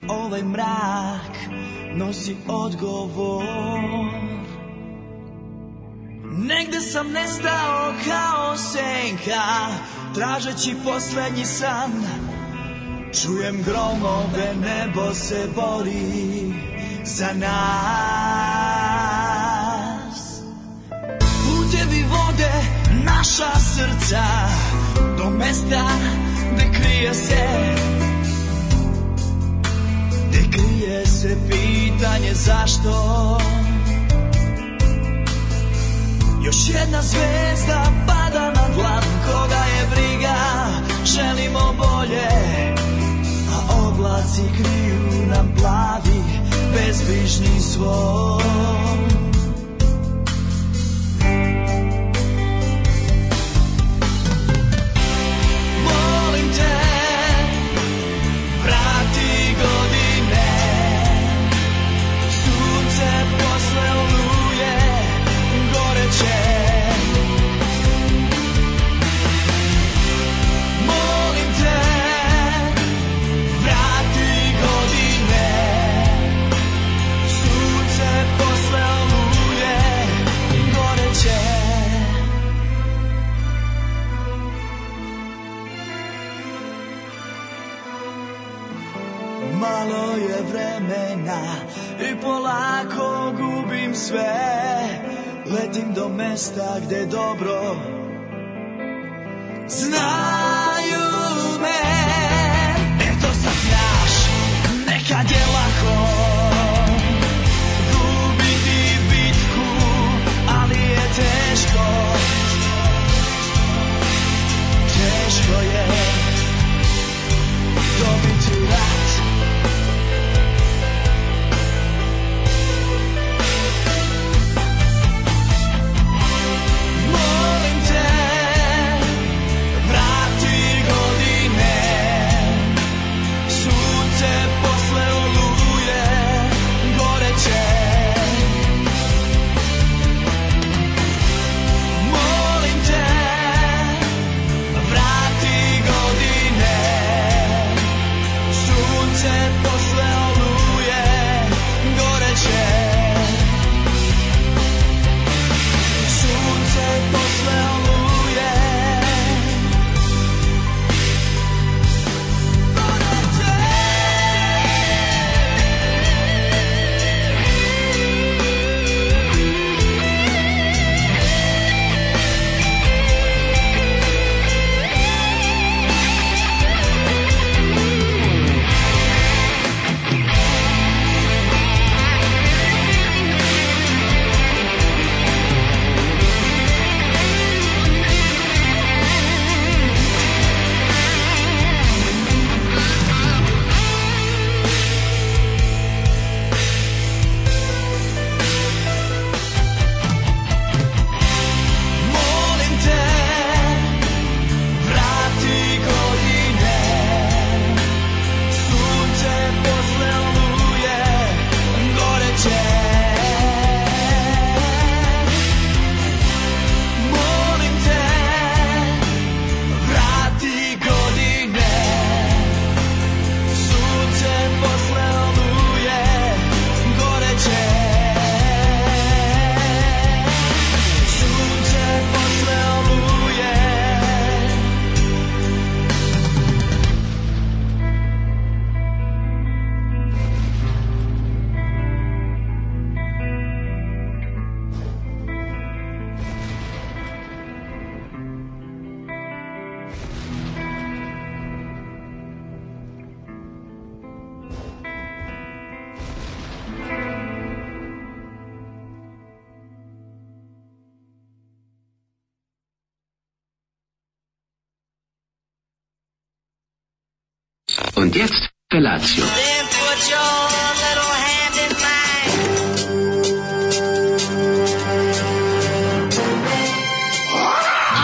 Ovaj mrak nosi odgovor. Negde sam nestao kao senka, tražeći poslednji san. Čujem gromove, nebo se bori za nas. Putevi vode naša srca do mesta gde krije se pitanje zašto. Još jedna zvezda pada na dlan, koga je briga, želimo bolje, a oblaci kriju nam plavi bezbrižni svoj. Molim te, vrati godine, sunce posle oluje goreće. Molim te, vrati godine, sunce posle oluje goreće. Malo je vremena i polako gubim sve. Letim do mesta gde dobro znaju me. Eto sad znaš, nekad je lako gubiti bitku, ali je teško, teško je dobiti rat. Und jetzt Felatio. Then put your little hand in mine.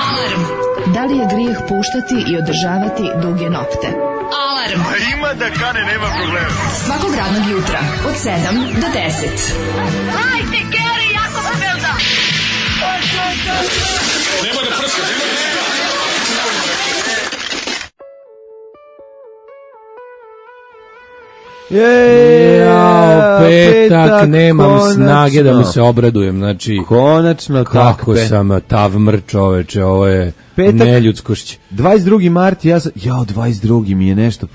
Alarm. Da li je grijeh puštati i održavati duge nokte? Alarm. A ima da kane, nema problema. Svakog radnog jutra od 7 do 10. Hajde, Geri, jako se velda. Nema da prska, nema da prska. Petak, nemam konačno. snage da mi se obradujem, znači Konačno, kako sam tav mrč, čoveče, ovo je Petak. neljudskošć. 22. mart, 22. mi je nešto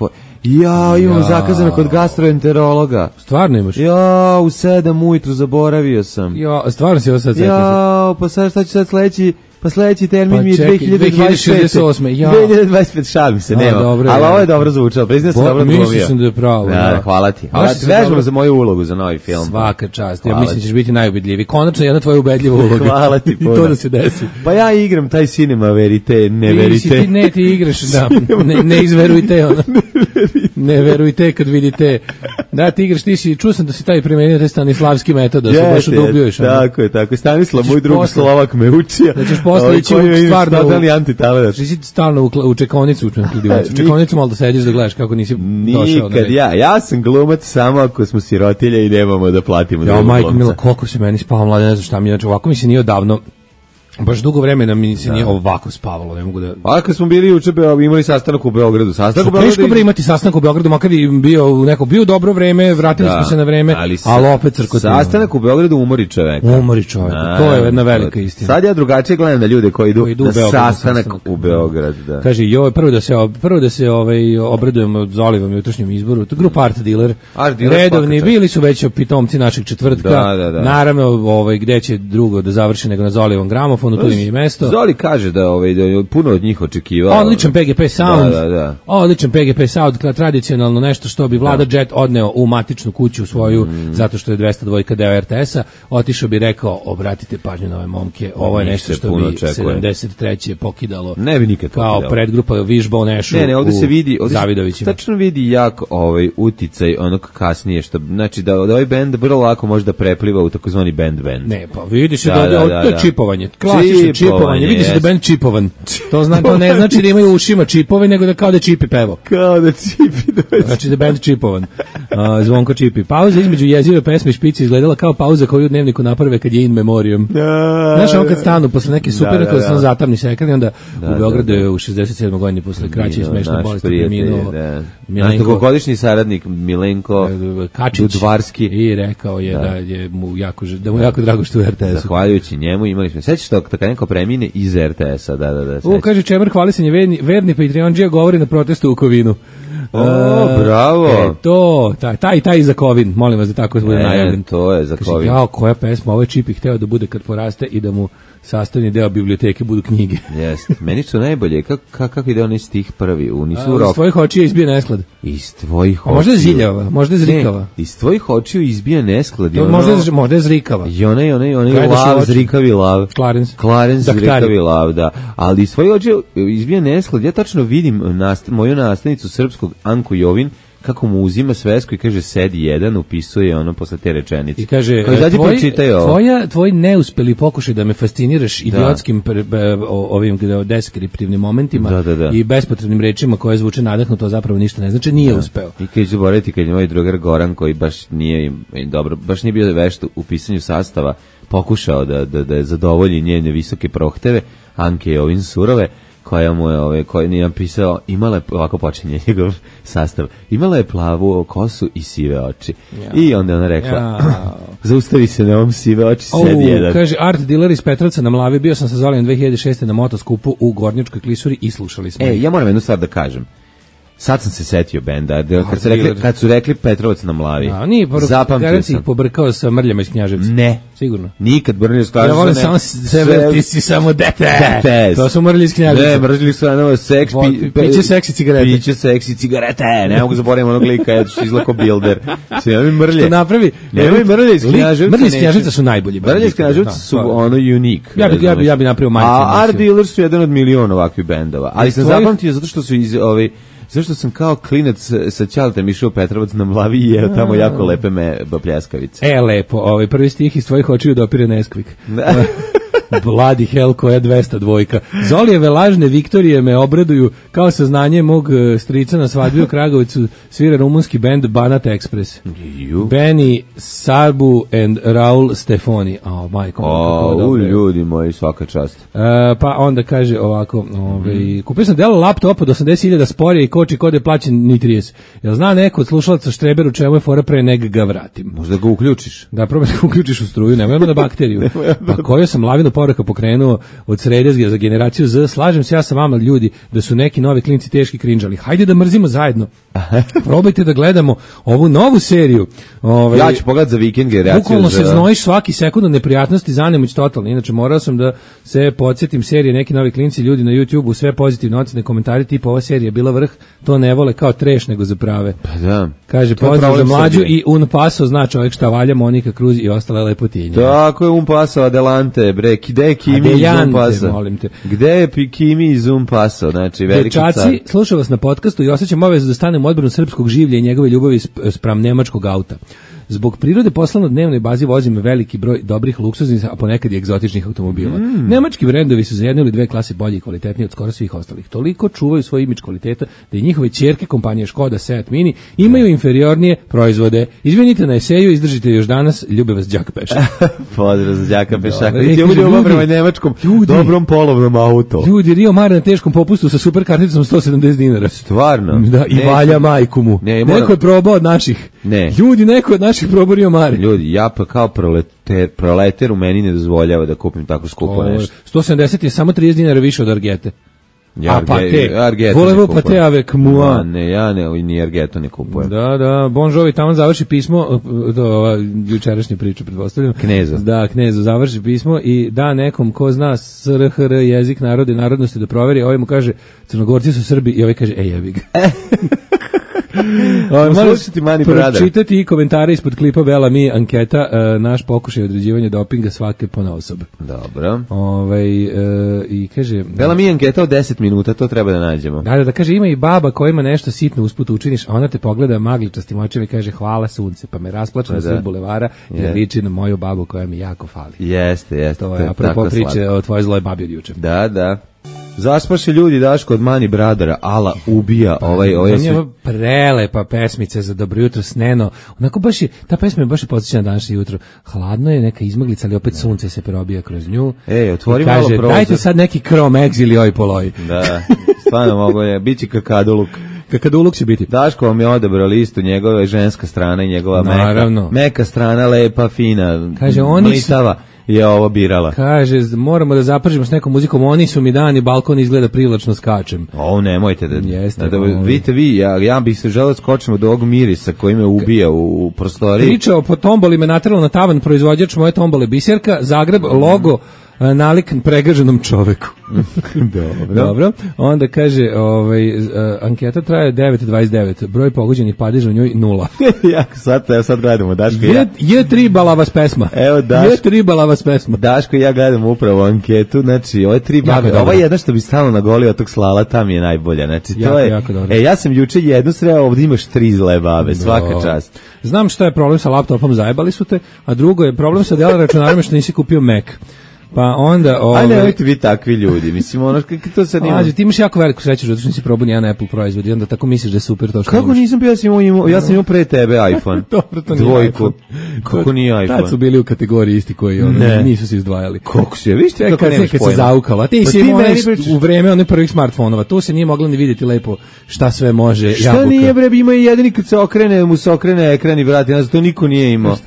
imam zakazano kod gastroenterologa. Stvarno imaš? U 7 ujutru zaboravio sam. Stvarno si ovo sad setio. Pa sad šta ću sad sledeći termin Pa mi je čekaj, 2025. 2025, šalim se, nema. Dobro, ali ovo je dobro zvučalo, priznam se dobro glumio. Mislio sam da je pravo. Da, hvala ti. Vežbamo za moju ulogu za novi film. Svaka čast, ja mislim da ćeš biti najubedljiviji. Konačno jedna tvoja ubedljiva uloga. Hvala ti puno. I to da se desi. Pa ja igram taj cinema verite, ne verite. Ti igraš, da, ne izverujte, ono. Ne verujte kad vidite. Da, ti igraš, čuo sam da si taj primenio taj stanislavski metod, da se baš udubljuješ. Tako je. Stanislav, moj drug Slovak me učio. Da ćeš posle ići stvarno totalni antitaledaš. Ti si stalno u čekaonicu u čekaonicu malo da sediš da gledaš kako nisi došao. Nikad ja sam glumac samo ako smo sirotilje i nemamo da platimo drugog glumca. Majko mila, koliko se meni spavalo, mlade, ne znam šta mi je, ovako mi se nije odavno. Baš dugo vremena mi se nije ovako spavalo, ne mogu da... A kad smo bili juče, imali sastanak u Beogradu. Teško bre imati sastanak u Beogradu, makar i bio dobro vreme, vratili smo se na vreme, ali opet crkotimo. Sastanak u Beogradu umori čoveka. To je jedna velika istina. Sad ja drugačije gledam da ljude koji idu na sastanak u Beograd. Kaže, prvo da se obradujemo od Zolivom jutrošnjem izboru, to grupa Art Dealer, redovni, bili su već pitomci našeg četvrtka, naravno gde će drugo da završi nego na Zolivom gramofonu. Tu im je mesto. Zoli kaže da puno od njih očekivao. Odličan PGP sound. Odličan PGP sound, tradicionalno nešto što bi Vlada Jet odneo u matičnu kuću svoju, zato što je 202 deo RTS-a, otišao bi rekao, obratite pažnju na ove momke, ovo je nešto što bi 73. pokidalo. Ne bi nikad pokidalo. Kao predgrupa Wishbone Ashu ovdje se vidi, Zavidovićima. Tačno vidi jak uticaj onog kasnije, što znači da ovaj bend vrlo lako može da prepliva u takozvani band. Ne, pa vidi se da je čipovanje. Klasično čipovanje, vidi se da je band čipovan. To ne znači da imaju u ušima čipove, nego da kao da Čipi pevo. Kao da Čipi. Znači da je band čipovan. Zvonko Čipi. Pauza između jezive pesme i špice izgledala kao pauza koju u dnevniku naprave kad je in memoriam. Znaš, ovo kad stanu posle neke super, kada se zatamni se ekran, onda u Beogradu je u 67. godini posle kraće i smešne bolesti preminuo dugogodišnji saradnik Milenko Dudvarski i rekao je da je mu jako drago što je RTS-u. Zahvaljujući njemu imali smo. Sećaš to kad neko premine iz RTS-a, da. Kaže Čemer, hvalisanje verni Patreonđija govori na protestu u Kovinu. Bravo. Taj za Kovin, molim vas da tako bude najavljen. To je za Kovin. Koja pesma, ovo je Čipi hteo da bude kad poraste i da mu sastavni deo biblioteke budu knjige. Jeste. Meni su najbolje. Kako ide onaj stih prvi? Iz tvojih očiju izbija nesklad. Iz tvojih očiju. Možda je ziljava, možda je zrikava. Iz tvojih očiju izbija nesklad. Možda je zrikava. I onaj lav, zrikavi lav. Clarence zrikavi lav, da. Ali iz tvojih očiju izbija nesklad. Ja tačno vidim moju nastavnicu srpskog Anku Jovin kako mu uzima svesku i kaže sedi jedan, upisuje ono posle te rečenice. I kaže, tvoj neuspeli pokušaj da me fasciniraš idiotskim ovim deskriptivnim momentima i bespotrebnim rečima koje zvuče nadahnuto, zapravo ništa ne znači, nije uspeo. I kad ću zaboraviti kad je moj drugar Goran, koji baš nije bio vešt u pisanju sastava, pokušao da zadovolji njene visoke prohteve, Anke je ovim surove, koja mu je, koja nije napisao, imala je, ovako počinje njegov sastav, imala je plavu kosu i sive oči. I onda ona rekla, zaustavi se na ovom sive oči, sedi jedan. Kaže, Art Dealer iz Petrovca na Mlavi, bio sam sa Zolijem 2006. na motoskupu u Gornjačkoj klisuri i slušali smo. Ja moram jednu stvar da kažem. Sad sam se setio benda, kad su rekli Petrovac na Mlavi. Zapamtio sam. Pobrkao sa Mrljama iz Knjaževca. Ne. Sigurno. Nikad Mrlje iz Knjaževca. Ja volim samo sebe, ti si samo dete. To su Mrlje iz Knjaževca. Ne, Mrlje su seks, piće seksi cigarete. Piće seksi cigarete. Ne mogu zaboraviti onog lika, ja ću izlako Bilder. Što napravi? Mrlje iz Knjaževca. Mrlje iz Knjaževca su najbolji. Mrlje iz Knjaževca su ono unique. Ja bi napravio majicu. A Art Dealer su jedan od miliona ovakvih bendova. Ali sam zapamtio zato što su iz zašto sam kao klinac sa Ćaletem išao Petrovac na Mlavi i jeo tamo jako lepe pljeskavice. Lepo, prvi stih iz tvojih očiju dopire Neskvik. Bloody hell koja 200 dvojka. Zolijeve lažne Viktorije me obraduju kao saznanje mog strica na svadbi u Kragovicu svira rumunski bend Banat Express. Benny, Sarbu and Raul Stefani. Ljudi moji, svaka čast. Pa onda kaže ovako, kupio sam delo laptop od 80.000 sporije i koči kod je plaćen ni 30. Jel zna neko od slušalaca Štreberu čemu je fora pre nek ga vratim? Možda ga uključiš. Da, probaj da uključiš u struju, nemojmo na bakteriju. Pa koju sam lavinu poruka pokrenuo od srede za generaciju Z, slažem se ja sa vama ljudi da su neki novi klinci teški krinđali. Hajde da mrzimo zajedno. Probajte da gledamo ovu novu seriju. Ja ću pogledati za vikend generaciju. Bukvalno se znojiš svaki sekund od neprijatnosti, zanemoć totalno. Inače, morao sam da se podsjetim serije neki novi klinci, ljudi na YouTubeu, sve pozitivne ocene, komentari tipa ova serija je bila vrh, to ne vole kao treš nego za prave. Pa da. Kaže, pozdrav za mlađu i un paso, zna čovjek šta valja, Monika Cruz i ostale lepotinje. Tako je un paso, adelante, bre, gde je Kimi iz un paso? Molim te. Gde je Kimi iz un paso? Znači, veliki car. Dečaci, slušao vas na podcastu i osjećam obavezu da stanem u odbranu srpskog življa i njegove ljubavi spram nemačkog auta. Zbog prirode posla na dnevnoj bazi vozim veliki broj dobrih luksuznih, a ponekad i egzotičnih automobila. Nemački brendovi su za jednu ili dve klase bolji i kvalitetniji od skoro svih ostalih. Toliko čuvaju svoj imidž kvaliteta da i njihove ćerke kompanije Škoda, Seat Mini imaju inferiornije proizvode. Izvinite na eseju, izdržite još danas, ljube vas Đaka Pešak. Pozdrav za Đaka Pešaka. Ljubav prema nemačkom dobrom polovnom auto. Ljudi, Rio Mare na teškom popustu sa super karticom 170 dinara. Stvarno? Da, i valja majku mu. Neko je probao od naših. Ljudi, neko je od naših probao Rio Mare. Ljudi, ja pa kao proleter u meni ne dozvoljava da kupim tako skupo nešto. 170 je samo 30 dinara više od Argete. Ja Volevo pate avec moi. Ne, ja ni Argeto ne kupujem. Da, Bon Jovi tamo završi pismo, jučerašnja priča pretpostavljam. Kneza. Da, Knezu završi pismo i da nekom ko zna SRHR jezik narode i narodnosti da proveri, ovaj mu kaže Crnogorci su Srbi i ovaj kaže jebi ga. Pročitati i komentare ispod klipa Bela Mi anketa, naš pokušaj određivanja dopinga svake ponaosob. Dobro. I kaže Bela Mi anketa od 10 minuta, to treba da nađemo. Da kaže ima i baba koja ima nešto sitno usput učiniš, a ona te pogleda magličastim očima i kaže hvala sunce, pa me rasplače na sred bulevara jer liči na moju babu koja mi jako fali. Jeste. To je apropo priče o tvojoj zloj babi od juče. Da. Zaspaše ljudi Daško od Mani Bradara, ala ubija prelepa pesmica za dobro jutro sneno. Onako baš je, ta pesma je baš podsjeća na današnje jutro. Hladno je, neka izmaglica, ali opet sunce se probija kroz nju. Otvori malo prozor. Dajte sad neki Chrome Eggs ili oj poloj. Da, stvarno mogu je, bit će kakaduluk. Kakaduluk će biti. Daško vam je odabrao listu, njegova je ženska strana i njegova meka strana, lepa, fina, kaže, mlitava. Je ovo birala. Kaže, moramo da zapržimo s nekom muzikom, oni su mi dani, balkon izgleda privlačno skačem. Nemojte da... Vidite vi, ja bih se želeo skočiti od ovog mirisa koji me ubija u prostoriji. Pričao po tomboli me nateralo na tavan proizvođač moje tombole Biserka, Zagreb, logo, nalik pregaženom čoveku. Dobro. Onda kaže, anketa traje 9:29, broj pogođenih padeža u njoj 0. sad gledamo, Daško je tribala vas pesma. Evo Daško. Je tribala vas pesma. Daško i ja gledamo upravo anketu, znači ove tri babe. Ova jedna što bi stalno nagolio tog slala, tam je najbolja. Znači to je. Ja sam juče jednu sreo, ovdje imaš 3 zle babe, svaka čast. Znam šta je problem sa laptopom, zajebali su te, a drugo je problem sa dela računarima što nisi kupio Mac. Pa onda... Ajde, nemojte vi takvi ljudi, mislim, to se nima... Ti imaš jako veliku sreću, zato što nisi probao nijedan Apple proizvod i onda tako misliš da je super to što kako imaš. Nisam bio, ja sam imao pre tebe iPhone. Dobro, to nije Dvojku. Kako nije iPhone? Tad su bili u kategoriji isti koji nisu se izdvajali. Kako se, viš te kako nemaš pojma? Kad se zaukala, ti si imao u vreme onih prvih smartfonova, tu se nije moglo ni vidjeti lepo šta sve može jabuka. Šta nije bre, ima i jedini kad se okrene, mu se okrene ekran i vrati, nas to niko nije imao.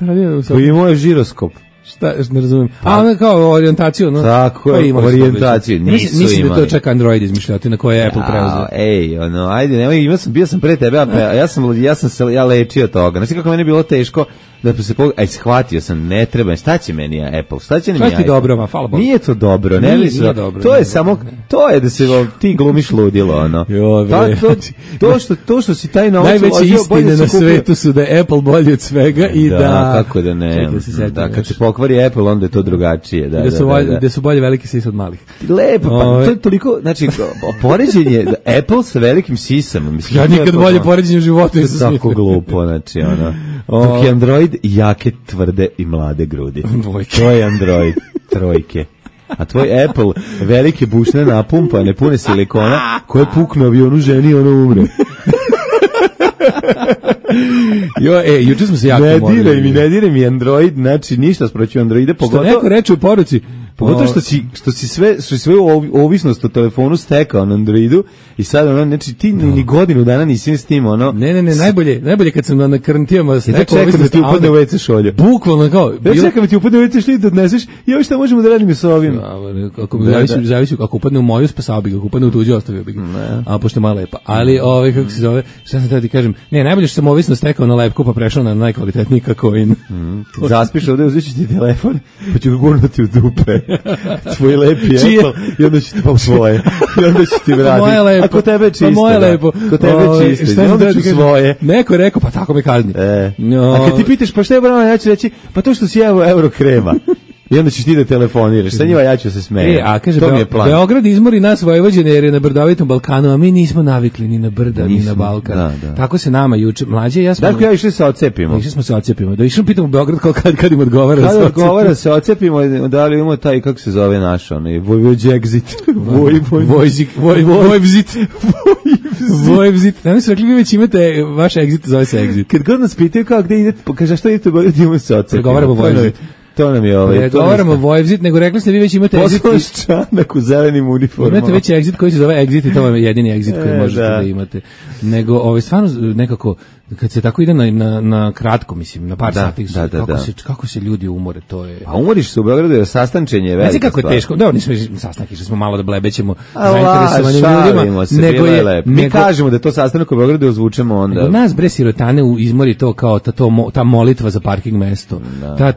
Pa imao je žiroskop. Šta, ne razumijem. A kao orijentaciju, no. Tako je, orijentaciju. Mislim da to čak Android izmišljati na koje je Apple preuzeo. Ajde, nemoj, bio sam pre tebe, ja lečio toga. Znači kako meni je bilo teško da se shvatio sam, ne treba, šta će meni Apple, šta će mi iPhone? Dobro, hvala Bogu. Nije to dobro, ne mislim. To je samo, to je da se ti glumiš ludilo, ono. To što si taj novac najveće istine na svetu su da je Apple bolji od svega i da... Kako da ne, da kad se pokvari Apple, onda je to drugačije. Da su bolje velike sise od malih. Lepo, pa to je toliko, znači, poređenje Apple sa velikim sisama. Ja nikad bolje poređenje u životu nisam smislio. Tako glupo, znači, ono. Dok je Android jake, tvrde i mlade grudi. Dvojke. To je Android, trojke. A tvoj Apple velike bušne napumpane, pune silikona, koje puknu avionu ženi, ono umre. Juče smo se jako Ne diraj mi Android, znači ništa sproću Androide, pogotovo... Što neko reče u poruci, pogotovo što si sve ovisnost o telefonu stekao na Androidu i sad ono, znači ti ni godinu dana nisi s tim, ono... Ne, najbolje kad sam na karantijama stekao ovisnost, da ti upadne u WC šolje. Bukvalno kao... Ja čekam da ti upadne u WC šolje da odneseš, ja šta možemo da radimo sa ovim? Zavisi, ako upadne u moju, spasao bi ga, ako upadne u tuđu, ostavio bi ga. A pošto je malo lepa. Ali, kako se zove, šta sam tada ti kažem, najbolje što sam ovisnost stekao na lepku, pa prešao na najkvalitetniji kakoin. Zaspiš ovde, uzet ti telefon, pa ću ga gurnuti u dupe. Tvoj lepi Apple, i onda ću ti pa svoje. I onda ću ti vratiti. Ako tebe je čisto. Moje lepo. Ako tebe je čisto. I onda ću svoje. Neko je rekao, pa tako me kazni. A kad ti pitaš, pa šta je brano, ja ću reći, pa to što si euro krema. I onda ćeš ti da telefoniraš. Sa njima ja ću se smejem. A kaže, Beograd izmori nas Vojvođane jer je na brdovitom Balkanu, a mi nismo navikli ni na brda, ni na Balkan. Da. Tako se nama juče, mlađe, ja smo... Darko, ja išli se ocepimo. Išli smo se ocepimo. Da išli pitamo Beograd kad im odgovara. Kad odgovara se ocepimo, da li imamo taj, kako se zove naš, onaj, Vojvođegzit. Vojvzit. Da mi su rekli, vi već imate vaš exit, zove se exit. Kad god nas pitaju kao gde idete, kaže što idete u Beograd, imamo se ocepimo. Pregovaramo Vojvzit. To nam je Ne govorimo Vojvzit, nego rekli ste vi već imate exit. Posluš čanak u zelenim uniformama. Imate već exit koji se zove exit i to vam je jedini exit koji možete da imate. Nego, stvarno nekako, kad se tako ide na kratko, mislim, na par sati, kako se ljudi umore, to je... Pa umoriš se u Beogradu, jer sastančenje je velika stvar. Znači kako je teško, da, nismo sastanak, išli smo malo da blebećemo zainteresovanim ljudima, nego je... Mi kažemo da to sastanak u Beogradu ozvučemo onda. Nego nas, bre, sirotane izmori to kao ta molitva za parking mesto,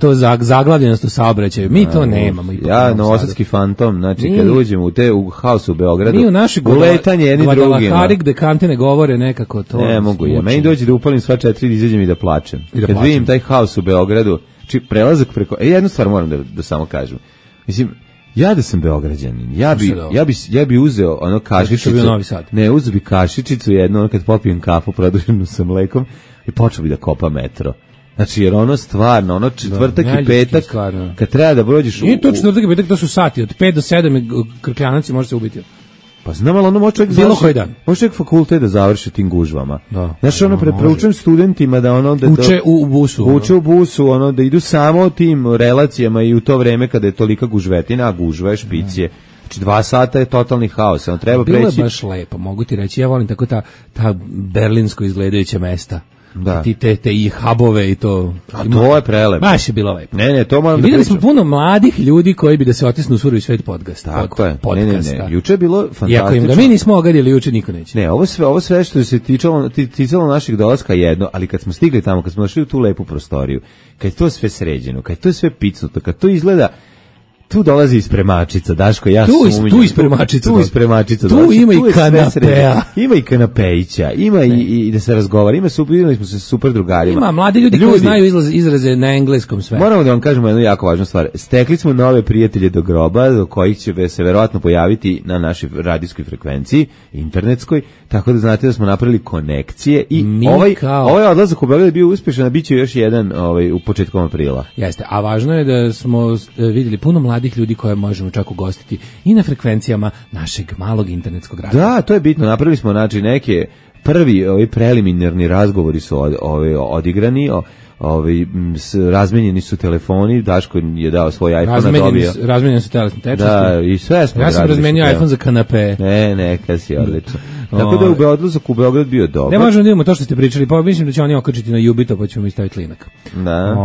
to zaglavljenost u saobraćaju, mi to nemamo. Ja, novosadski fantom, znači kad uđemo u haosu u Beogradu, uletanje jedni drugima. Guadalajara gde kante ne govore nekako to... Ne mogu ja, meni dođe da upalim sva 4 i izađem i da plačem. Kad vidim taj haos u Beogradu, či prelazak preko... jednu stvar moram da samo kažem. Mislim, ja da sam Beograđanin, ja bi uzeo ono kašičicu... Ne, uzeo bi kašičicu jednu, ono kad popijem kafu produženu sa mlekom i počeo bi da kopa metro. Znači, jer ono stvarno, ono četvrtak i petak, kad treba da prođeš... Nije to četvrtak i petak, to su sati, od 5 do 7 krkljanaci može se ubiti. Pa znam, ali ono može čovjek fakultet da završi tim gužvama. Znači, ono preproučujem studentima da ono... Uče u busu. Uče u busu, ono, da idu samo tim relacijama i u to vreme kada je tolika gužvetina, a gužva je špicije. Znači, 2 sata je totalni haos, ono treba preći... Bilo je baš lepo, mogu ti reći, ja volim tako ta berlinsko izgledajuća mesta. Da. Te i hubove i to. A to je prelepo. Baš je bilo lepo. Ne, to moram da videli smo puno mladih ljudi koji bi da se otisnu u surovi svet podcast. Tako je. Ne. Juče je bilo fantastično. Iako im ga mi nismo ogadili, juče niko neće. Ne, ovo sve što se ticalo naših dolaska jedno, ali kad smo stigli tamo, kad smo došli u tu lepu prostoriju, kad je to sve sređeno, kad je to sve picnuto, kad to izgleda... Tu dolazi iz spremačica, Daško, ja sumnjam. Tu iz spremačica. Tu ima i kanapea. Ima i kanapejića, ima i da se razgovara, videli smo se super drugarima. Ima mladi ljudi koji znaju izraze na engleskom sve. Moramo da vam kažemo jednu jako važnu stvar. Stekli smo nove prijatelje do groba, do kojih će se verovatno pojaviti na našoj radijskoj frekvenciji, internetskoj, tako da znate da smo napravili konekcije i ovaj odlazak u Beograd je bio uspešan, a bit će još jedan u početkom aprila. Jeste, a važno je da smo vidjeli puno mladih ljudi koje možemo čak ugostiti i na frekvencijama našeg malog internetskog radija. Da, to je bitno. Napravili smo neke prvi preliminarni razgovori su odigrani, razmenjeni su telefoni, Daško je dao svoj iPhone, razmenjeni su telesne tečnosti. Da, i sve smo. Ja sam razmenio iPhone za kanape. Ne, kad si odlično. Tako da je odlazak u Beograd bio dobar. Ne možemo da imamo to što ste pričali, pa mislim da će oni okačiti na Jubito, pa ćemo mi staviti linak. Da.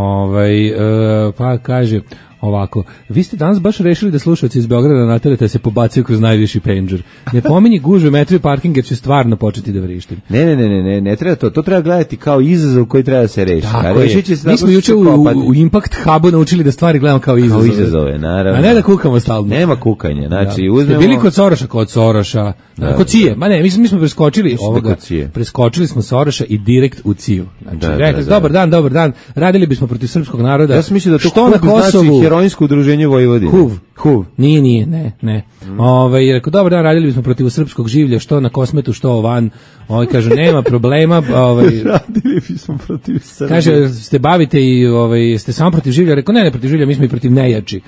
Pa kaže ovako, vi ste danas baš rešili da slušalci iz Beograda naterate se pobacaju kroz najviši pager. Ne pominji gužve, metro i parking jer će stvarno početi da vrištim. Ne treba to treba gledati kao izazov koji treba da se reši. Tako je. Mi smo juče u Impact Hubu naučili da stvari gledamo kao izazove. Kao izazove, naravno. A ne da kukamo stalno. Nema kukanja, znači uzmemo... Bili kod Soroša, kod Cije, mi smo preskočili smo Soroša i direkt u Ciju. Znači, rekli, dobar dan, radili bismo protiv srpskog naroda. Ja sam mislio da to što na Kosovu heroinsko udruženje Vojvodine. Huv. Nije, ne. Rekao, dobar dan, radili bismo protiv srpskog življa, što na Kosmetu, što van. Kažu, nema problema. Radili bismo protiv Srbije. Kaže, ste bavite i ste samo protiv življa? Rekao, ne protiv življa, mi smo i protiv nejači.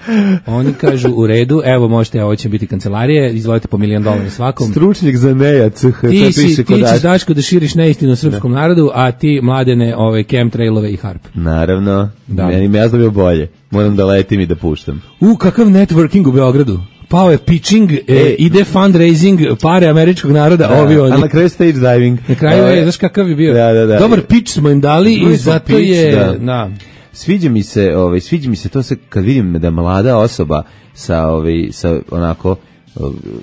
Oni kažu, u redu, evo možete, ovo će biti kancelarije, izvolite po $1 milion svakom. Stručnjak za nejac. Ti ćeš, Daško, da širiš neistinu srpskom narodu, a ti, Mladene, chemtrailove i harp. Naravno, meni ja znam bolje. Moram da letim i da puštam. Kakav networking u Beogradu. Pao je pitching, ide fundraising, pare američkog naroda, a na kraju stage diving. Na kraju je, znaš kakav je bio. Dobar pitch smo im dali i zato je... Sviđa mi se to se kad vidim da mlada osoba sa onako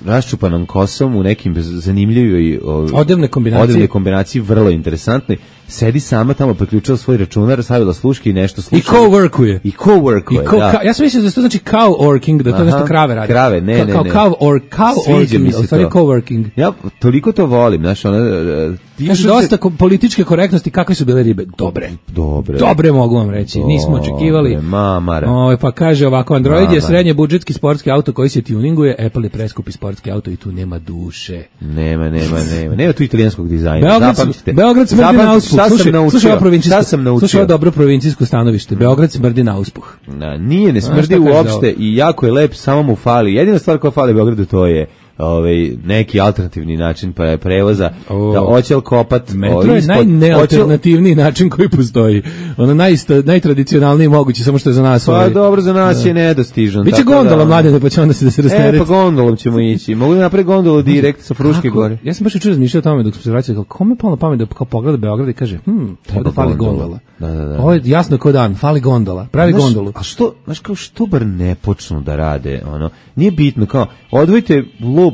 raščupanom kosom u nekim zanimljivoj odevne kombinaciji, vrlo interesantnoj. Sedi sama tamo, priključila svoj računar, stavila sluške i nešto sluša. I co-workuje. Da. Ja sam mislio da to znači cow-working, da to nešto krave radi. Krave, ne. Cow-working, u stvari co-working. Ja toliko to volim, znaš, dosta političke korektnosti, kakve su bile ribe? Dobre mogu vam reći, nismo očekivali. Pa kaže ovako, Android je srednje budžetski sportski auto koji se tuninguje, Apple je preskupi sportski auto i tu nema duše. Nema tu italijanskog dizajna. Beograd smrdi na uspuh. Šta sam naučio? Slušaj ovo dobro provincijsko stanovište. Beograd smrdi na uspuh. Nije, ne smrdi uopšte i jako je lep, samo mu fali. Jedina stvar koja fali Beogradu to je neki alternativni način prevoza, da oćel kopat metro je najnealternativniji način koji postoji, najtradicionalniji mogući, samo što je za nas pa dobro, za nas je nedostižan. Biće gondola, Mladene, pa će onda da se rastereti. Pa gondolom ćemo ići, mogu da napravi gondolu direkt sa Fruške gore. Ja sam baš jučer razmišljao o tome dok smo se vraćali, kome je palo na pamet da kao pogleda Beograd i kaže, ovdje fali gondola. Ovo je jasno kao dan, fali gondola, pravi gondolu. A što bar ne počnu da rade, nije bitno, kao, odvojite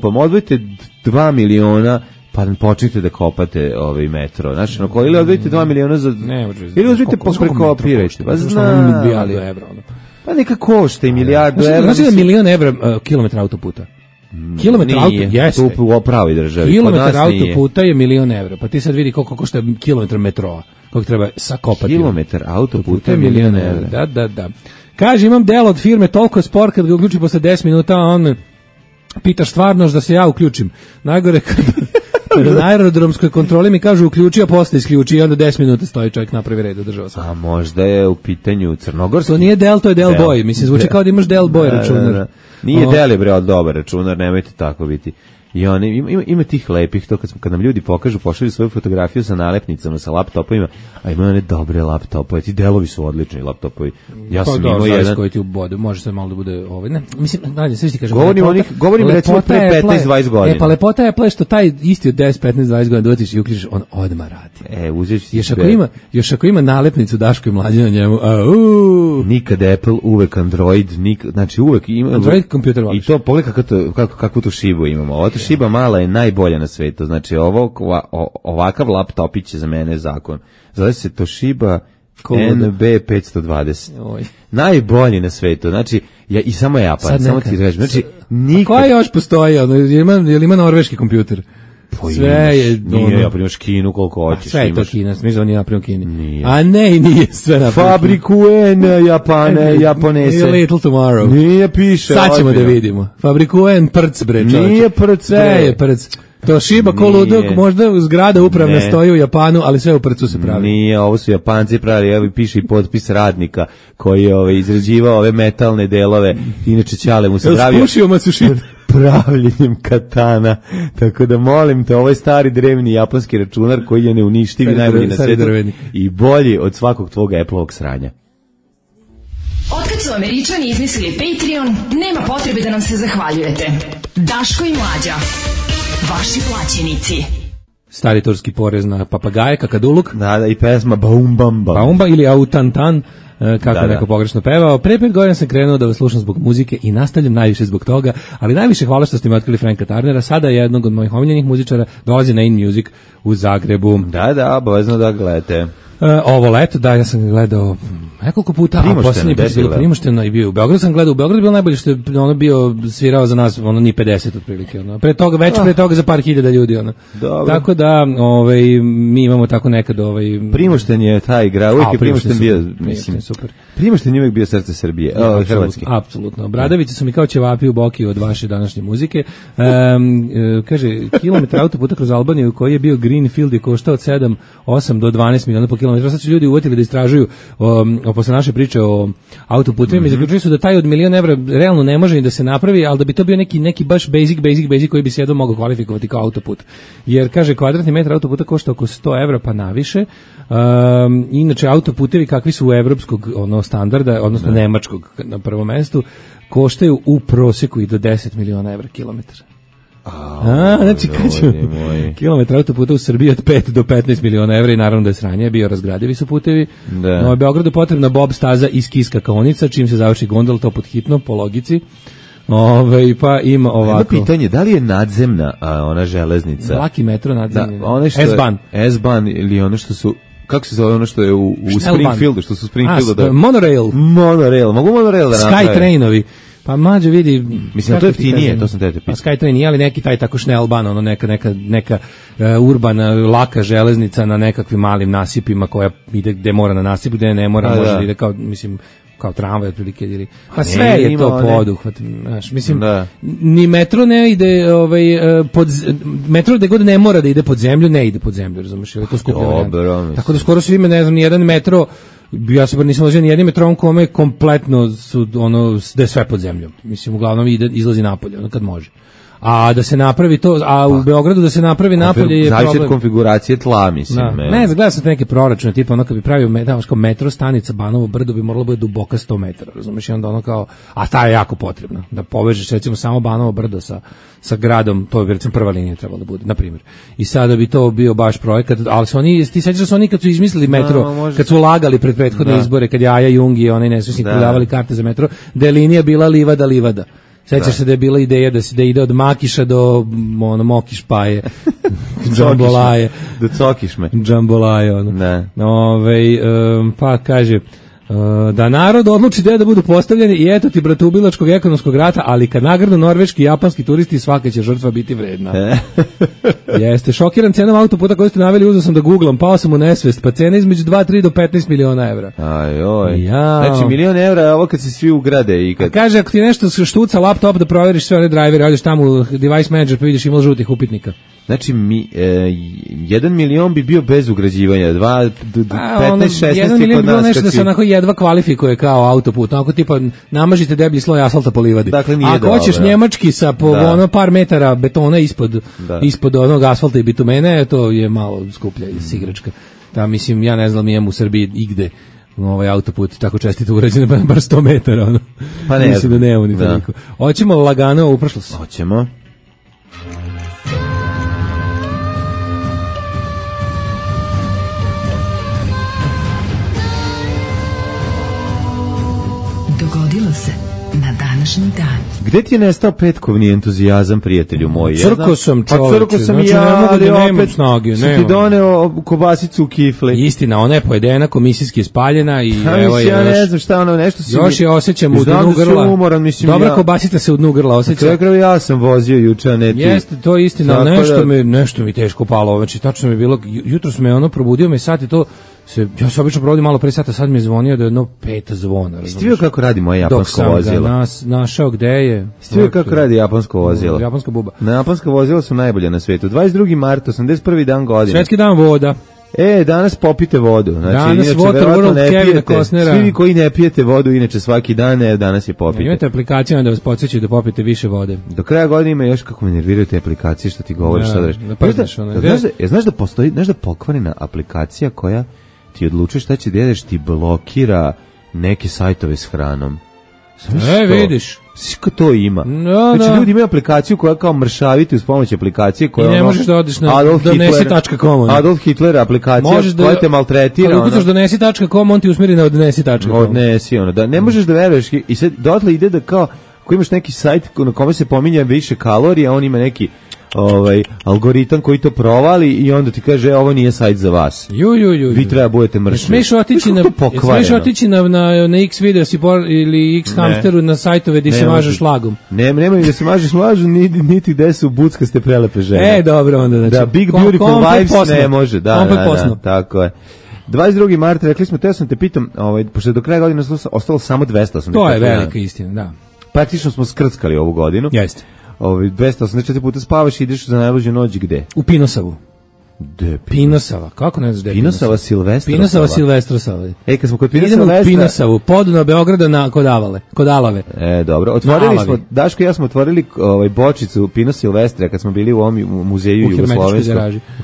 odvojite 2 miliona, pa počnite da kopate metro. Znači, ili odvojite 2 miliona za... Ili odvojite pa prekopirajte. Pa znam. Pa neka košta i milijardu evra. Znači da je $1.000.000 kilometra autoputa. Kilometar autoputa, jeste. Tu u pravi državi. Kilometar autoputa je $1.000.000. Pa ti sad vidi koliko košta kilometar metroa. Koliko treba sakopati. Kilometar autoputa je $1.000.000. Da. Kaže, imam delo od firme, toliko je spor, kad ga uključi posle 10 minuta, on pitaš stvarno da se ja uključim. Najgore kada na aerodromskoj kontroli mi kažu uključi, a posle isključi i onda 10 minuta stoji čovjek napravi red, održava se. A možda je u pitanju crnogorski. To nije Del, to je Del Boy. Mislim, zvuči kao da imaš Del Boy računar. Nije Del je bre dobar računar, nemojte tako biti. I ima tih lepih, to kad nam ljudi pokažu, pošalju svoju fotografiju sa nalepnicama, sa laptopovima, a imaju one dobre laptopove, ti delovi su odlični laptopovi. Ja sam imao jedan koji ti ubode, može se malo da bude ne, mislim, dalje sve ti kažem. Govorim recimo pre 15-20 godina. Pa lepota je Apple što taj isti od 10-15-20 godina dođeš i uključiš, on odmah radi. Uzeti još ako ima nalepnicu Daško i Mlađe na njemu. Nikad Apple, uvek Android, znači uvek ima Android kompjuter. I to pogledaj kakvu tu šibu imamo. Šiba mala je najbolja na svetu, znači ovakav laptopić je za mene zakon. Zove se Toshiba NB520. Najbolji na svetu, znači i samo je Japan, samo ti kažem. Znači, koja još postoji? Je li ima norveški kompjuter? Sve je nije, ja primaš Kinu koliko hoćeš. Sve je to Kina, misliš da on je napravio Kini. Nije. A ne, i nije sve napravio. Fabrikuen Japane, Japonese. A little tomorrow. Nije piše. Sad ćemo da vidimo. Fabrikuen prc, bre, čovječe. Nije prc, sve je prc. To Shiba koludok, možda zgrada upravna stoji u Japanu, ali sve u prcu se pravi. Nije, ovo su Japanci pravili, evo piše i potpis radnika koji je izrađivao ove metalne delove, inače Ćale mu se pravio. Spušio Matsushita. Pravljenjem katana, tako da molim te, ovo je stari drevni japanski računar koji je neuništiv i najbolji na svijetu i bolji od svakog tvog Apple-ovog sranja. Otkad su Američani izmislili Patreon, nema potrebe da nam se zahvaljujete. Daško i Mlađa, vaši plaćenici. Stari turski porez na papagaje, kakaduluk. Da, i pesma Baumba ili Autantan, kako neko pogrešno pevao. Pre 5 godina sam krenuo da vas slušam zbog muzike i nastavljam najviše zbog toga, ali najviše hvala što ste mi otkrili Franka Tarnera, sada jednog od mojih omiljenih muzičara, dolazi na In Music u Zagrebu. Da, obavezno da gledate. Ovo leto, da, ja sam gledao Nekoliko puta, Primošteno, a posljednji put je bilo desilo. Primošteno i bio u Beogradu, sam gledao, u Beogradu je bilo najbolje što je ono bio svirao za nas, ono ni 50 otprilike, ono. Pre toga za par hiljada ljudi, ono. Dobro. Tako da, mi imamo tako nekad, Primošten je taj igra, uvijek je Primošten bio, Primošten mislim, je super. Primošten je uvijek bio srce Srbije, Hrvatske. Apsolutno. Bradavice su mi kao ćevapi u boki od vaše današnje muzike. Kaže, kilometar autoputa kroz Albaniju koji je bio Greenfield je koštao od 8 do 12 miliona po kilometru. Sad su ljudi uvatili da istražuju posle naše priče o autoputima i zaključili su da taj od €1.000.000 realno ne može ni da se napravi, ali da bi to bio neki baš basic koji bi se jedno mogao kvalifikovati kao autoput. Jer, kaže, kvadratni metar autoputa košta oko €100 pa naviše. Inače, autoputevi kakvi su u evropskog standarda, odnosno nemačkog na prvom mestu, koštaju u proseku i do 10 miliona evra kilometar. Znači kilometar autoputa u Srbiji od 5 do 15 miliona evra i naravno da je sranje, biorazgradivi su putevi. No, u Beogradu potrebna bob staza iz Kiska kaonica, čim se završi gondol, to pod hitno, po logici. Pa ima ovako. Jedno pitanje, da li je nadzemna ona železnica? Laki metro nadzemni. S-Bahn. S-Bahn ili ono što su, kako se zove ono što je u Springfieldu, što su Springfieldu Monorail. Mogu monorail da naprave. Skytrainovi. Pa mlađe vidi, mislim to je jeftinije, to sam te pitao. Skytrain, ali neki taj tako Schnellbahn, ono neka urbana laka železnica na nekakvim malim nasipima koja ide gde mora na nasip, gde ne mora, može da ide kao tramvaj otprilike ili pa sve je to poduhvat, znaš, mislim ni metro ne ide metro gde god ne mora da ide pod zemlju, ne ide pod zemlju, razumeš, je to skuplja varijanta. Tako da skoro svi ne znam ni jedan metro, ja se bar nisam vozio ni jednim metrom kome kompletno su da je sve pod zemljom. Mislim, uglavnom izlazi napolje, kad može. A da se napravi to, u Beogradu da se napravi napolje je problem. Zavisi od konfiguracije tla, mislim. Ne, gledao sam neke proračune, tipa kad bi pravio metro stanica Banovo Brdo bi moralo biti duboka 100 metara, razumiješ, i onda kao, a ta je jako potrebna, da povežeš recimo samo Banovo Brdo sa gradom, to bi recimo prva linija trebalo da bude, na primjer. I sada bi to bio baš projekat, ali su oni, ti sećaš da su oni kad su izmislili metro, kad su lagali pred prethodne izbore, kad je Aja Jung i onaj nesrećnik prodavali karte za metro, da je linija bila livada. Sećaš se da je bila ideja da ide od Makiša do Mokiš Paje, Džambolaje. Do Cokišme. Džambolaje, pa kaže, da narod odluči gde da budu postavljeni i eto ti bratoubilačkog ekonomskog rata, ali kad nagradu norveški i japanski turisti, svaka će žrtva biti vredna. Jeste, šokiran cenom autoputa koju ste naveli, uzeo sam da googlam, pao sam u nesvest, pa cena između 2-3 do 15 miliona evra. Znači milion evra je ovo kad se svi ugrade i kad... Kaže, ako ti nešto štuca laptop da proveriš sve one drivere, odeš tamo u device manager pa vidiš ima žutih upitnika. Znači, 1 milion bi bio bez ugrađivanja, 15, 16 1 milion bi bilo nešto da se onako jedva kvalifikuje kao autoput, onako tipa namažite deblji sloj asfalta po livadi. Dakle, nije ako hoćeš njemački sa par metara betona ispod onog asfalta i bitumene, to je malo skuplja igračka. Da, mislim, ja ne znam, imam u Srbiji igde autoput tako čestito urađen, bar 100 metara. Pa ne, mislim da nemamo ni toliko. Hoćemo lagano u prošlost. Hoćemo. Dogodilo se na današnji dan. Gde ti je nestao petkovni entuzijazam, prijatelju moj? Crko sam čovječe. Pa crko sam znači, ja, ne mogu da nemam opet snage. Su ti doneo kobasicu u kifli. Istina, ona je pojedena, komisijski je spaljena i evo je ja ne znam šta ono, nešto si... Još je osjećam u dnu grla. Umoran, mislim, dobra kobasica se u dnu grla osjeća. Ja sam vozio juče, a ne ti. Jeste, to je istina, nešto mi teško palo. Znači, tačno mi je bilo, jutro sam me probudio me sat i to... Ja se obično provodim malo pre sata, sad mi je zvonio da je jedno 5 zvona. Jeste vidio kako radi moje japansko vozilo? Dok sam ga našao gde je. Jeste vidio kako radi japansko vozilo? Japanska buba. Japanska vozila su najbolje na svetu. 22. mart, 81. dan godine. Svetski dan voda. Danas popite vodu. Znači, danas Waterworld Kevina Costnera. Svi vi koji ne pijete vodu, inače svaki dan, danas je popite. Imate aplikacije da vas podsjećaju da popite više vode. Do kraja godine ima još kako me nerviraju te aplikacije što ti govoriš. Znaš da postoji, znaš da pokvarena aplikacija koja ti odlučuješ šta će da jedeš, ti blokira neke sajtove s hranom. Vidiš. Svi to ima. Znači ljudi imaju aplikaciju koja kao mršaviti uz pomoć aplikacije koja... I ne možeš da odeš na donesi.com. Adolf Hitler aplikacija koja te maltretira. Kada ukucaš donesi.com, on ti usmiri na odnesi.com. Odnesi, da ne možeš da veruješ. I sad dotle ide da kao, ako imaš neki sajt na kome se pominje više kalorija, on ima neki algoritam koji to provali i onda ti kaže ovo nije sajt za vas. Vi treba budete mršvi. Smeš otići na X video ili X hamsteru na sajtove gdje se mažeš lagom. Nema da se mažeš lažom, niti gde su buckaste prelepe žene. Dobro onda. Znači, da, Big Beautiful Vibes posno. Ne može. Da, tako je. 22. marta, rekli smo, teo sam te pitam, pošto je do kraja godine ostalo samo 280. To je velika istina, da. Praktično smo skrckali ovu godinu. Jeste. 284 puta spavaš i ideš za najluđu noć gde? U Pinosavu. Pinosava, kako ne znaš gde je Pinosava? Pinosava Silvestrosava. Kad smo kod Pinosavu, podno Beograda na kod Alave. Dobro, otvorili smo, Daško i ja smo otvorili bočicu Pino Silvestre kad smo bili u ovom muzeju u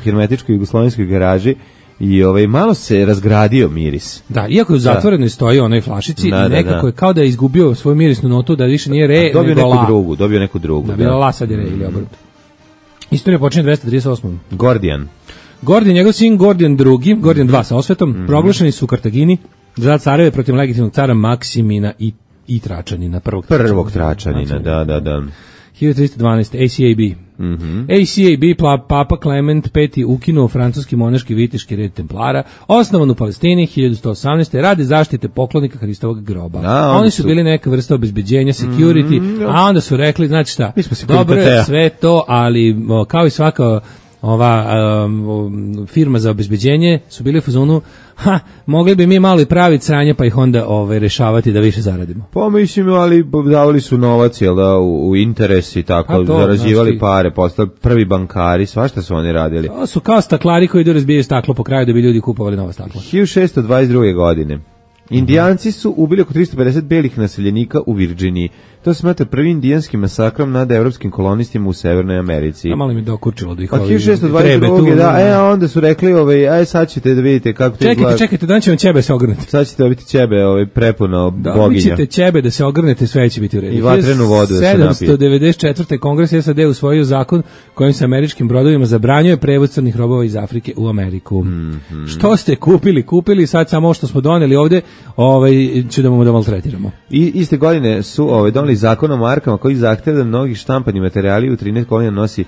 hermetičkoj jugoslovenskoj garaži. I malo se razgradio miris. Da, iako je u zatvorenoj stoji onoj flašici i nekako je kao da je izgubio svoju mirisnu notu, da više nije re, nego la. Dobio neku drugu. Da, bila la, sad je re ili obrnuto. Istorija počinje 238. Gordijan, njegov sin Gordijan II, Gordijan II sa osvetom, proglašeni su u Kartagini za careve protiv legitimnog cara Maksimina i Tračanina, prvog Tračanina, da. 1312. ACAB. ACAB, Papa Klement V ukinuo francuski monaški viteški red Templara, osnovan u Palestini 1118. radi zaštite poklonika Hristovog groba. Oni su bili neka vrsta obezbeđenja, security, a onda su rekli, znači šta, dobro je sve to, ali kao i svaka ova firma za obezbeđenje su bili u fazonu, mogli bi mi malo i praviti sranje pa ih onda rešavati da više zaradimo. Mislim, ali davali su novac, jel da, u interes i tako, zarađivali pare, postali prvi bankari, svašta su oni radili. To su kao staklari koji idu razbijaju staklo po kraju da bi ljudi kupovali nova stakla. 1622. godine. Indijanci su ubili oko 350 belih naseljenika u Virginiji. To se smatra prvi indijanski masakrom nad evropskim kolonistima u Severnoj Americi. A malo mi dokurčilo da ih 1622. Onda su rekli, sad ćete da vidite kako to izgleda. Čekajte, dan će vam ćebe se ogrnete. Sad ćete dobiti ćebe prepuno boginja. Da, ćete ćebe da se ogrnete, sve će biti u redu. I vatrenu vodu da se napije. 794. Kongres SAD usvojio zakon kojim se američkim brodovima zabranjuje prevoz crnih robova iz Afrike u Ameriku. Što ste kupili, sad samo što smo doneli ovde, ćemo da maltretiramo. I iste godine su doneli zakon o markama koji zahteva da mnogi štampani materijali u 13 godina nosi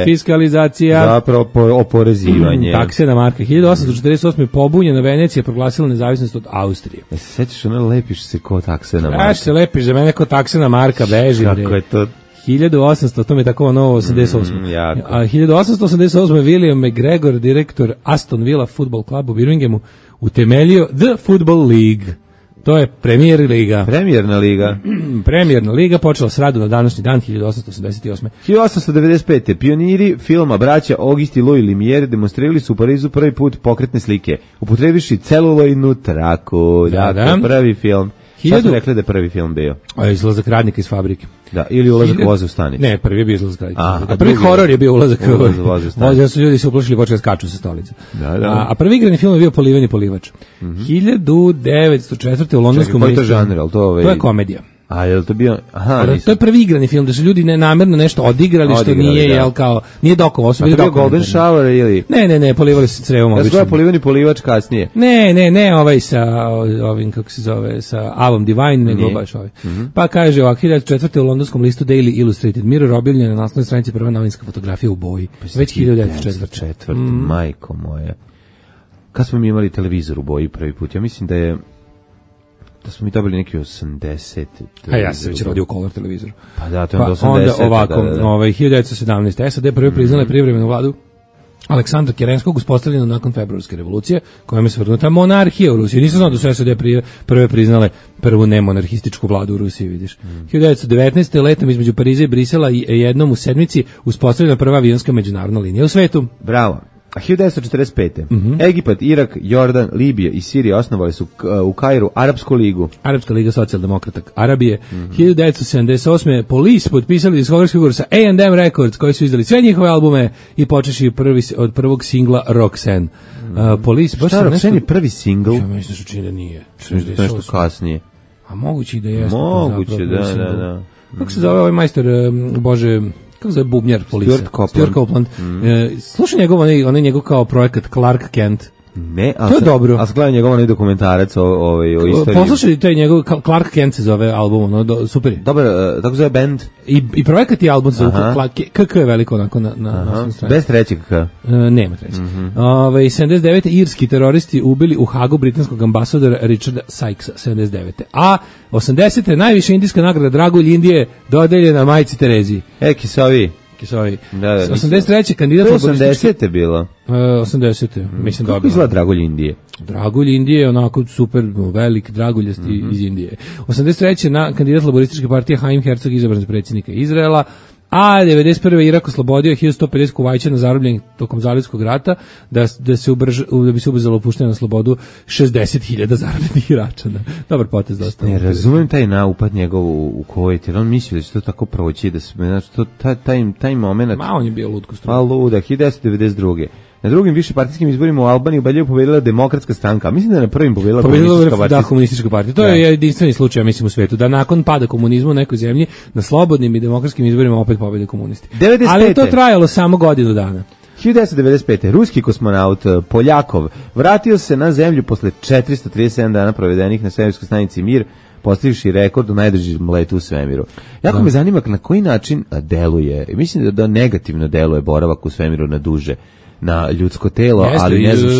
fiskalizacija. Zapravo oporezivanje. Takse na marke. 1848. pobunjena Venecija proglasila nezavisnost od Austrije. Se sećaš lepiš se ko takse na marka? Kaš se lepiš za mene ko takse na marka, beži. Kako je to? 1800, to mi je tako novo 88. A 1888. William McGregor, direktor Aston Villa Football Club u Birminghamu, utemeljio The Football League. To je Premijerna liga počela s radom na današnji dan 1888. 1895. Pioniri filma braća Auguste i Louis Lumière demonstrirali su u Parizu prvi put pokretne slike, upotrebivši celulojnu traku. Da. Prvi film. Šta smo rekli da je prvi film bio? Izlazak radnika iz fabrike. Da, ili ulazak voza u stanicu. Ne, prvi je bio izlazak radnika iz fabrike. Prvi horor je bio ulazak voza u stanicu. Su ljudi se uplašili, počeli skaču sa stolice. A prvi igrani film je bio Poliveni polivač. 1904. u londonskom listu. Koji je to žanr? To je komedija. A je li to bio... To je prvi igrani film, da su ljudi namerno nešto odigrali što nije, nije dokovo. A to je bio Golden Shower ili... Ne, polivali se crevom obično. Ja sam poliveni polivač kasnije. Ne, ovaj sa ovim, kako se zove, sa Avom Divine, nego baš ovaj. Pa kaže ovak, 1904. u londonskom listu Daily Illustrated Mirror objavljena na naslovnoj stranici prva novinska fotografija u boji. Već 1904. Majko moja. Kad smo mi imali televizor u boji prvi put? Ja mislim da smo mi dobili neki 80. A ja sam već rodio color televizor. Pa da, to je 80. Onda ovako, 1917. SAD prve priznale privremenu vladu Aleksandra Kerenskog, uspostavljeno nakon februarske revolucije, kojom je svrgnuta monarhija u Rusiji. Nisam znao da su SAD prve priznale prvu nemonarhističku vladu u Rusiji, vidiš. 1919. letom između Pariza i Brisela i jednom u sedmici uspostavljena prva avionska međunarodna linija u svetu. Bravo. A 1945. Egipat, Irak, Jordan, Libija i Sirija osnovali su u Kairu Arapsku ligu. Arapska liga socijaldemokrata Arabije. 1978. Police potpisali diskografski ugovor sa A&M Records, koji su izdali sve njihove albume i počeši od prvog singla Roxanne. Police, baš šta, Roxanne je prvi singl? Ja mislim što čini da nije. Nešto kasnije. A moguće i da jeste. Moguće, da. Kako se zove ovaj majstor, Bože... Kako zove bubnjar Police? Stuart Copeland. Slušaj onaj njegov kao projekat Clark Kent. Ne, To je dobro. A gledam njegov onaj dokumentarac o istoriji. Poslušaj taj njegov Clark Kent se zove album, super je. Dobar, tako zove band. I projekat i album se zove KK je veliko onako na strani. Bez trećeg K. Nema trećeg. 79. irski teroristi ubili u Hagu britanskog ambasadora Richarda Sykesa, 79. A 80. najviša indijska nagrada Dragulj Indije dodeljena majci Tereziji. Kisovi. Da, 83. kandidat to 80. je bilo. 80. Mislim da. Kako izgleda Dragulj Indije? Dragulj Indije je onako super velik draguljasti iz Indije. 83. Kandidat laborističke partije Haim Herzog izabran za predsjednika Izraela. A 91. Irak oslobodio 1150 Kuvajćana zarobljenih tokom Zalivskog rata da bi se ubrzalo puštanje na slobodu 60.000 zarobljenih Iračana. Dobar potez dosta. Ne razumem taj naupad njegov u Kuvajt, jer on misli da će to tako proći, da se, znači, taj moment... Ma, on je bio lud kostruja. Pa luda, 1992. Na drugim višepartijskim izborima u Albaniji ubedljivo pobedila Demokratska stranka. Mislim da je na prvim pobedila Komunistička partija. Da, Komunistička partija. To je jedinstveni slučaj, mislim, u svetu. Da nakon pada komunizma u nekoj zemlji, na slobodnim i demokratskim izborima opet pobede komunisti. 95. Ali je to trajalo samo godinu dana. 1995. Ruski kosmonaut Poljakov vratio se na zemlju posle 437 dana provedenih na svemirskoj stanici Mir, postavivši rekord u najdužem letu u svemiru. Jako me zanima na koji način deluje. Mislim da negativno deluje boravak u svemiru na duže na ljudsko telo, ali ne znam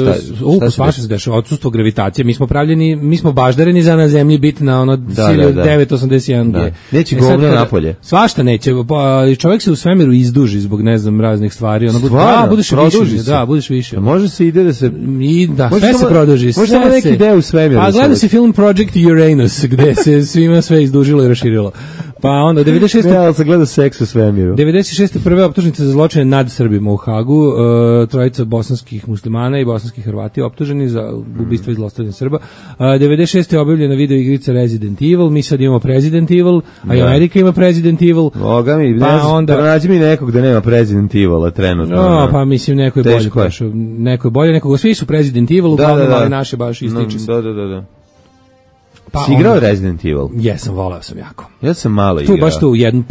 šta se dešava, odsustvo gravitacije. Mi smo baždareni za na zemlji biti na ono sili 981 G. Neće govno napolje. Svašta neće. Čovjek se u svemiru izduži zbog ne znam raznih stvari. Budeš više. Da, budeš više. Može se ide da se sve se produži. Može samo neki deo u svemiru. A gleda se film Project Uranus gde se svima sve izdužilo i raširilo. Pa onda 96. se gleda seks u svemiru. 96. prve optužnice za zločine nad Srbima u Hagu. Trojica bosanskih muslimana i bosanskih Hrvati optuženi za ubistvo i zlostavljanje Srba. 96. je objavljena video igrica Resident Evil, mi sad imamo President Evil, a i Amerika ima President Evil. Boga mi, pronađi mi nekog da nema President Evila trenutno. Pa mislim neko je bolje. Neko je bolje, nekog, svi su President Evil, uglavnom, ali naše baš ističe se. Da. Si igrao Resident Evil? Jesam, volao sam jako. Ja sam malo igrao. Tu baš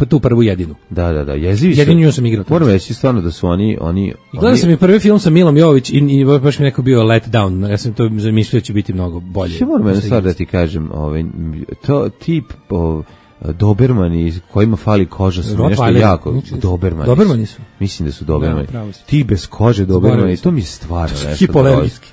tu prvu jedinu. Da, jezivi su. Jedinu sam igrao. Moram reći stvarno da su oni... Gledao sam i prvi film sa Milom Jović i baš mi neko bio let down. Ja sam to zamišljao da će biti mnogo bolje. Što moram jednu stvar da ti kažem, to tip... Dobermani kojima fali koža su nešto jako. Dobermani su. Mislim da su Dobermani. Ti bez kože Dobermani, to mi je stvarno nešto. Hipoalergijski.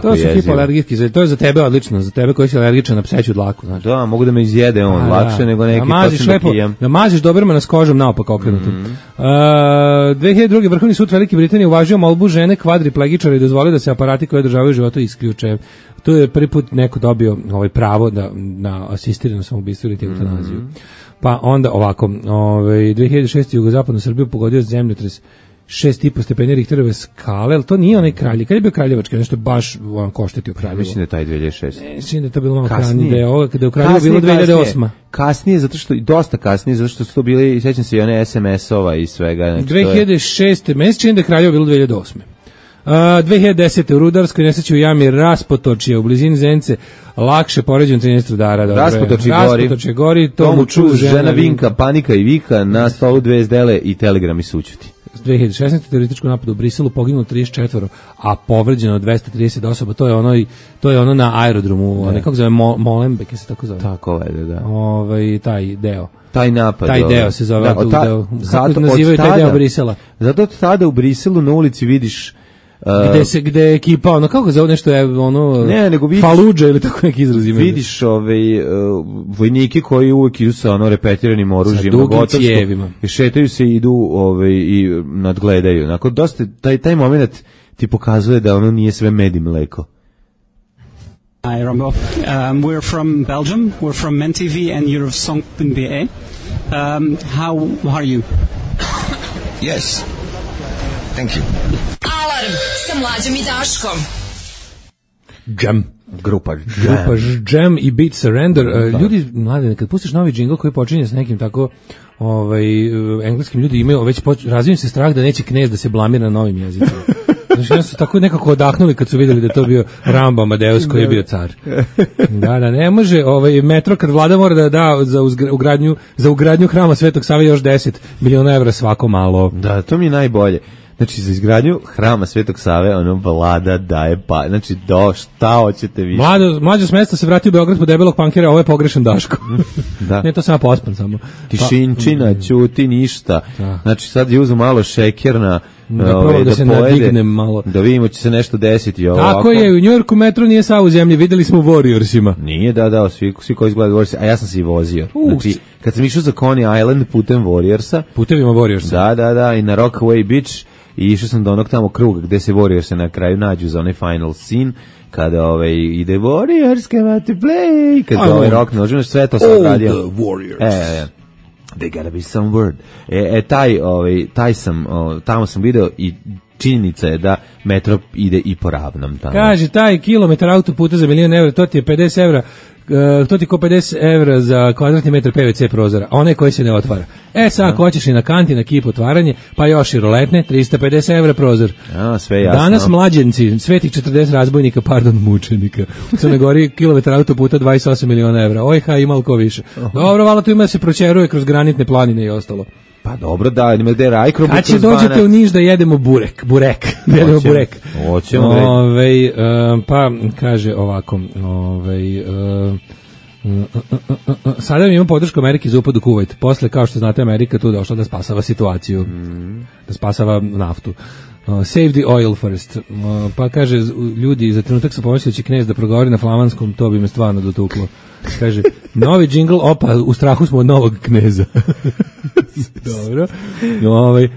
To su hipoalergijski, to je za tebe odlično, za tebe koji si alergičan na pseću dlaku. Znači. Da, mogu da me izjede lakše nego neki točno da pijem. Da maziš Dobermana s kožom naopak okrenutom. 2002. Vrhovni sud Velike Britanije uvažio molbu žene kvadriplegičara i dozvolio da se aparati koje održavaju života isključe. To je prvi put neko dobio pravo na asistirano samoubistvo ili eutanaziju. Pa onda ovako, 2006. jugozapadnu Srbiju pogodio zemljotres 6,5 stepeni Richterove skale, ali to nije onaj Kraljev. Kad je bio Kraljevački, nešto baš koštetio Kraljevo. Mislim da je taj 2006. Mislim da je to bilo malo kasnije. Kada je u Kraljevo bilo 2008. Kasnije, dosta kasnije, zato što su to bili, sećam se i one SMS-ova i svega. 2006. Meni se čini da je Kraljevo bilo 2008. 2010. u rudarskoj nesreći u jami Raspotočje u blizini Zenice lakše poređeno 13 rudara. Raspotočje gori, tomu čuz, žena vinka, panika i vika, na stolu 2 zdele i telegrami sućuti. 2016. terorističkom napadu u Briselu poginulo 34, a povređeno 230 osoba. To je ono na aerodromu, kako zove, Molenbeek se tako zove. Tako je, da. Taj deo. Taj napad. Taj deo se zove. Kako nazivaju taj deo Brisela? Zato od tada u Briselu na ulici vidiš gde je ekipa, kako zove nešto je Faludža ili tako neki izraz ima. Vidiš vojnike koji uvek idu sa repetiranim oružjem, sa dugim cijevima. I šetaju se i idu i nadgledaju. Nakon dosta, taj moment ti pokazuje da ono nije sve med i mleko. Hi, Rombo. We're from Belgium. We're from MenTV and you're of Song.be. How are you? Yes. Thank you. Alarm sa Mlađom i Daškom. Grupa Jam i Beat Surrender. Ljudi, mlade, kad pustiš novi džingl koji počinje s nekim tako engleskim, ljudi imaju već razvijem se strah da neće knez da se blamira na novim jezicima. Znači, oni su tako nekako odahnuli kad su vidjeli da je to bio Rambo Amadeus koji je bio car. Da, ne može, metro kad vlada mora da da za ugradnju hrama Svetog Save još 10 miliona evra svako malo. Da, to mi je najbolje. Znači, za izgradnju hrama Svetog Save, ono, vlada daje pa, znači, šta hoćete više? Mlađo s mesta se vratio u Beograd po debelog pankera, ovo je pogrešan Daško. Da. Ne, to sam ja pospan samo. Tišinčina, ćuti, ništa. Da. Znači, sad je uzeo malo šekerna, da se pojede, nadignem malo. da vidimo će se nešto desiti ovako. Tako je, u Njujorku metro nije sav u zemlji, videli smo u Warriorsima. Nije, da, svi koji izgledaju Warriors, a ja sam se i vozio. Znači, kad sam išao za Coney Island putem Warriorsa, putevima Warriorsa. Da, i na Rockaway Beach, i išao sam do onog tamo kruga gde se Warriorsi na kraju nađu za onaj final scene, kada ide Warriors came to play, kada rock nožimo, sve to sam radio. All the Warriors. They gotta be some word. Taj sam, tamo sam video i činjenica je da metro ide i po ravnom tamo. Kaže, taj kilometar autoputa za €1.000.000, to ti je 50 evra, to ti ko 50 evra za kvadratni metar PVC prozora, onaj koji se ne otvara. Sad ako hoćeš i na kanti, na kip otvaranje, pa još i roletne, 350 evra prozor. Sve jasno. Danas mlađenci, svetih 40 razbojnika, mučenika. U Crnoj Gori kilometar autoputa 28 miliona evra. Ojha, ima ko više. Dobro, vala tu ima da se pročeruje kroz granitne planine i ostalo. Pa dobro, da, ima gde rajkrom. Kad će dođete u Niš da jedemo burek? Da jedemo burek. Hoćemo. Pa kaže ovako, sada mi imamo podršku Amerike za upad u Kuvajt. Posle, kao što znate, Amerika tu došla da spasava situaciju, da spasava naftu. Save the oil first. Pa kaže, ljudi, za trenutak sam pomislio da će knez da progovori na flamanskom, to bi me stvarno dotuklo. Kaže, novi džingl, opa, u strahu smo od novog kneza. Dobro.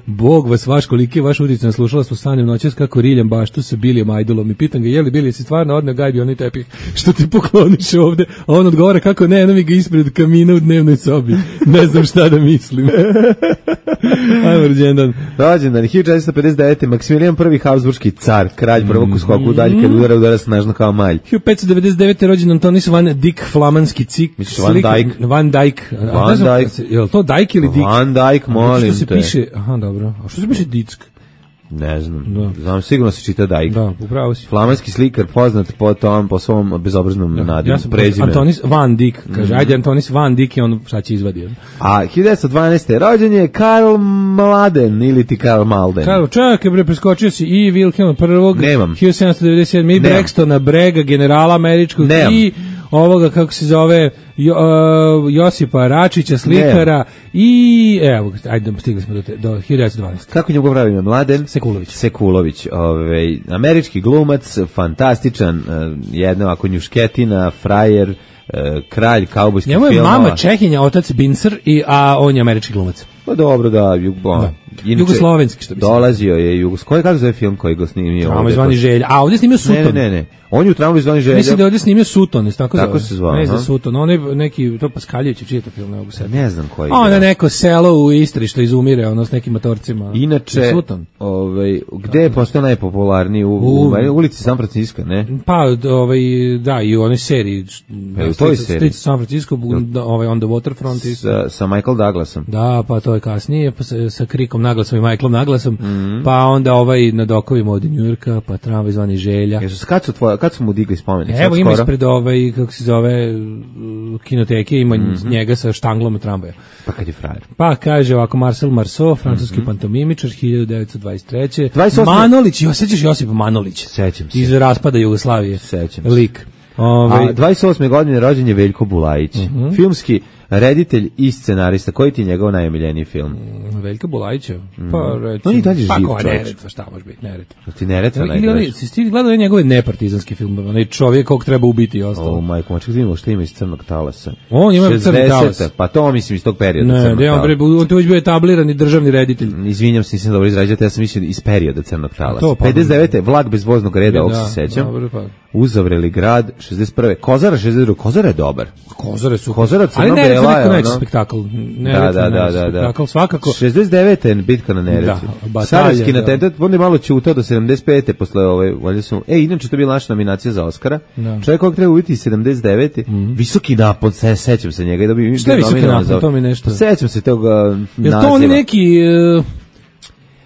Bog vas vaš, koliki je vaš utjecaj, slušala smo sanjem noćas kako riljam baštu sa Bilijem Ajdolom i pitam ga, je li Bili, si stvarno odneo gajbi onaj tepih što ti pokloniš ovde? A on odgovara kako ne, eno mi ga ispred kamina u dnevnoj sobi. Ne znam šta da mislim. Ajmo, rođendan. Rođendan, 1459. Maksimilijan I Habsburški car, kralj prvog u skoku dalje, kad udara snažno kao malj. 1599. rođen Antonis van Dyck, flamanski cik. Van Dyck. Van Dyck. Je li to Dyck ili Dyck? Van Dyck, molim te. Što se piše, aha, dobro. A što se piše Dick? Ne znam. Znam, sigurno se čita Dyck. Da, upravo si. Flamanski slikar, poznat po svom bezobraznom nadimu, prezimenu. Antonis van Dyck, kaže, ajde Antonis van Dyck i on šta će izvadio. A 1912. rođen je Karl Mladen, ili ti Karl Malden. Karl, čekaj bre, preskočio si i Wilhelma prvog, 1797. i Braxtona Brega, generala američkog, i ovoga, kako se zove, Josipa Račića, slikara, i evo, ajde, stigli smo do 1912. Kako njegov pravi ime? Mladen? Sekulović. Američki glumac, fantastičan, jedna ovako njušketina, frajer, kralj kaubojskih filmova. Njemu je mama Čehinja, otac Bincer, a on je američki glumac. Pa dobro, da. Jugoslovenski, što bi se. Dolazio je kako zove film koji ga snimio? Tramvaj zvani Želja. A ovdje snimio Sutton. Ne. On je u Tramvaj zvani Želja. Mislim da je ovdje snimio Sutton, tako se zvao. Ne znam Sutton, on je neki, to Paskaljević, čiji je to film, ne mogu se. Ne znam koji. On je neko selo u Istri što izumire, ono s nekim motorcima. Inače, gde je postao najpopularniji? U ulici San Francisco, ne? Pa, da, i u onoj seriji. U toj seriji. San Francisco, On the Waterfront. Sa Michael Douglasom. Da, pa to je kasnije, pa sa Krikom naglasom i Michaelom naglasom, pa onda na dokovima od Njujorka, pa Tramvaj zvani Želja. Kad su mu digli spomenik? Evo ima ispred kako se zove, kinoteke, ima njega sa štanglom tramvaja. Pa kad je frajer? Pa kaže ovako, Marcel Marceau, francuski pantomimičar, 1923. Manolić, sećaš Josipa Manolića? Sećam se. Iz raspada Jugoslavije. Sećam se. Lik. A 28. godine rođen je Veljko Bulajić, filmski reditelj i scenarista. Koji ti je njegov najomiljeniji film? Veljka Bulajića? Pa recimo... On je dalje živ, čovječ. Neretva, šta može biti Neretva? Ti Neretva najdraži? Si gledao njegove nepartizanske filmove, onaj čovjek kog treba ubiti i ostalo. Majko, maček, vidimo što ima iz Crnog talasa. On ima Crni talas. Pa to mislim iz tog perioda Crnog talasa. On to već bio etablirani državni reditelj. Izvinjam se, nisam dobro izrađati, ja sam mislio iz perioda Crnog talasa. 59. Vlak bez voznog reda, ovog se sećam. Uzavreli grad, 61. Kozara, 62. Kozara je dobar. Kozare su. Kozara crno-bela je, ono. Ali Neretva spektakl. Spektakl svakako. 69. bitka na Neretvi. Sarajevski atentat, on je malo ćutao do 75. posle valjda su. Inače to je bila naša nominacija za Oskara. Čovjek kojeg treba ubiti 79. Visoki napon, sećam se njega. Šta je visoki napon, to mi nešto. Sećam se tog naziva. Je to oni neki...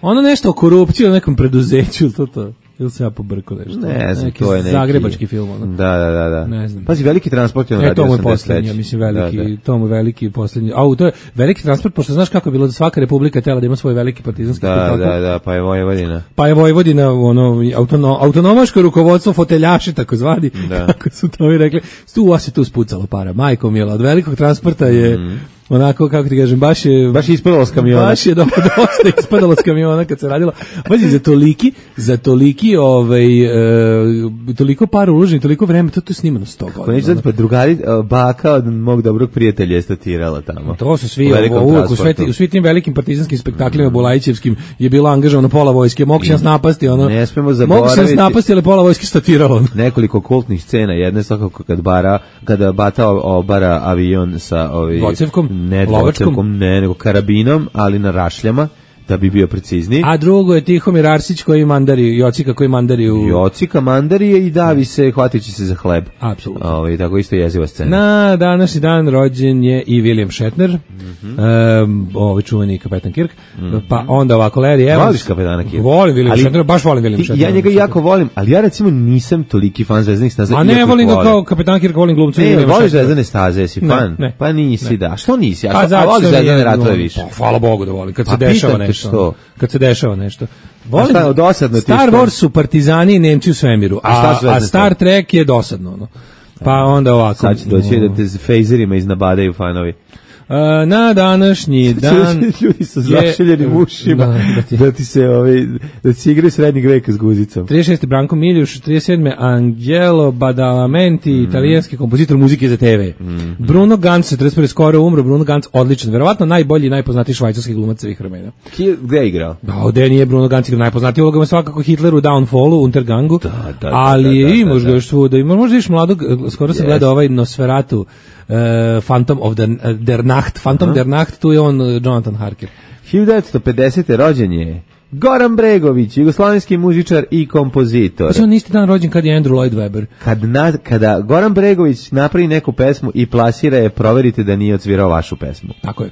Ono nešto o korupciji u nekom preduzeću, to. Ili se ja pobrko nešto? Ne znam, neki to je neki... zagrebački film, ono. Da. Ne znam. Pazi, Veliki transport je on radio to mu je 83. poslednji, ja mislim veliki, Da. to mu je veliki poslednji. A to je Veliki transport, pošto znaš kako je bilo da svaka republika htela da ima svoj veliki partizanski spektakl. Da, pa je Vojvodina. Pa je Vojvodina, autonomaško rukovodstvo, foteljaši, takozvani, kako su to mi rekli, tu spucalo para, majko mila, od Velikog transporta je, onako, kako ti kažem, baš je ispadalo s kamiona. Baš je dosta ispadalo s kamiona kad se radilo. Pazi, za toliki, toliko para uloženi, toliko vreme, to je snimano 100 godina. Ako neću znati, pa drugari, baka od mog dobrog prijatelja je statirala tamo. To su svi, u svi tim velikim partizanskim spektaklima Bulajićevskim je bilo angažovano pola vojske, mogu se nas napasti, ne smemo zaboraviti. Mogu se nas napasti, ali pola vojske statiralo. Nekoliko kultnih scena, jedna je svakako kada Bata obara avion sa dvocevkom, nego karabinom, ali na rašljama, da bi bio precizniji. A drugo je Tihomir Arsić koji mandari, Jocika koji mandari Jocika mandarije i davi se, hvatići se za hleb. Apsolutno. Tako isto jeziva scena. Na današnji dan rođen je i William Shatner, čuveni kapetan Kirk, pa onda ovako Larry Evans. Voliš kapetana Kirk? Volim William Shatner, baš volim William Shatner. Ja njega jako volim, ali ja recimo nisam toliki fan Zvezdanih staza. A ne volim ga kao kapetan Kirk, volim glumca. Ne, voliš Zvezdane staze, jesi fan? Pa nisi, da. Što nisi? A voliš Zvezdane ratove više? Hvala Bogu da volim, kad se dešava nešto. Kad se dešava nešto. Volim, Star Wars su partizani i Nemci u svemiru, a Star Trek je dosadno. Pa onda ovako. Sad će doći da te fejzerima iznabadaju fanovi. Na današnji dan ljudi sa zašiljenim ušima da ti se da ti igraju srednjeg veka s guzicom. 36. Branko Miljuš, 37. Angelo Badalamenti, italijanski kompozitor muzike za TV. Bruno Ganz, 41. skoro umro. Bruno Ganz, odličan, verovatno najbolji i najpoznatiji švajcarski glumac svih vremena. Gde je igrao? Gde nije Bruno Ganz igrao, najpoznatiji ulogama svakako Hitler u Downfallu, Untergangu, ali imaš ga još svuda, možda iš mladog, skoro sam gledao ovaj Nosferatu, Phantom der Nacht, tu je on Jonathan Harker. 1950. rođen je Goran Bregović, jugoslavenski muzičar i kompozitor. Pa on isti dan rođen kad je Andrew Lloyd Webber. Kada Goran Bregović napravi neku pesmu i plasira je, proverite da nije odsvirao vašu pesmu. Tako je.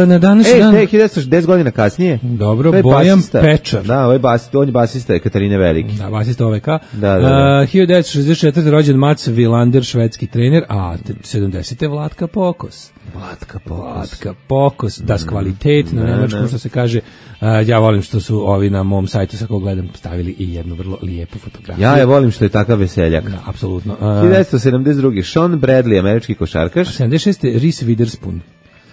Na današnji dan... 10 godina kasnije. Dobro, Bojan Pečar. Da, on je basista Katarine Veliki. Da, basista OVK. Da. 1964. rođen Mats Wilander, švedski trener, a 70. Vlatka Pokos. Vlatka Pokos, das kvalitet, na nemačkom što se kaže. Ja volim što su ovi na mom sajtu, sa kog gledam, stavili i jednu vrlo lijepu fotografiju. Ja je volim što je takav veseljak. Da, apsolutno. 1972. Sean Bradley, američki košarkaš. 76. Reese Witherspoon.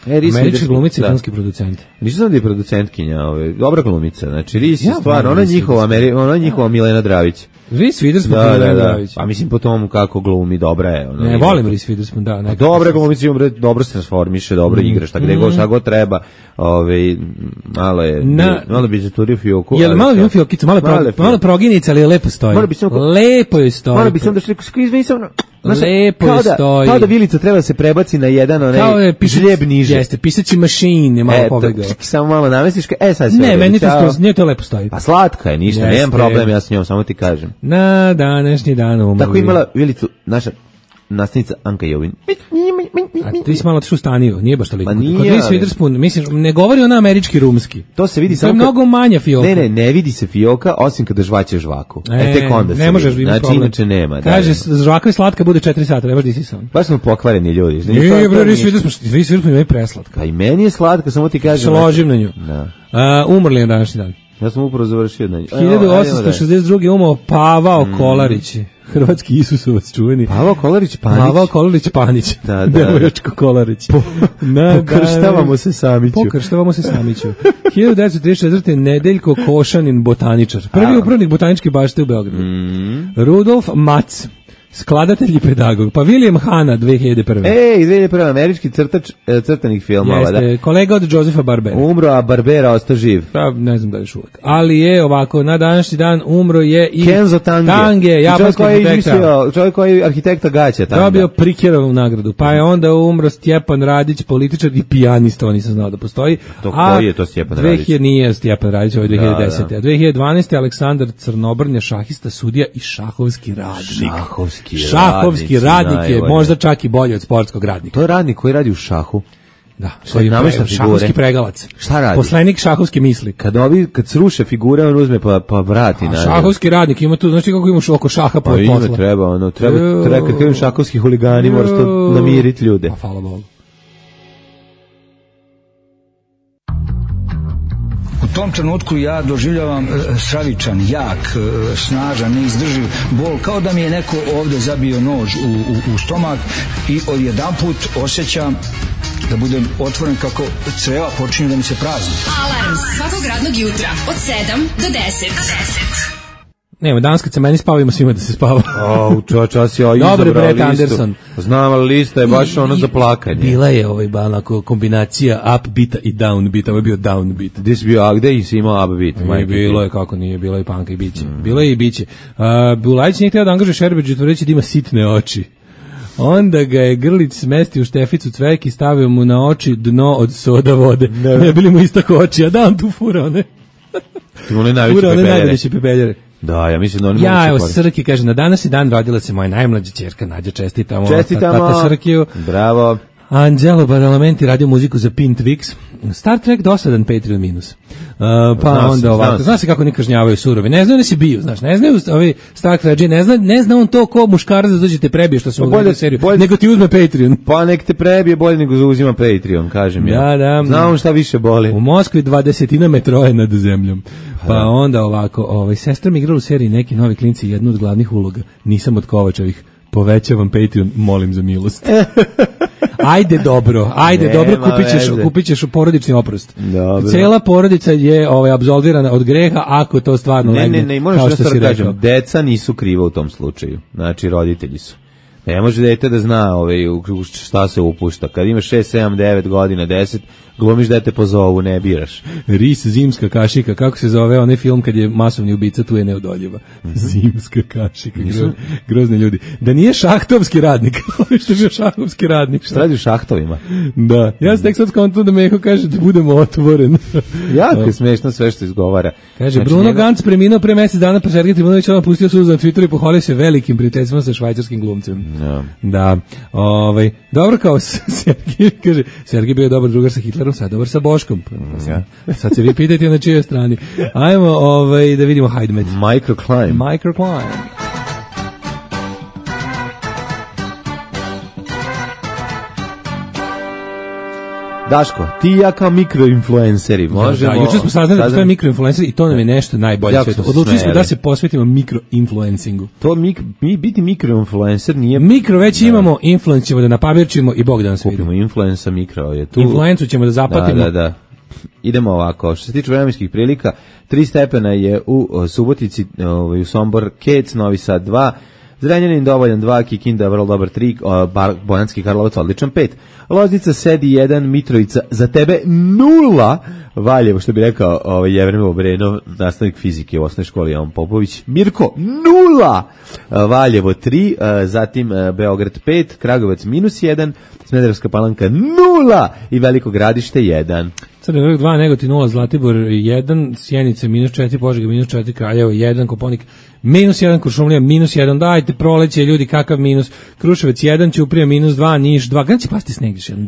Američki glumica i filmski producent. Nisam znam da je producentkinja, dobra glumica. Znači, Ris je stvar, ona je njihova Milena Dravić. Reese Witherspoon, Milena Dravić. Pa mislim po tomu kako glumi, dobra je. Ne, volim Reese Witherspoon, da. Dobra glumica, dobro se transformiše, dobro igra, šta god treba. Malo bi zaturio fioku. Jel malo bi fiokicu, malo proginica, ali lepo stoji. Lepo je stoji. Malo bi sam da što izvinisam... Lepo je stoji. Kao da vilica treba se prebaci na jedan žljeb niže. Jeste, pisaći mašin je malo pobegao. Samo malo namestiš, sad sve. Ne, meni to lepo stoji. Pa slatka je, ništa, nemam problem, ja s njom, samo ti kažem. Na današnji dan umrli. Tako imala vilicu naša nastavnica Anka Jovin. A ti si malo otišao u Staniju, nije baš toliko. Pa nije. Kod Reese Witherspoon, mislim, ne govori ona američki rumski. To se vidi samo. To je mnogo manja fioka. Ne vidi se fioka, osim kada žvaće žvaku. Tek onda se ne možeš vidi. Znači, inače nema. Kaže, žvaka je slatka, bude 4 sata, nebaš disi sam. Baš smo pokvareni ljudi. Nije, bre, Reese Witherspoon je preslatka. Pa i meni je slatka, samo ti kažem. Složim na nju. Umrli je današnji dan. Ja sam upravo završio na nju. 1862. umao Pavao Kolarić. Hrvatski Isusovac čuveni. Pavao Kolarić Panić. Da. Devojačko Kolarić. Pokrštavamo se Samiću. 1934. Nedeljko Košanin, botaničar. Prvi upravnik botaničke bašte u Beogradu. Rudolf Matz, skladatelj i pedagog. Pa William Hanna, 2001. 2001. američki crtač crtanih filmova. Jeste, kolega od Josefa Barbera. Umro, a Barbera ostao živ. Pa, ne znam da je još uvek. Ali je ovako, na današnji dan umro je i Kenzo Tange, japanski arhitekta. Čovjek koji je arhitekta gaća tamo. Dobio Prikerovu nagradu. Pa je onda umro Stjepan Radić, političar i pijanista, on nisam znao da postoji. Koji je to Stjepan Radić? Nije Stjepan Radić, ovo je 2010. A 2012. Aleksandar Crnobrnja, šahista, sudija i šahovski radnik. Šahovski radnik je možda čak i bolji od sportskog radnika. To je radnik koji radi u šahu. Da, Šta namešta figure? Šahovski pregalac. Šta radi? Poslanik šahovske misli. Kad sruše figure, on uzme pa vrati nazad. Šahovski radnik ima tu, znači kako imaš oko šaha po posla. Ima, treba kad kažem šahovski huligani, moraš to namiriti ljude. Pa hvala Bogu. U tom trenutku ja doživljavam stravičan, jak, snažan, neizdrživ bol, kao da mi je neko ovde zabio nož u stomak i odjedanput osjećam da budem otvoren kako creva počinju da mi se prazni. Alarm svakog radnog jutra od 7 do 10. Nema, danas kad se meni spavimo svima da se spava. Čas ja izabrao listu. Brett Anderson. Znam, ali lista je baš ono za plakanje. Bila je onako kombinacija upbeata i downbeata, ovo je bio downbeat. Gde si imao upbeat? Bilo je, kako nije, bilo je panka i biće. Bilo je i biće. Bulajić nije htio da angažuje Šerbeđu, tvrdeći da ima sitne oči. Onda ga je Grlić smestio u šteficu cvek i stavio mu na oči dno od soda vode. Ne bili mu istako oči, a da on tu fura one. Fura one najveće pepeljere. Da, ja mislim da oni mogu se koristiti. Srki kaže, na današnji dan rodila se moja najmlađa ćerka Nađa, čestitamo. Tata Srkiju. Bravo. Angelo Badalamenti radio muziku za Pin Twix. Star Trek dosadan Patreon minus. Pa onda ovako. Zna se kako ne kažnjavaju surovi. Ne znaju da si bio, znaš. Ne znaju ovi Star Trek, ne zna on to ko muškarac da dođe te prebije što se mu gleda seriju. Nego ti uzme Patreon. Pa nek te prebije bolje nego uzima Patreon, kažem ja. Da. Znam šta više boli. U Moskvi 20 metroa nad zemljom. Pa onda ovako, sestra mi igrala u seriji Neki novi klinci, jednu od glavnih uloga. Nisam od Kovačevih. Povećavam Patreon, molim za milost. Ajde dobro, kupit ćeš porodični oprost. Dobro. Cela porodica je apsolvirana od greha ako to stvarno legne. Ne, moraš da stvar kažem, deca nisu kriva u tom slučaju, znači roditelji su. Ne može dete da zna šta se upušta. Kad imaš 6, 7, 9 godina, 10, glumiš da te pozovu, ne biraš. Ris, zimska kašika, kako se zove onaj film kad je masovni ubica, tu je neodoljiva. Zimska kašika, grozni ljudi. Da nije šahtovski radnik, što je bio šahovski radnik. Šta radi u šahtovima? Da, ja sam tek sad skonto da Meho kaže da budemo otvoren. Jako je smešno sve što izgovara. Kaže, znači, Bruno Ganz preminuo pre mesec dana, pa Sergej Trivunović odmah pustio suzu na Twitteru i pohvalio se velikim prijateljstvom sa švajcarskim glumcem. Da. Dobro kao Sergej, kaže, Sergej bio dobar drugar sa Hitlerom, sad dobar sa Boškom. Sad se vi pitajte na čijoj strani. Ajmo da vidimo Hajdmet. Microclimb. Daško, ti i ja kao mikroinfluenceri možemo... Da, juče smo saznali da postoje mikroinfluenceri i to nam je nešto najbolje sveto. Odlučili smo da se posvetimo mikroinfluencingu. Biti mikroinfluencer nije... Mikro već imamo, influence ćemo da napavirčimo i Bog da nas vidi. Kupimo influensa, mikro je tu. Influencu ćemo da zapatimo. Da. Idemo ovako, što se tiče vremenskih prilika, 3 stepena je u Subotici, u Sombor, Kec, Novi Sad 2, Zrenjanin dovoljan 2, Kikinda vrlo dobar 3, Bojanski Karlovac odličan 5, Loznica sedi 1, Mitrovica za tebe 0, Valjevo, što bi rekao Jevremov Brenov, nastavnik fizike u osnovnoj školi Jovan Popović, Mirko 0, Valjevo 3, zatim Beograd 5, Kragujevac -1, Smederevska Palanka 0 i Veliko Gradište 1. Crni vrh 2, Negotin 0, Zlatibor 1, Sjenica -4, Požega -4, Kraljevo 1, Koponik -1, Kuršumlija -1, dajte proleće ljudi, kakav minus, Kruševac 1, Ćuprija -2, Niš 2, kada će pasti sneg još jednom,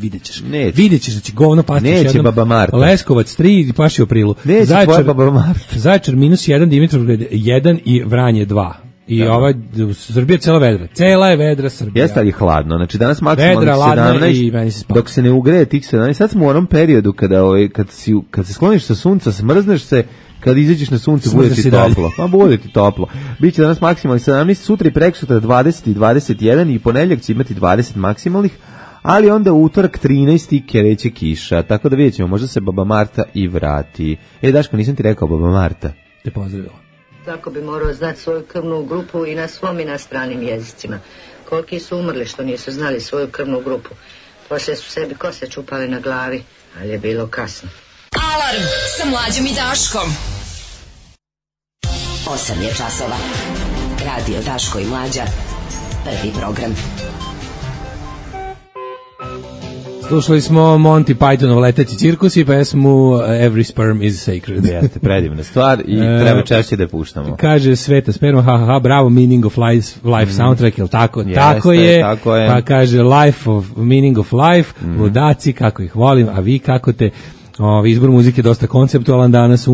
vidjet ćeš da će govno pasti još jednom, Baba Marta. Leskovac 3, paši u aprilu, Zaječar -1, Dimitrovgrad 1 i Vranje 2. I Srbija cela vedra. Cela je vedra Srbija. Jeste li hladno? Znači danas maksimalnih 17, dok se ne ugreje tih 17. Sad smo u onom periodu kad se skloniš sa sunca, smrzneš se, kad izađeš na sunce bude ti toplo. Pa bude ti toplo. Biće danas maksimalnih 17, sutra i prekosutra 20 i 21 i ponedjeljak će imati 20 maksimalnih, ali onda utorak 13 kreće kiša. Tako da vidjet ćemo, možda se Baba Marta i vrati. Daško, nisam ti rekao Baba Marta. Te pozdravila. Tako bi morao znati svoju krvnu grupu i na svom i na stranim jezicima. Koliki su umrli što nisu znali svoju krvnu grupu. Poslije su sebi kose čupali na glavi, ali je bilo kasno. Alarm sa Mlađom i Daškom. 8 je časova. Radio Daško i Mlađa. Prvi program. Slušali smo Monty Pythonov Leteći cirkus i pesmu Every Sperm is Sacred. Jeste, predivna stvar i treba češće da je puštamo. Kaže Sveta Sperma, ha, bravo, Meaning of Life soundtrack, jel tako? Jeste, tako je. Pa kaže Meaning of Life, ludaci, kako ih volim, a vi kako te... izbor muzike je dosta konceptualan danas,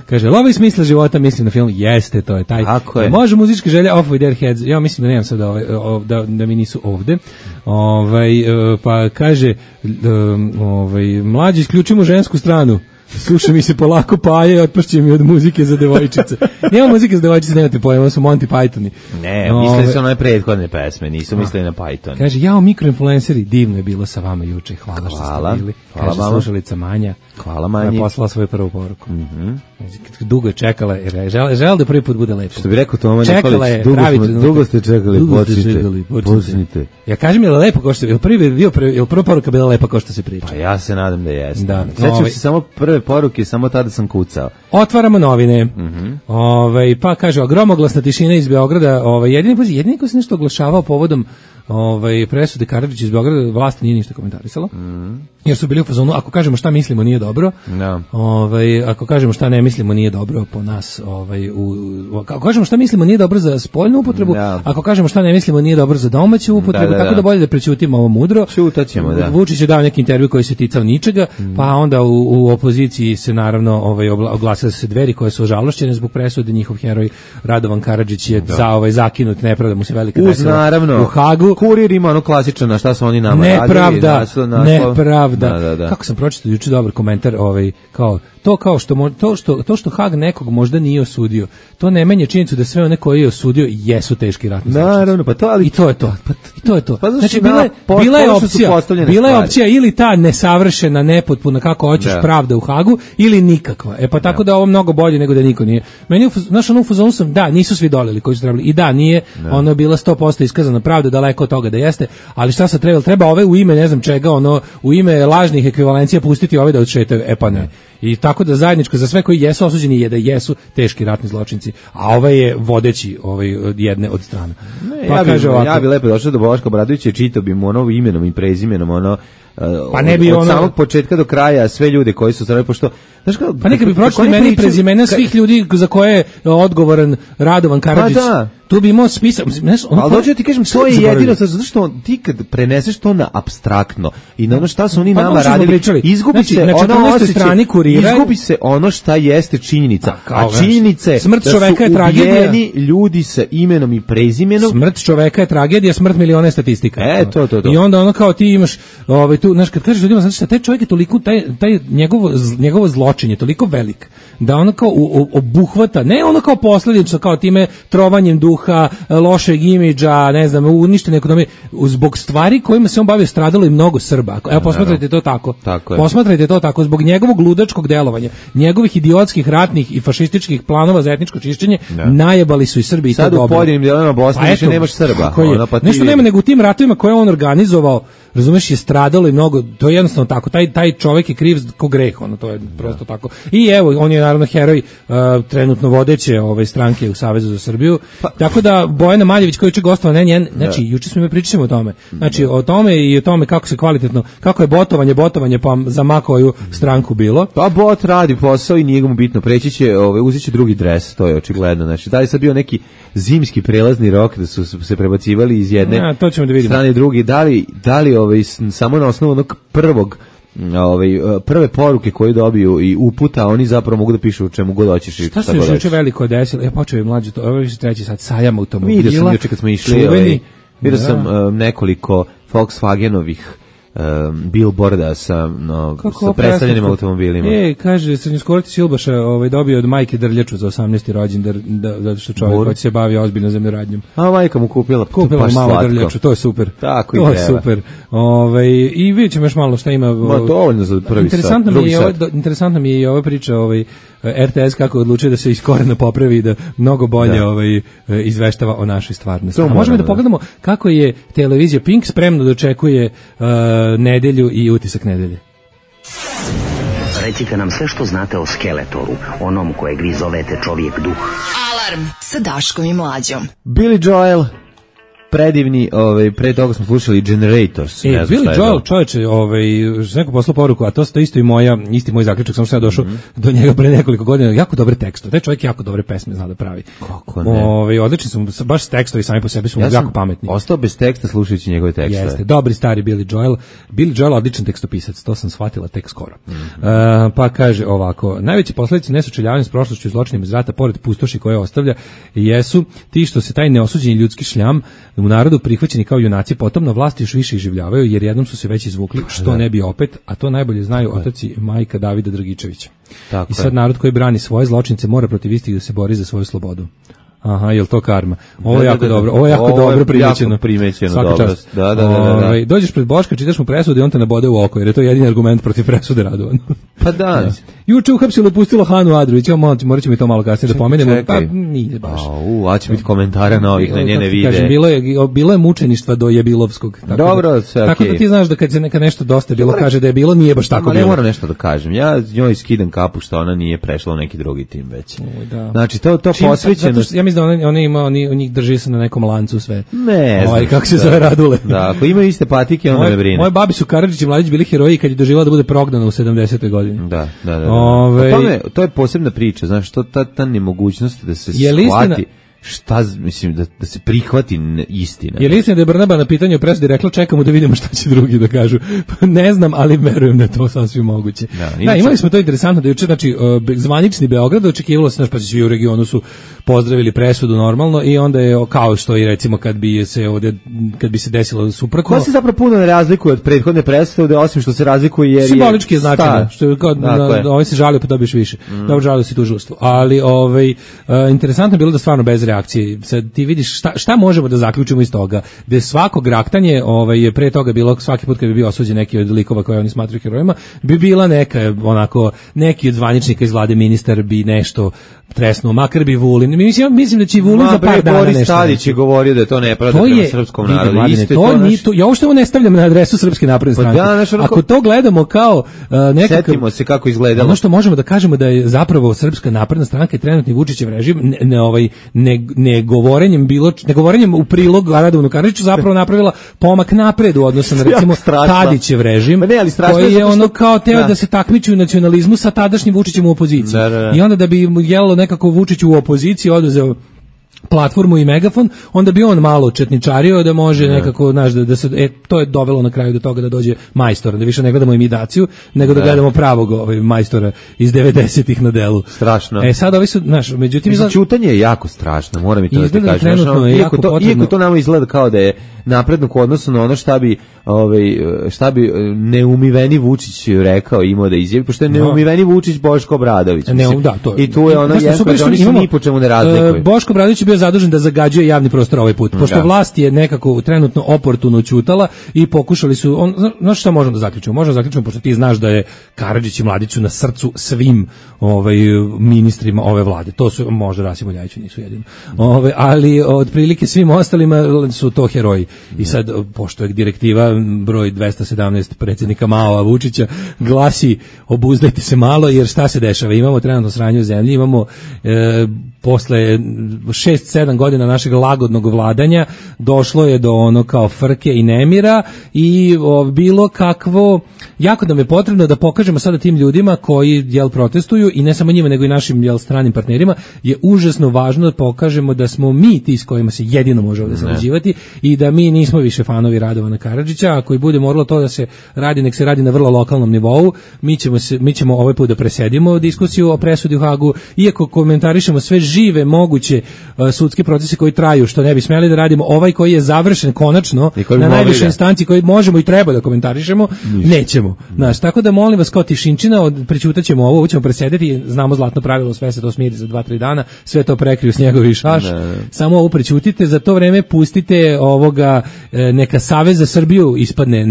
kaže, lovi smisla života, mislim na film, jeste, to je taj. Tako je. Može muzičke želje Off with Their Heads, ja mislim da nemam sad da mi nisu ovde. Pa kaže, mlađi, isključimo žensku stranu. Sluša mi se polako paje i otpašće mi od muzike za devojčice. Nema muzike za devojčice, nemate pojma, su Monty Pythoni. Ne, mislili su na one prethodne pesme, nisu mislili na Python. Kaže, mikroinfluenceri, divno je bilo sa vama juče, hvala što ste bili. Kaže, slušalica Manja. Hvala Manji. Poslala svoju prvu poruku. Dugo je čekala, žele da prvi put bude lepo. Što bi rekao Toma Nikolić, dugo ste čekali, počnite. Ja kažem, je li lepo ko što je prva poruka bila lepa ko što se priča? Pa ja se nadam da jeste. Sećam se samo prve poruke, samo tada sam kucao. Otvaramo novine. Pa kaže, gromoglasna tišina iz Beograda, jedini ko se nešto oglašavao povodom presude Karadžić iz Beograda, vlast nije ništa komentarisala. Jer su bili u fazonu, ako kažemo šta mislimo nije dobro. Ako kažemo šta ne mislimo nije dobro po nas, ako kažemo šta mislimo nije dobro za spoljnu upotrebu, ako kažemo šta ne mislimo nije dobro za domaću upotrebu, tako da bolje da prećutimo ovo mudro. Ćutaćemo, da. Vučić je dao neki intervju koji se ticao ničega, pa onda u opoziciji se naravno oglasile se Dveri koje su ožalošćene zbog presude, njihov heroj Radovan Karadžić je zakinut, nepravda mu se velika desila u Hagu. Kurir ima ono klasično, šta su oni nama radili. Nepravda. Kako sam pročitao juče dobar komentar, to što Hag nekog možda nije osudio, to ne menja činjenicu da sve one koje je osudio jesu teški ratni zločinci. Naravno, pa to, ali i to je to. Pa znači bila je opcija ili ta nesavršena, nepotpuna kako hoćeš pravda u Hagu ili nikakva. Pa tako da ovo mnogo bolje nego da niko nije. Meni u fazonu sam, da, nisu svi dolili koji su trebali. I da, nije, ono je bila 100% iskazana pravda, daleko od toga da jeste, ali šta sad treba ove u ime ne znam čega, u ime lažnih ekvivalencija pustiti ove da odšetaju, pa ne. I tako da zajedničko za sve koji jesu osuđeni je da jesu teški ratni zločinci, a ovaj je vodeći jedne od strana. Ja bi lepo došao do Boška Obradovića i čitao bi mu imenom i prezimenom pa ne bi od samog početka do kraja sve ljude koji su stvarali, pošto pa neka bi pročitali meni prezimena svih ljudi za koje je odgovoran Radovan Karadžić. Tu bi imao spisak. Ali dođe ti kažem, to je jedino, zato što ti kad preneseš to na apstraktno i na ono šta su oni nama radili, izgubi se ono šta jeste činjenica. A činjenice smrt čoveka je tragedija. Ljudi sa imenom i prezimenom. Smrt čoveka je tragedija, smrt miliona je statistika. To. I onda kao ti imaš, tu, znaš, kad kažeš ljudima, znači šta, taj čovjek je toliko, taj njegovo zločin je toliko velik, da ono kao obuhvata, ne ono kao posljedično, kao time trovanjem duha, lošeg imidža, ne znam, uništene ekonomije, zbog stvari kojima se on bavio stradalo i mnogo Srba. Evo, posmatrajte to tako. Posmatrajte to tako, zbog njegovog ludačkog delovanja, njegovih idiotskih ratnih i fašističkih planova za etničko čišćenje, najebali su i Srbi i to dobro. Sad u pojedinim dijelovima Bosne više nemaš Srba. Nešto nema, nego u tim ratovima koje on organizovao, razumeš, je stradalo i mnogo, to je jednostavno tako, taj čovjek je kriv ko greh, to je prosto tako. I evo, on je naravno heroj trenutno vodeće stranke u Savezu za Srbiju, tako da Bojana Maljević koji je gostova, znači juče smo pričali o tome, znači o tome i o tome kako se kvalitetno, kako je botovanje pa za ma koju stranku bilo. Pa bot radi posao i nije mu bitno, preći će, uzet će drugi dres, to je očigledno, znači da je sad bio neki zimski prelazni rok da su se prebacivali iz jedne strane drugi, da li samo na osnovu onog prve poruke koje dobiju i uputa, oni zapravo mogu da pišu o čemu god hoćeš i šta se još juče veliko desilo. Ja počeo je mlađe to, ovo je treći sad sajam automobila. Vidio sam juče kad smo išli, vidio sam nekoliko Volkswagenovih billboarda sa predstavljenim automobilima. Kaže, srednjoškolac Silbaša dobio od majke drljaču za 18. rođendan, zato što čovjek hoće se bavi ozbiljno zemljoradnjom. A majka mu kupila malo drljaču, to je super. Tako to je super. I vidjet ćemo još malo šta ima. Dovoljno za prvi sat. Interesantno mi je i ova priča RTS kako odlučuje da se iz korena popravi i da mnogo bolje izveštava o našoj stvarnosti. Možemo da pogledamo kako je televizija Pink spremno dočekuje nedelju i utisak nedelje. Recite nam sve što znate o Skeletoru, onom kojeg vi zovete čovjek duh. Alarm sa Daškom i Mlađom. Billy Joel predivni, pre toga smo slušali Generators. Billy Joel, čoveče, neko poslao poruku, a to isto isti moj zaključak, sam što ja došao do njega pre nekoliko godina, jako dobre tekstove. Taj čovjek jako dobre pesme zna da pravi. Kako ne? Odlični su, baš tekstovi sami po sebi su jako pametni. Ostao bez teksta slušajući njegove tekstove. Jeste, dobri stari Billy Joel. Billy Joel odličan tekstopisac, to sam shvatila tek skoro. Pa kaže ovako, najveće posledice nesučeljavanja s prošlošću i zločinima iz rata, pored pustoši koje ostavlja, jesu ti što se taj neosuđeni ljudski šljam u narodu prihvaćeni kao junaci, potom na vlasti još više iživljavaju, jer jednom su se već izvukli, što ne bi opet, a to najbolje znaju otac i majka Davida Dragičevića. I sad narod koji brani svoje zločince mora protiv istih da se bori za svoju slobodu. Aha, jel to karma? Ovo je jako dobro. Ovo je jako dobro primećeno. Svaka čast. Da. Dođeš pred Boška, čitaš mu presudu i on te nabode u oko, jer je to jedini argument protiv presude, Radovan. Pa da. Juče uhapsilo i pustilo Hanu Adrović, morat ćemo i to malo kasnije da pomenemo. Pa nije baš. A će biti komentara na ovih, na njene videe. Kažem, bilo je mučeništva do Jebilovskog. Dobro, sve okej. Tako da ti znaš da kad se nešto dosta bilo kaže da je bilo, nije baš tako bilo. Ne moram nešto da kažem. Ja njoj skidam kapu što ona nije prešla u neki drugi tim već. Znači, to posvećenost. Ja mislim da oni njih drži se na nekom lancu sve. Ne znam. Kako se zove Radule. Da, ako imaju iste patike, onda me brine. Moje babi su Karadžić i Mladić bili heroji kad je doživjela da bude prognana u 70. godini. Da. To je posebna priča, znaš, ta nemogućnost da se shvati. Šta, mislim, da se prihvati istina. Je li istina da je Brnaba na pitanje o presudi rekla čekamo da vidimo šta će drugi da kažu? Ne znam, ali verujem da je to sasvim moguće. Da, imali smo to interesantno da juče, znači, zvanični Beograd, očekivalo se, pa svi u regionu su pozdravili presudu normalno i onda je kao što i recimo kad bi se desilo suprotno. Ko se zapravo puno ne razlikuje od prethodne presude, osim što se razlikuje jer simbolički je značajno, što je kao ovaj se žalio pa dobiješ više. Dobro, žalio si tužilaštvo. Ali interesantno je bilo da stvarno bez reakcije. Sad ti vidiš šta možemo da zaključimo iz toga, da je svako graktanje je pre toga bilo svaki put kad bi bio osuđen neki od likova koje oni smatraju herojima, bi bila neka onako neki od zvaničnika iz vlade, ministar bi nešto tresnuo, makar bi Vulin. Mislim da će Vulin za par dana nešto. Boris Tadić je govorio da je to nepravda prema srpskom narodu. Ja uopšte ovo ne stavljam na adresu Srpske napredne stranke. Ako to gledamo kao nekakav... Setimo se kako izgledalo. Ono što možemo da kažemo da je zapravo Srpska napredna stranka i trenutni Vučićev režim ne govorenjem u prilog Radovanu Karadžiću zapravo napravila pomak napred u odnosu na recimo Tadićev režim, koji je ono kao teo da se takmiči u nacionalizmu sa tadašnjim Vučićem u opoziciji. I onda da bi jelalo nekako Vučić u opoziciji oduzeo platformu i megafon, onda bi on malo četničario da može nekako, znaš, da se, to je dovelo na kraju do toga da dođe majstor, da više ne gledamo imitaciju, nego da gledamo pravog majstora iz 90-ih na delu. Strašno. Sad ovi su, znaš, međutim... Ćutanje je jako strašno, moram i to da ti kažem. Iako to nama izgleda kao da je napredno u odnosu na ono šta bi neumiveni Vučić rekao, imao da izjavi, pošto je neumiveni Vučić Boško Obradović. I tu je ono jedan, oni se ni po čemu ne razlikuju. Boško Obradović je bio zadužen da zagađuje javni prostor ovaj put, pošto vlast je nekako trenutno oportuno ćutala i pokušali su, znaš šta možemo da zaključimo? Možemo da zaključimo, pošto ti znaš da je Karadžić i Mladić su na srcu svim ministrima ove vlade. To su, možda Rasim Ljajić nisu jedino. Ali otprilike svim ostalima su to heroji. I sad, pošto je direktiva broj 217 predsjednika Mao Vučića glasi obuzdajte se malo, jer šta se dešava? Imamo trenutno sranje u zemlji, imamo posle 6-7 godina našeg lagodnog vladanja došlo je do ono kao frke i nemira i bilo kakvo, jako nam je potrebno da pokažemo sada tim ljudima koji protestuju i ne samo njima nego i našim stranim partnerima, je užasno važno da pokažemo da smo mi ti s kojima se jedino može ovdje sarađivati i da mi nismo više fanovi Radovana Karadžića. Ako i bude moralo to da se radi, nek se radi na vrlo lokalnom nivou. Mi ćemo ovaj put da presedimo diskusiju o presudi u Hagu, iako komentarišemo sve žive moguće sudske procese koji traju, što ne bi smeli da radimo. Ovaj koji je završen konačno na najvišoj instanci, koji možemo i treba da komentarišemo, nećemo. Znaš, tako da molim vas kao tišinčina, prećutaćemo ovo ćemo presedeti, znamo zlatno pravilo, sve se to smiri za 2-3 dana, sve to prekriju snjegovi šaš, samo ovo prećutite, za to vreme pustite ovoga, neka Savez za Srbiju ispadne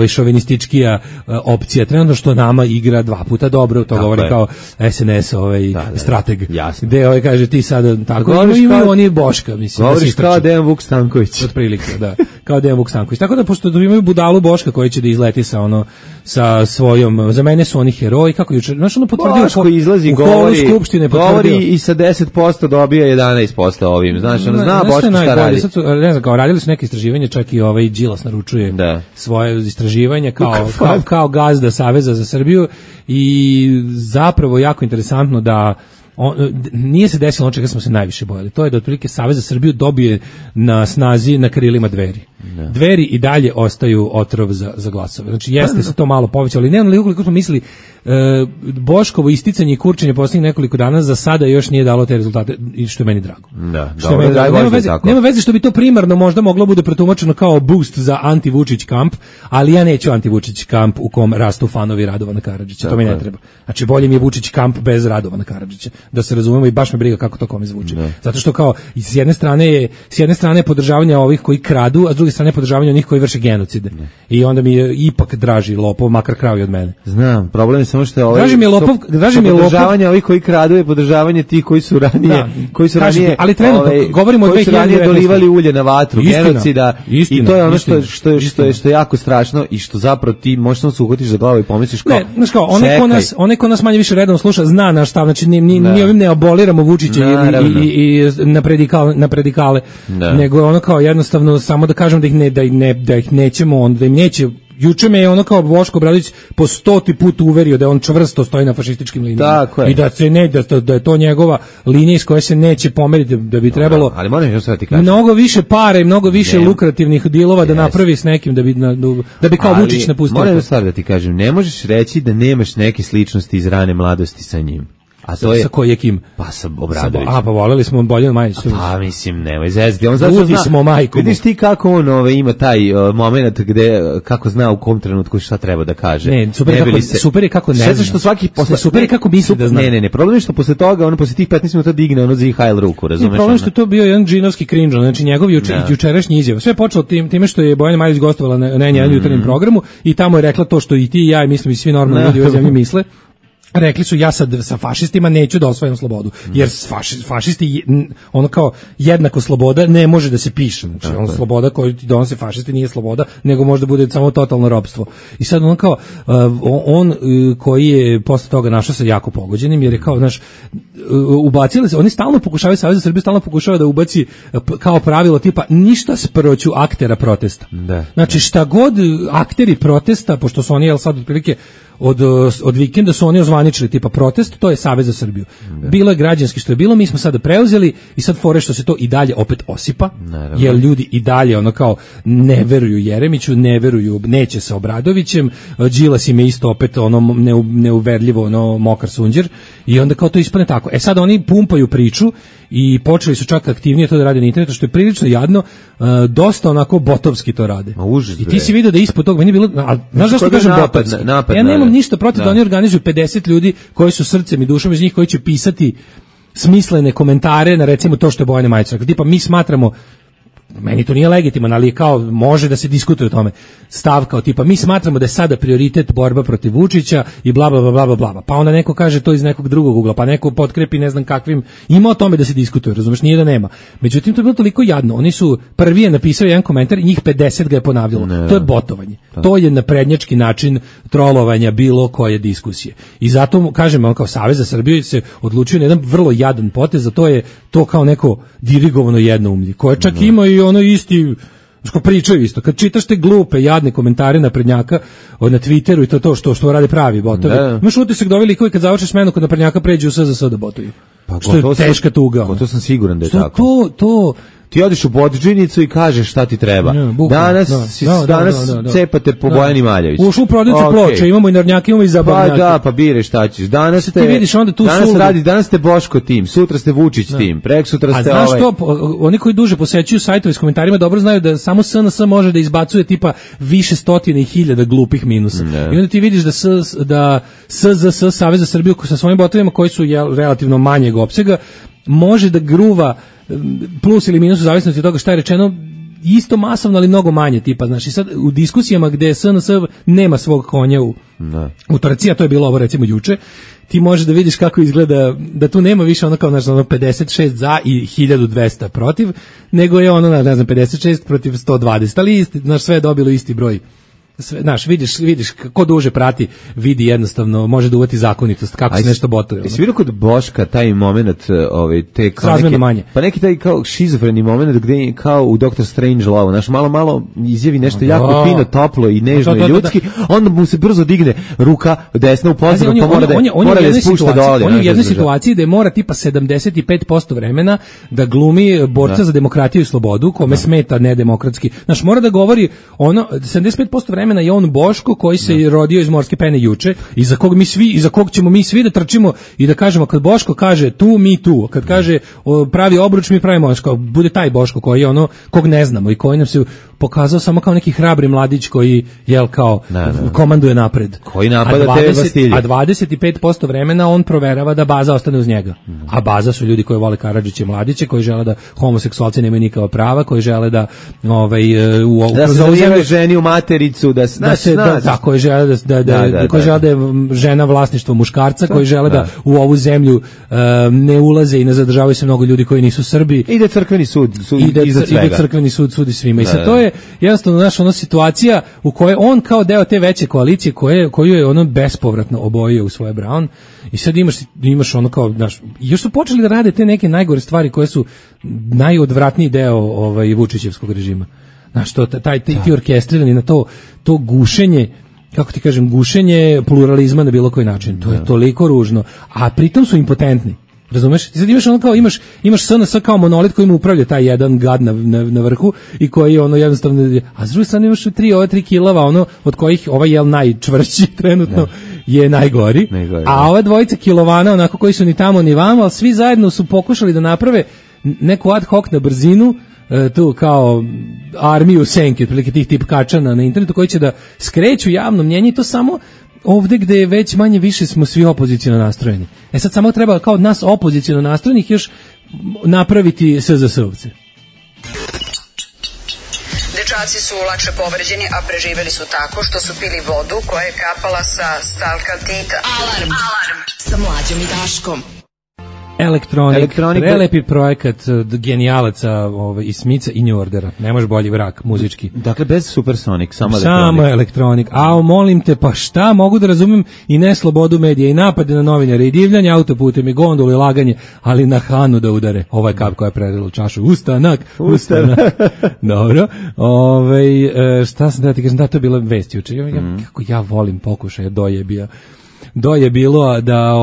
šovinističkija opcija, trenutno što nama igra 2 puta dobro, to govori kao SNS strateg, gde ovaj kaže ti sada tako Govoriš imaju kao- oni Boška, mislim. da se Govoriš kao istrče. Dejan Vuk Stanković. Otprilike, da. Kao Dejan Vuk Stanković. Tako da pošto imaju budalu Boška koji će da izleti sa svojom, za mene su oni heroji, kako juče, znaš ono potvrdio Boško izlazi, u holu govori, skupštine govori potvrdio. i sa 10% dobija 11% ovim, znaš, ono zna Boško šta najbolje, radi. sad su, ne znam, kao radili su neke istraživanja, čak i ovaj Đilas naručuje svoje istraživanja kao gazda Saveza za Srbiju i zapravo jako interesantno da nije se desilo ono čega smo se najviše bojali. To je da otprilike Savez za Srbiju dobije na snazi na krilima Dveri. Dveri i dalje ostaju otrov za glasove. Znači jeste se to malo povećalo, ali ne onoliko koliko smo mislili. Boškovo isticanje i kurčenje posljednjih nekoliko dana za sada još nije dalo te rezultate i što je meni drago. Da, Što je meni drago. Nema veze što bi to primarno možda moglo bude protumačeno kao boost za anti-Vučić kamp, ali ja neću anti-Vučić kamp u kom rastu fanovi Radovana Karadžića. To mi ne treba. Znači bolje mi je Vučić kamp bez Radovana Karadžića. Da se razumemo i baš me briga kako to kome zvuči. Zato što kao s jedne strane je podržavanje ovih koji kradu, a s druge strane podržavanje onih koji vrše genocide. I onda mi je ipak draži lopov, makar krao i od mene. Znam, problem je samo što je Draži mi je lopov, podržavanje ovih koji kradu je podržavanje tih koji su ranije, ali trenutno govorimo o 2019. dolivali ulje na vatru, genocida, istina, i to je ono što je jako strašno i što zapravo ti možeš samo se uhvatiš za glavu i pomisliš kao, onaj ko nas manje više redovno sluša zna naš stav, znači mi ovim ne aboliramo Vučića i na predikale, nego ono kao jednostavno samo da kažem da ih nećemo, da im neće. Juče me je ono kao Boško Obradović po 100. put uverio da on čvrsto stoji na fašističkim linijama. I da je to njegova linija iz koje se neće pomeriti, da bi trebalo ali moram još sad ti kažem. Mnogo više para i mnogo više lukrativnih dilova da napravi s nekim da bi kao Vučić napustio. Moram još sad da ti kažem, ne možeš reći da nemaš neke sličnosti iz rane mladosti sa njim. A to je sa kojim? Pa sa Obradovićem. Pa voleli smo Boljanu Majić. Pa mislim, nemoj zezati. On zato zna, smo majkom. Vidiš ti kako on ima taj moment gde kako zna u kom trenutku šta treba da kaže. Ne, super je kako ne zna. Što svaki super je kako misli da zna. Ne, problem je što posle toga on posle tih 15 minuta digne ono za IHL ruku, razumeš? Problem je što to bio jedan džinovski cringe, znači njegov jučerašnji izjava. Sve je počelo time što je Bojana Majić gostovala na N1 jutarnjem programu i tamo je rekla to što i ti i ja i mislim i svi normalni ljudi u ovoj zemlji misle. Rekli su ja sad sa fašistima neću da osvajam slobodu, jer fašisti ono kao jednako sloboda ne može da se piše, znači on sloboda koju ti donose fašisti nije sloboda, nego može da bude samo totalno ropstvo. I sad on kao on koji je posle toga našao se jako pogođenim, jer je kao znaš ubacili se, oni stalno pokušavaju, Savez za Srbiju stalno pokušava da ubaci kao pravilo tipa ništa sproću aktera protesta. Znači šta god akteri protesta, pošto su oni sad otprilike od vikenda su oni ozvaničili tipa protest, to je Savez za Srbiju. Bilo je građanski što je bilo, mi smo sada preuzeli i sad fore što se to i dalje opet osipa, jer ljudi i dalje ono kao ne veruju Jeremiću, ne veruju, neće sa Obradovićem, Đilas im je isto opet ono neuverljivo ono mokar sunđer i onda kao to ispane tako. Sad oni pumpaju priču i počeli su čak aktivnije to da rade na internetu, što je prilično jadno, dosta onako botovski to rade. I ti si vidio da ispod toga, meni je bilo, znaš zašto kažem botovski? Ja nemam ništa protiv da oni organizuju 50 ljudi koji su srcem i dušom iz njih, koji će pisati smislene komentare na recimo to što je Bojana Majić rekla. Tipa mi smatramo, meni to nije legitiman, ali kao može da se diskutuje o tome. Stav kao tipa mi smatramo da je sada prioritet borba protiv Vučića i bla bla bla bla bla. Pa onda neko kaže to iz nekog drugog ugla, pa neko potkrepi ne znam kakvim. Ima o tome da se diskutuje, razumeš, nije da nema. Međutim to je bilo toliko jadno. Oni su prvi je napisao jedan komentar i njih 50 ga je ponavljalo. To je botovanje. To je naprednjački način trolovanja bilo koje diskusije. I zato kažem, on kao Savez za Srbiju se odlučio na jedan vrlo jadan potez, a to je to kao neko dirigovano jednoumlje koje čak ima i ono isti što pričaju isto. Kad čitaš te glupe, jadne komentare naprednjaka na Twitteru i to što rade pravi botovi, imaš utisak da ovi likovi kad završe smenu kod naprednjaka pređu u SZS da botuju. Pa što je teška tuga. To sam siguran da je tako. Ti odiš u Bodžinicu i kažeš šta ti treba. Danas cepate po Bojani Maljević. Ušli u prodavnicu ploče, imamo i narnjake, imamo i zabavnjake. Pa da, pa bire šta ćeš. Danas ste Boško tim, sutra ste Vučić tim, preksutra ste ovaj. A znaš što, oni koji duže posećuju sajtove s komentarima dobro znaju da samo SNS može da izbacuje tipa više stotine i hiljada glupih minusa. I onda ti vidiš da SZS, Savez za Srbiju sa svojim botovima koji su relativno manjeg opsega, može da gruva plus ili minus u zavisnosti od toga šta je rečeno isto masovno, ali mnogo manje tipa, znači sad u diskusijama gde SNS nema svog konja u trci, a to je bilo ovo recimo juče, ti možeš da vidiš kako izgleda, da tu nema više ono kao, znaš, ono 56 za i 1200 protiv, nego je ono, ne znam, 56 protiv 120, ali isti, znaš, sve je dobilo isti broj. Sve, znaš, vidiš ko duže prati, vidi jednostavno, može da uvati zakonitost, kako se nešto botuje. Jesi vidio kod Boška taj moment, te kao razmjerno manje. Pa neki taj kao šizofreni moment gde je kao u Dr. Strangelove, znaš, malo izjavi nešto jako fino, toplo i nežno i ljudski, onda mu se brzo digne ruka desna u pozadinu, pa mora da spušta dole. On je u jednoj situaciji da je mora tipa 75% vremena da glumi borca za demokratiju i slobodu, kome smeta nedemokratski. Znaš, mora da govori ono 75% vremena je on Boško koji se rodio iz morske pene juče i za kog ćemo mi svi da trčimo i da kažemo kad Boško kaže tu, mi tu, kad kaže pravi obruč, mi pravimo, bude taj Boško koji je ono kog ne znamo i koji nam se pokazao samo kao neki hrabri mladić koji kao komanduje napred. Koji napada te Vastilje. A 25% vremena on proverava da baza ostane uz njega. A baza su ljudi koji vole Karadžiće mladiće, koji žele da homoseksualci nemaju nikakva prava, koji žele da da se zauzeme ženi u matericu, koji žele da je žena vlasništvo muškarca, koji žele da u ovu zemlju ne ulaze i ne zadržavaju se mnogo ljudi koji nisu Srbi. I da crkveni sud sudi svima. I sad to je jednostavno naša ona situacija u kojoj on kao deo te veće koalicije koju je ono bespovratno obojio u svoje Brown i sad imaš ono kao, znaš, još su počeli da rade te neke najgore stvari koje su najodvratniji deo Vučićevskog režima. Znaš, ti orkestrirani na to gušenje, kako ti kažem, gušenje pluralizma na bilo koji način. To je toliko ružno, a pritom su impotentni. Razumeš? Ti sad imaš ono kao, imaš SNS kao monolit koji mu upravlja taj jedan gad na vrhu i koji ono jednostavno, a s druge strane imaš tri kilava, ono od kojih ovaj je najčvršći trenutno je najgori, a ova dvojica kilovana onako koji su ni tamo ni vamo, ali svi zajedno su pokušali da naprave neku ad hoc na brzinu, tu kao armiju senke, otprilike tih tipkačana na internetu koji će da skreću javno mnjenje i to samo ovde gde je već manje više smo svi opoziciono nastrojeni. Sad samo treba kao od nas opoziciono nastrojenih još napraviti SZS-ovce. Dečaci su lakše povređeni, a preživeli su tako što su pili vodu koja je kapala sa stalkaltita. Alarm sa Mlađom i Daškom. Elektronik, prelepi projekat genijalaca iz Smica i New Ordera. Ne može bolji vrak muzički. Dakle, bez Supersonic, samo elektronik. A molim te, pa šta, mogu da razumem i ne slobodu medija i napade na novinare i divljanje autoputem i gondolu i laganje, ali na Hanu da udare. Ovo je kap koja je predala u čašu. Ustanak. Dobro. Šta sam da ti kažem, da to je bila vest juče. Kako ja volim pokušaja dojebija. Je bilo da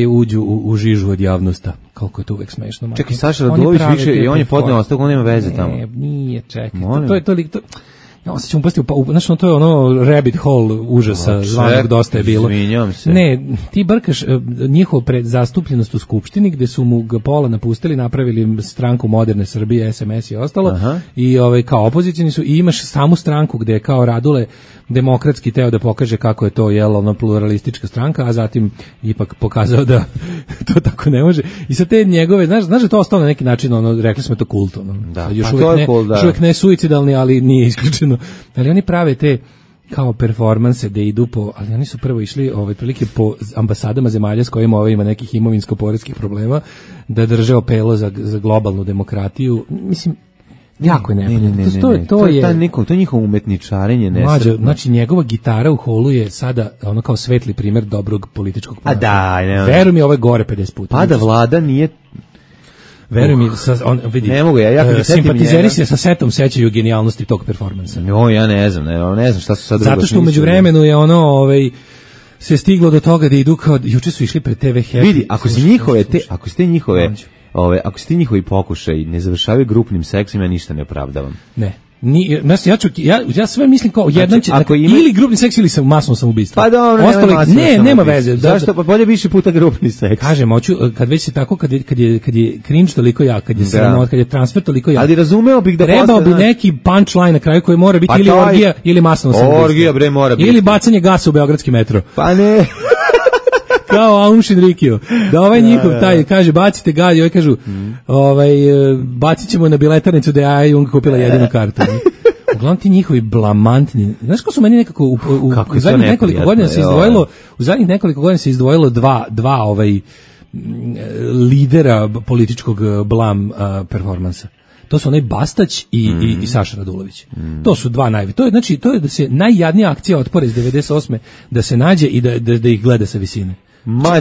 uđu u žižu od javnosti. Koliko je to uvek smešno. Čekaj, Saša Radulović više i on je podneo ostavku, on nema veze tamo. Nije, čekaj. To je ja se ćemo pasti znači to je ono rabbit hole užasa zvanog dosta je bilo. Ne, ti brkaš njihov zastupljenost u skupštini gde su mu ga pola napustili, napravili stranku Moderne Srbije, SMS i ostalo. I kao opozicioni su i imaš samu stranku gde je kao Radule demokratski teo da pokaže kako je to pluralistička stranka, a zatim ipak pokazao da to tako ne može. I sa te njegove, znaš da je to ostalo na neki način, rekli smo to kult, još uvijek ne suicidalni, ali nije isključeno. Ali oni prave te kao performanse da idu ali oni su prvo išli prilike po ambasadama zemalja s kojima ima nekih imovinsko-poreskih problema, da drže apelo za globalnu demokratiju. Mislim, jako je neprijatno. To je njihovo umetničarenje nesretno. Znači njegova gitara u holu je sada ono kao svetli primjer dobrog političkog ponašanja. Veruj mi, ovo je gore 50 puta. Pa da vlada nije... Veruj mi, vidi, ne mogu ja simpatizeri se sa setom sećaju genijalnosti tog performansa. Ja ne znam šta su sad drugo. Zato što u međuvremenu je se stiglo do toga da idu kao, juče su išli pred TV Happy. Vidi, ako su ti njihovi pokušaj ne završavaju grupnim seksom, ja ništa ne opravdavam. Ne. Ja sve mislim kao jedan će ili grupni seks ili masno samoubistvo. Pa dobro, nema veze. Zašto? Pa bolje više puta grupni seks. Kažem, kad već je tako, kad je cringe toliko jak, kad je sramot, kad je transfer toliko jak. Ali razumeo bih da trebao bi neki punchline na kraju koji mora biti ili orgija ili masno samoubistvo. Orgija bre mora biti. Ili bacanje gasa u beogradski metro. Pa ne. Kao Aumšin Rikio. Da njihov taj kaže bacite galj, ovaj kažu bacit ćemo na biletarnicu da ja Jung kupila jedinu kartu. uglavnom ti njihovi blamantni, znaš ko su meni nekako u zadnjih nekoliko godina se izdvojilo, u zadnjih nekoliko godina se izdvojilo dva lidera političkog blam performansa. To su onaj Bastać i Saša Radulović. To su dva najve. To je da se najjadnija akcija otpora iz 98. da se nađe i da ih gleda sa visine.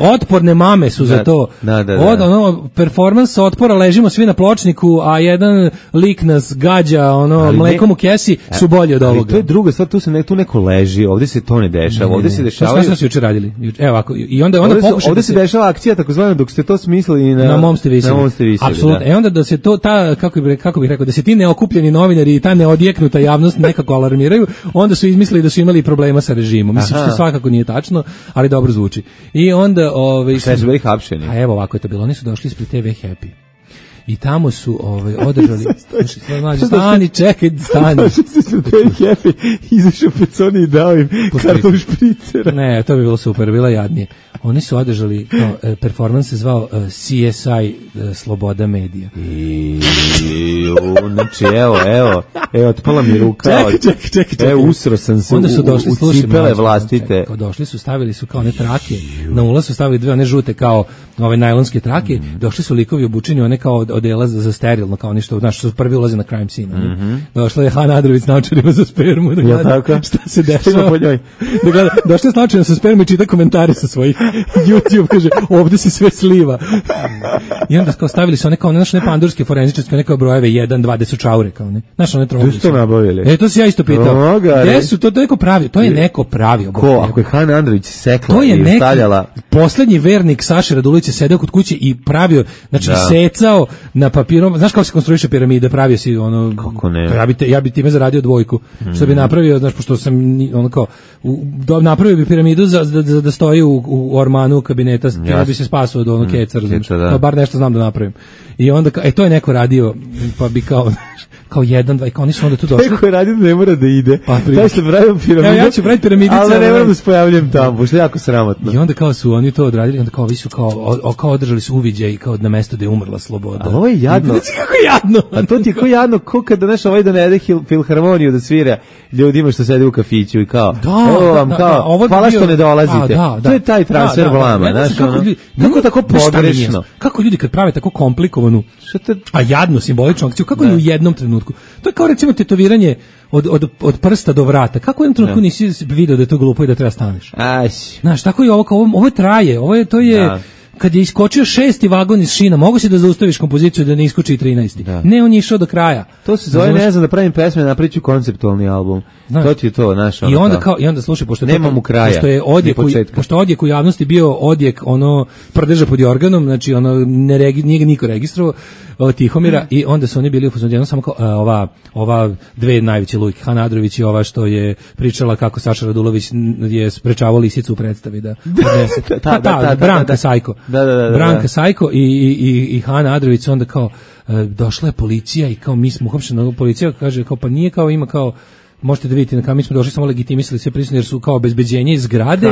Otporne mame su za to. Performans otpora, ležimo svi na pločniku, a jedan lik nas gađa mlekom u kesi, su bolji od ovoga. Ali to je druga stvar, tu neko leži, ovdje se to ne dešava, ovdje se dešavaju... Šta su juče radili? Evo ovako, i onda ovdje se dešava akcija, takozvano, dok ste to smislili na mom ste visili. Apsolutno. Onda da se to, kako bih rekao, da se ti neokupljeni novinari i ta neodjeknuta javnost nekako alarmiraju, onda su izmislili da su imali problema sa režimom. Mislim što svakako nije tačno, ali dobro zvuči. I onda sve su bili hapšeni. A evo ovako je to bilo, oni su došli ispred TV Happy. I tamo su održali stani, čekaj, stani. Happy izašao Peconi i dao im karton špricera. Ne, to bi bilo super, bilo jadnije. Oni su održali, performans se zvao CSI Sloboda medija. Znači, evo, otpala mi ruka. Čekaj. Evo, usro sam se u cipele vlastite. Došli su, stavili su kao one trake, na ulaz su stavili dve one žute kao ove najlonske trake, došli su likovi obučeni, one kao odela za sterilno, kao ništa, znaš, su prvi ulaze na crime scene. Došla je Hana Adrović s naočarima za spermu, da gleda šta se dešava. Došla je s naočarima sa spermu i čita komentare sa svojih YouTube, kaže, ovde se sve sliva. I onda kao stavili su one kao, znaš, ne pandurske forenzičarske, neke brojeve 1, 2, gde su čaure, kao ne. Znaš, one troglice. Gde su to nabavili? To si ja isto pitao. Gde su, to neko pravio, to je neko pravio. Ko, ako je Hana Andrović sekla i stavljala... Poslednji vernik Saše Radulović je sedeo kod kuće i pravio, znači secao na papirom, znaš kako se konstruiše piramida, pravio si ono... Kako ne? Ja bi time zaradio dvojku. Što bi napravio, znaš, pošto sam ono kao, napravio bi piramidu da stoji u ormanu kabineta, ja bi se spasao od onog keca, razumiješ, bar nešto znam da napravim. I onda, to je neko radio, pa bi kao 1, 2, i kao oni su onda tu došli. Neko je radio da ne mora da ide. Daj se pravim piramidu. Ja ću praviti piramidice. Ali ne moram da se pojavljam tamo, pošto je jako sramotno. I onda kao su oni to odradili, onda kao vi su kao održali su uviđaj kao na mesto da je umrla sloboda. Ali ovo je jadno. Kako jadno? A to ti je kao jadno, ko kada znaš ovaj donede filharmoniju da svira ljudima što sede u kafiću i kao, evo vam kao, hvala što ne dolazite. To je taj transfer blama, znaš, kako tako pogrešno. Kako ljudi kad prave tako komplikovanu, a jadno simboličnu akciju, kako je u jednom trenutku. To je kao recimo tetoviranje od prsta do vrata. Kako u jednom trenutku nisi video da je to glupo i da treba staneš? Znaš, tako i ovo traje, to je... Kad je iskočio 6. vagon iz šina, mogu si da zaustaviš kompoziciju da ne iskoči i 13. Ne, on je išao do kraja. To se zove, ne znam, da pravim pesme, napriču konceptualni album. To ti je to, znaš. I onda slušaj, pošto je odjek u javnosti bio odjek prdeža pod jorganom, znači nije ga niko registrovao, Tihomira, i onda su oni bili u fazonu, samo kao ova dve najveće lujke, Hana Adrović i ova što je pričala kako Saša Radulović je sprečavao lisicu u predstavi da odnese. Branka Sajko. Branka Sajko i Hana Adrović, onda kao došla je policija i kao mi smo uhapšeni, policija kaže kao pa nije kao ima kao možete da vidite na kameru, mi smo došli samo legitimisali sve prisutne jer su kao obezbeđenje iz zgrade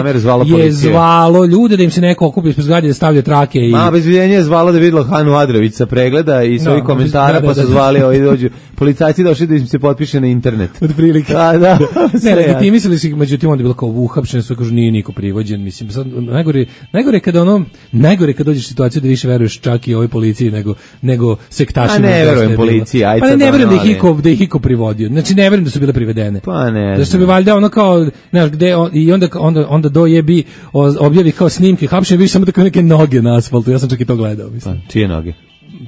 je zvalo ljude da im se neko okupi ispred zgrade da stavlja trake i obezbeđenje je zvalo da videlo Hanu Adrović sa pregleda i svojih komentara pa su zvali dođu policajci došli da im se potpiše na internet otprilike. Ne, legitimisali su ih, međutim onda je bilo kao uhapšeni su, kažu nije niko privođen, mislim sad najgore kad dođeš u situaciju da više veruješ čak i ovoj policiji nego sektašima. Ne verujem policiji, ajde. Pa ne verujem da ih iko privodio. Znači ne verujem da su bile privedene. Pa ne. Da su bi valjda ono kao, znaš, gde i onda dojebi objavi kao snimke hapšenja, vidiš samo tako neke noge na asfaltu. Ja sam čak i to gledao, mislim. Pa, čije noge?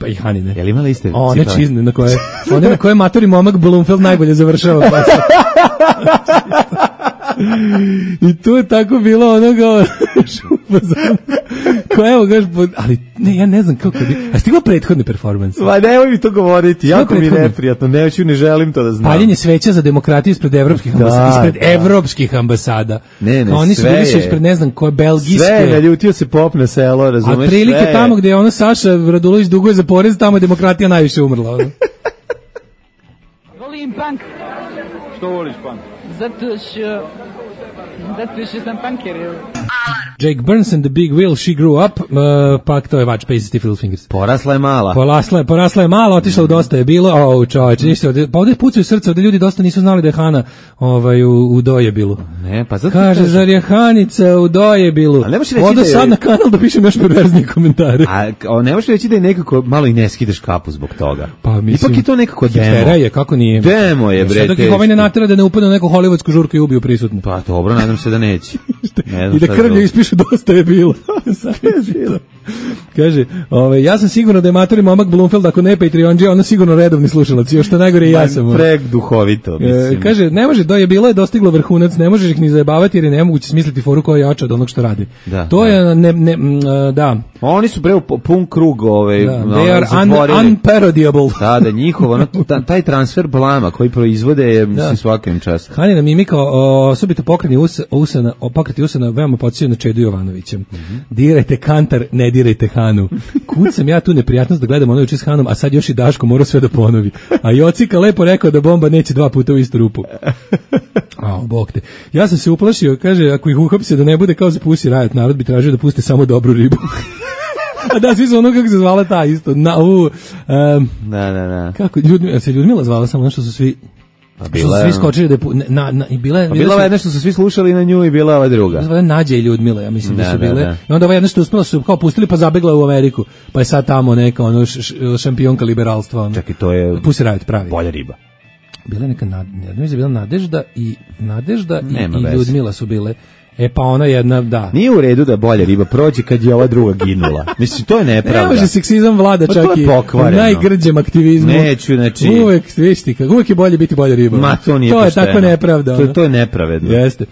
Pa i Hanine. Jel imala iste? One čizne na koje matori momak Blumfeld najbolje završava. I tu je tako bilo ono kao evo gaš, ali ne, ja ne znam kako a stigla prethodni performans. Ma nemoj mi to govoriti, jako mi neprijatno, ne želim to da znam. Paljenje sveća za demokratiju ispred evropskih ambasada. Ne, oni su bili su ispred ne znam koje belgijske. Sve, naljutio se pop na selo, razumeš sve. A prilike tamo gde je ono Saša Radulović duguje za porez, tamo je demokratija najviše umrla. Volim punk. Što voliš punk? Zato što sam punker. Alarm. Jake Burns and the Big Wheel, She Grew Up, pa to je Vač Paces, Stiff Little Fingers. Porasla je mala. Porasla je mala, otišla u Dosta je bilo, čoveče, ništa, pa ovdje pucaju srce, ovdje ljudi dosta nisu znali da je Hana u Dojebilu. Ne, pa zato kaže, zar je Hanica u Dojebilu? Odo sad na kanal da pišem još perverznije komentare. A ne možeš reći da je nekako malo i ne skidaš kapu zbog toga. Pa mislim, ipak je to nekako demo. Hiftera je, kako nije? Demo je, bre. Sad dok ih ovaj ne natera da ne upadne u neku hollywoodsku žurku i ubiju prisutno. Pa dobro, nadam se da neće. I da krvlju ispišu Dosta je bilo. Kaže, ja sam sigurno da je matori momak Blumfeld, ako ne Patreonđe, ono sigurno redovni slušalac, još što najgore i ja sam. Prek duhovito, mislim. Kaže, ne može, je bilo je dostiglo vrhunac, ne možeš ih ni zajebavati jer je nemoguće smisliti foru koja je jača od onog što radi. To je, da. Oni su pun krug, they are unparodiable. Da, njihov, taj transfer blama koji proizvode je, mislim, svakim čast. Hanina mimika, osobito pokreti usana, veoma podsjeća na Čedu Jovanovića. Dirajte kantar, ne dirajte Hanu. Kud sam ja tu neprijatnost da gledam ono juče s Hanom, a sad još i Daško mora sve da ponovi. A Jocika lepo rekao da bomba neće 2 puta u istu rupu. Bog te. Ja sam se uplašio, kaže, ako ih uhapse da ne bude kao za Pussy Riot, narod bi tražio da puste samo dobru ribu. A da, svi su ono kako se zvala ta isto. Da. Kako, se Ljudmila zvala samo ono što su svi... svi skočili da bila je nešto su svi slušali na nju i bila ova druga. Zvala Nađa i Ljudmila, ja mislim da su bile. I onda ova jedna što uspela su kao pustili pa zabegla u Ameriku. Pa je sad tamo neka šampionka liberalstva. Čak i to je Pussy Riot pravi. Bolja riba. Bila je neka Nadežda i Ljudmila su bile. Pa ona jedna, da. Nije u redu da bolja riba prođe kad je ova druga ginula. Mislim, to je nepravda. Ne može seksizam vlada čak i u najgrđem aktivizmu. Neću, znači... Uvek je bolje biti bolja riba. Ma, to nije pošteno. To je tako nepravda. To je nepravedno. Jeste.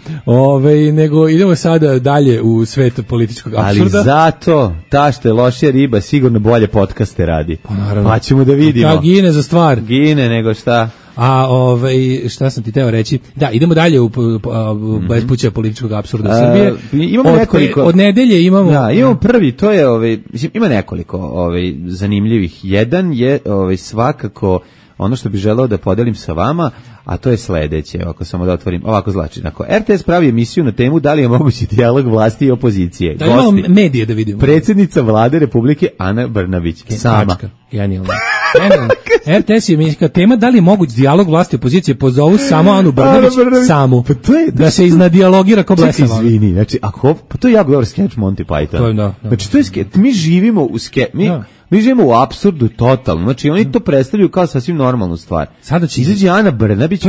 Nego idemo sada dalje u svet političkog apsurda. Ali zato, ta što je lošija riba sigurno bolje podcaste radi. Pa naravno. Pa ćemo da vidimo. Ta gine za stvar. Gine nego šta... A šta sam ti teo reći? Da, idemo dalje u bespuća političkog apsurda Srbije. Imamo nekoliko. Od nedelje imamo. Da, imamo prvi, to je mislim ima nekoliko zanimljivih. Jedan je svakako ono što bih želeo da podelim sa vama, a to je sledeće, ako samo da otvorim, ovako znači, RTS pravi emisiju na temu da li je mogući dijalog vlasti i opozicije. Da imamo medije da vidimo. Predsjednica vlade Republike Ana Brnabić, sama. Genijalno. RTS je emisija tema da li je moguć dijalog vlasti i opozicije, pozovu samo Anu Brnabić, samu. Pa to je, da se iznadijalogira ko blesava. Izvini, znači, pa to je jako dobar sketch Monty Python. Znači, to je sketch, mi živimo u mi živimo u apsurdu totalno. Znači oni to predstavljaju kao sasvim normalnu stvar. Sada će izaći Ana Brnabić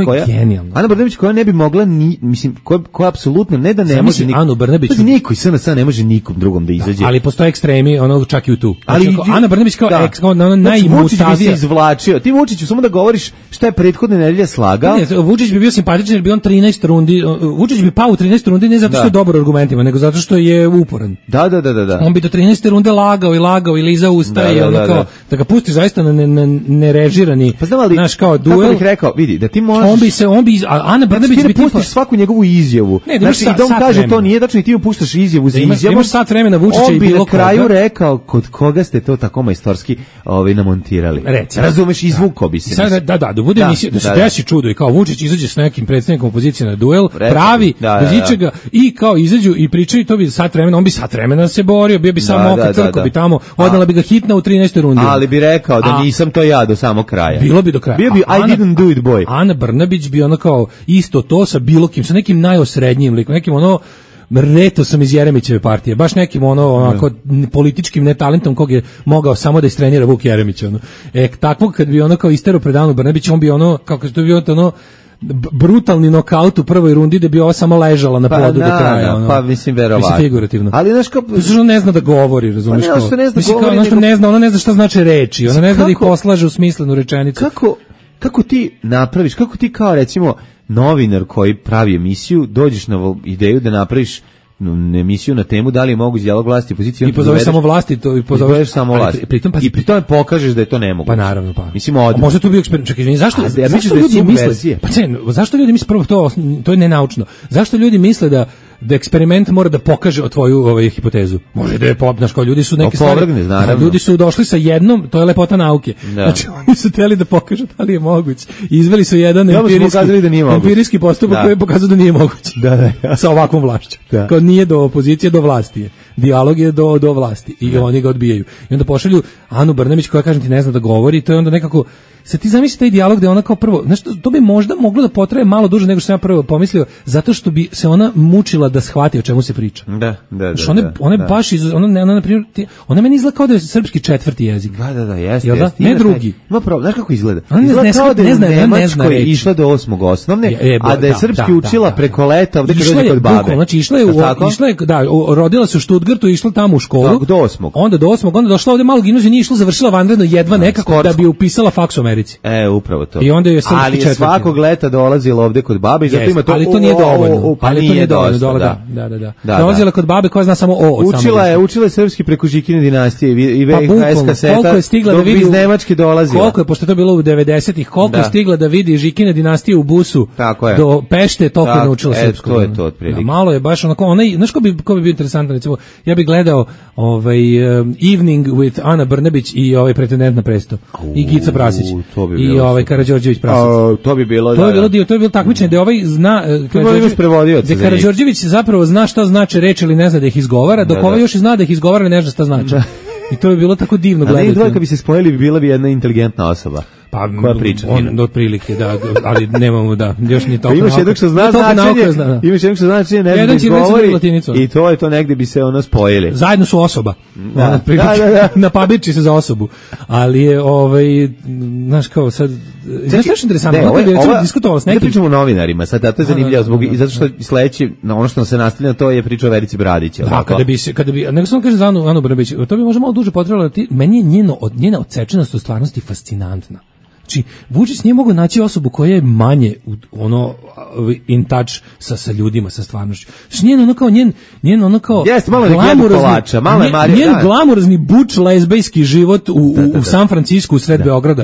koja ne bi mogla mislim koja apsolutno ne da ne može Anu Brnabić. Niko iz SNS ne može nikom drugom da izađe. Ali postoje ekstremi, ono čak i tu. Ali Ana Brnabić kao najmutavija izvlačio. Ti Vučiću samo da govoriš šta je prethodne nedelje slagao. Ne, Vučić bi bio simpatičan jer bi on 13 rundi, Vučić bi pao u 13 rundi ne zato što je dobar argumentima, nego zato što je uporan. Da. On bi do 13 runde lagao i lizao usta. Da ga pustiš zaista na nerežirani, znaš, kao duel. Kako bih rekao, vidi, da ti možeš... On bi, Ana Brnabić bi pustiš svaku njegovu izjavu. Znači, i da on kaže to nije tačno i ti mu puštaš izjavu za izjavu. Imaš sat vremena Vučića i bilo koga. On bi na kraju rekao, kod koga ste to tako majstorski namontirali. Razumeš, izvukao bi se. Da bude emisija, da se desi čudo i kao Vučić izađe s nekim predsjednikom opozicije na duel, pravi, bez ičega, i kao izađu i pričaju, to bi sat vremena, on bi sat vremena se borio, bio bi samo oko crko, bi tamo, odnala bi ga hitna u 13. rundi. Ali bi rekao da nisam to ja do samog kraja. Bilo bi do kraja. Bio bi I didn't do it boy. Ana Brnabić bi ono kao isto to sa bilo kim, sa nekim najosrednjim likom, nekim Reto sam iz Jeremićeve partije, baš nekim onako političkim netalentom kog je mogao samo da istrenira Vuk Jeremić. Takvog kad bi kao istero pred Anu Brnabić, on bi kako to bio brutalni nokaut u prvoj rundi da bi ova samo ležala na podu do kraja. Pa mislim verovatno. Mislim figurativno. Ali znaš kao... Zato ne zna da govori, razumiješ? Pa ne ona ne zna šta znači reči, ona ne zna da ih poslaže u smislenu rečenicu. Kako ti napraviš, kako ti kao recimo novinar koji pravi emisiju, dođeš na ideju da napraviš emisiju na temu da li je mogući dijalog vlasti i opozicije. I pozoveš samo vlasti, to i pozoveš samo vlasti. I pri tome pokažeš da je to nemoguće. Pa naravno, pa. Mislim, a možda to bio eksperiment. Čekaj, zašto ljudi misle? Pa zašto ljudi misle prvo to je nenaučno. Zašto ljudi misle da eksperiment mora da pokaže o tvoju hipotezu. Može da je znaš, kao ljudi su neke stvari. Ljudi su došli sa jednom, to je lepota nauke. Da. Znači oni su hteli da pokažu da li je moguće. Izveli su jedan empirijski postupak koji je pokazao da nije moguće. Sa ovakvom vlašću. Kao nije do opozicije, do vlasti je. Dijalog je do vlasti i oni ga odbijaju. I onda pošalju Anu Brnabić koja, kažem ti, ne zna da govori, to je onda nekako. Sad ti zamisli taj dijalog gde ona kao prvo, znaš, to bi možda moglo da potraje malo duže nego što sam ja prvo pomislio, zato što bi se ona mučila da shvati o čemu se priča. Znaš, ona je baš, ona na primjer, ona meni izgleda kao da je srpski četvrti jezik. Jeste. Ne drugi. Ima pravo, znaš kako izgleda? Izgleda kao da je u Nemačkoj reči. Išla do 8. osnovne, a da je srpski učila preko leta, ovde kad dođe kod babe. Znači, išla je, rodila se u Stuttgartu, išla tamo u školu. Do 8. Onda do 8. onda došla ovde malo gimnaziju, nije išla, završila vanredno jedva nekako da bi upisala faks u Americi. Upravo to. I onda je ali je svakog leta dolazila ovde kod babe i zato ima to. Ali to nije dovoljno. Ali to nije dovoljno. Da. Dolazila kod babe koja zna samo o. Učila je srpski preko Žikine dinastije i VHS kaseta. Koliko je stigla da vidi iz Nemačke dolazila. Koliko je, pošto to bilo u 90-ih, koliko je stigla da vidi Žikine dinastije u busu do Pešte, toliko je naučila srpsko. To je to otprilike. Malo je baš onako, znaš ko bi bio interesantan, recimo, ja bih gledao Evening with Ana Brnabić i pretendent na presto. I Gica Prasić. I Karađorđević Prasić. To bi bilo to je bilo takmičenje da zna da Karađorđević zapravo zna šta znači reč ili ne zna da ih izgovara, dok ovaj još i zna da ih izgovara i ne zna šta znači. I to bi bilo tako divno gledati. Ali dvojka bi se spojili, bi bila bi jedna inteligentna osoba. Koja priča fino. Otprilike, ali nemamo još ni toliko. Imaš jednog što zna značenje, ne zna da izgovori i to je to, negde bi se spojili. Zajedno su osoba. Na pabirči se za osobu. Ali je, znaš kao sad, znaš što je interesantno, diskutovalo s nekim. Da pričamo o novinarima, sad to je zanimljivo, zato što sledeći, ono što nam se nastavlja, to je priča o Verici Bradić. Da, kada bi, nego sam kaže za Anu Brnabić, to bi možda malo duže potrebalo, meni je njena odsečenost u stvarnosti fascinantna. Znači, Vučić nije mogao naći osobu koja je manje in touch sa ljudima, sa stvarnošću. Znači, njen ono kao jeste, malo kolača, malo je Marija. Njen glamurozni buč lezbejski život u San Francisku, u sred Beograda.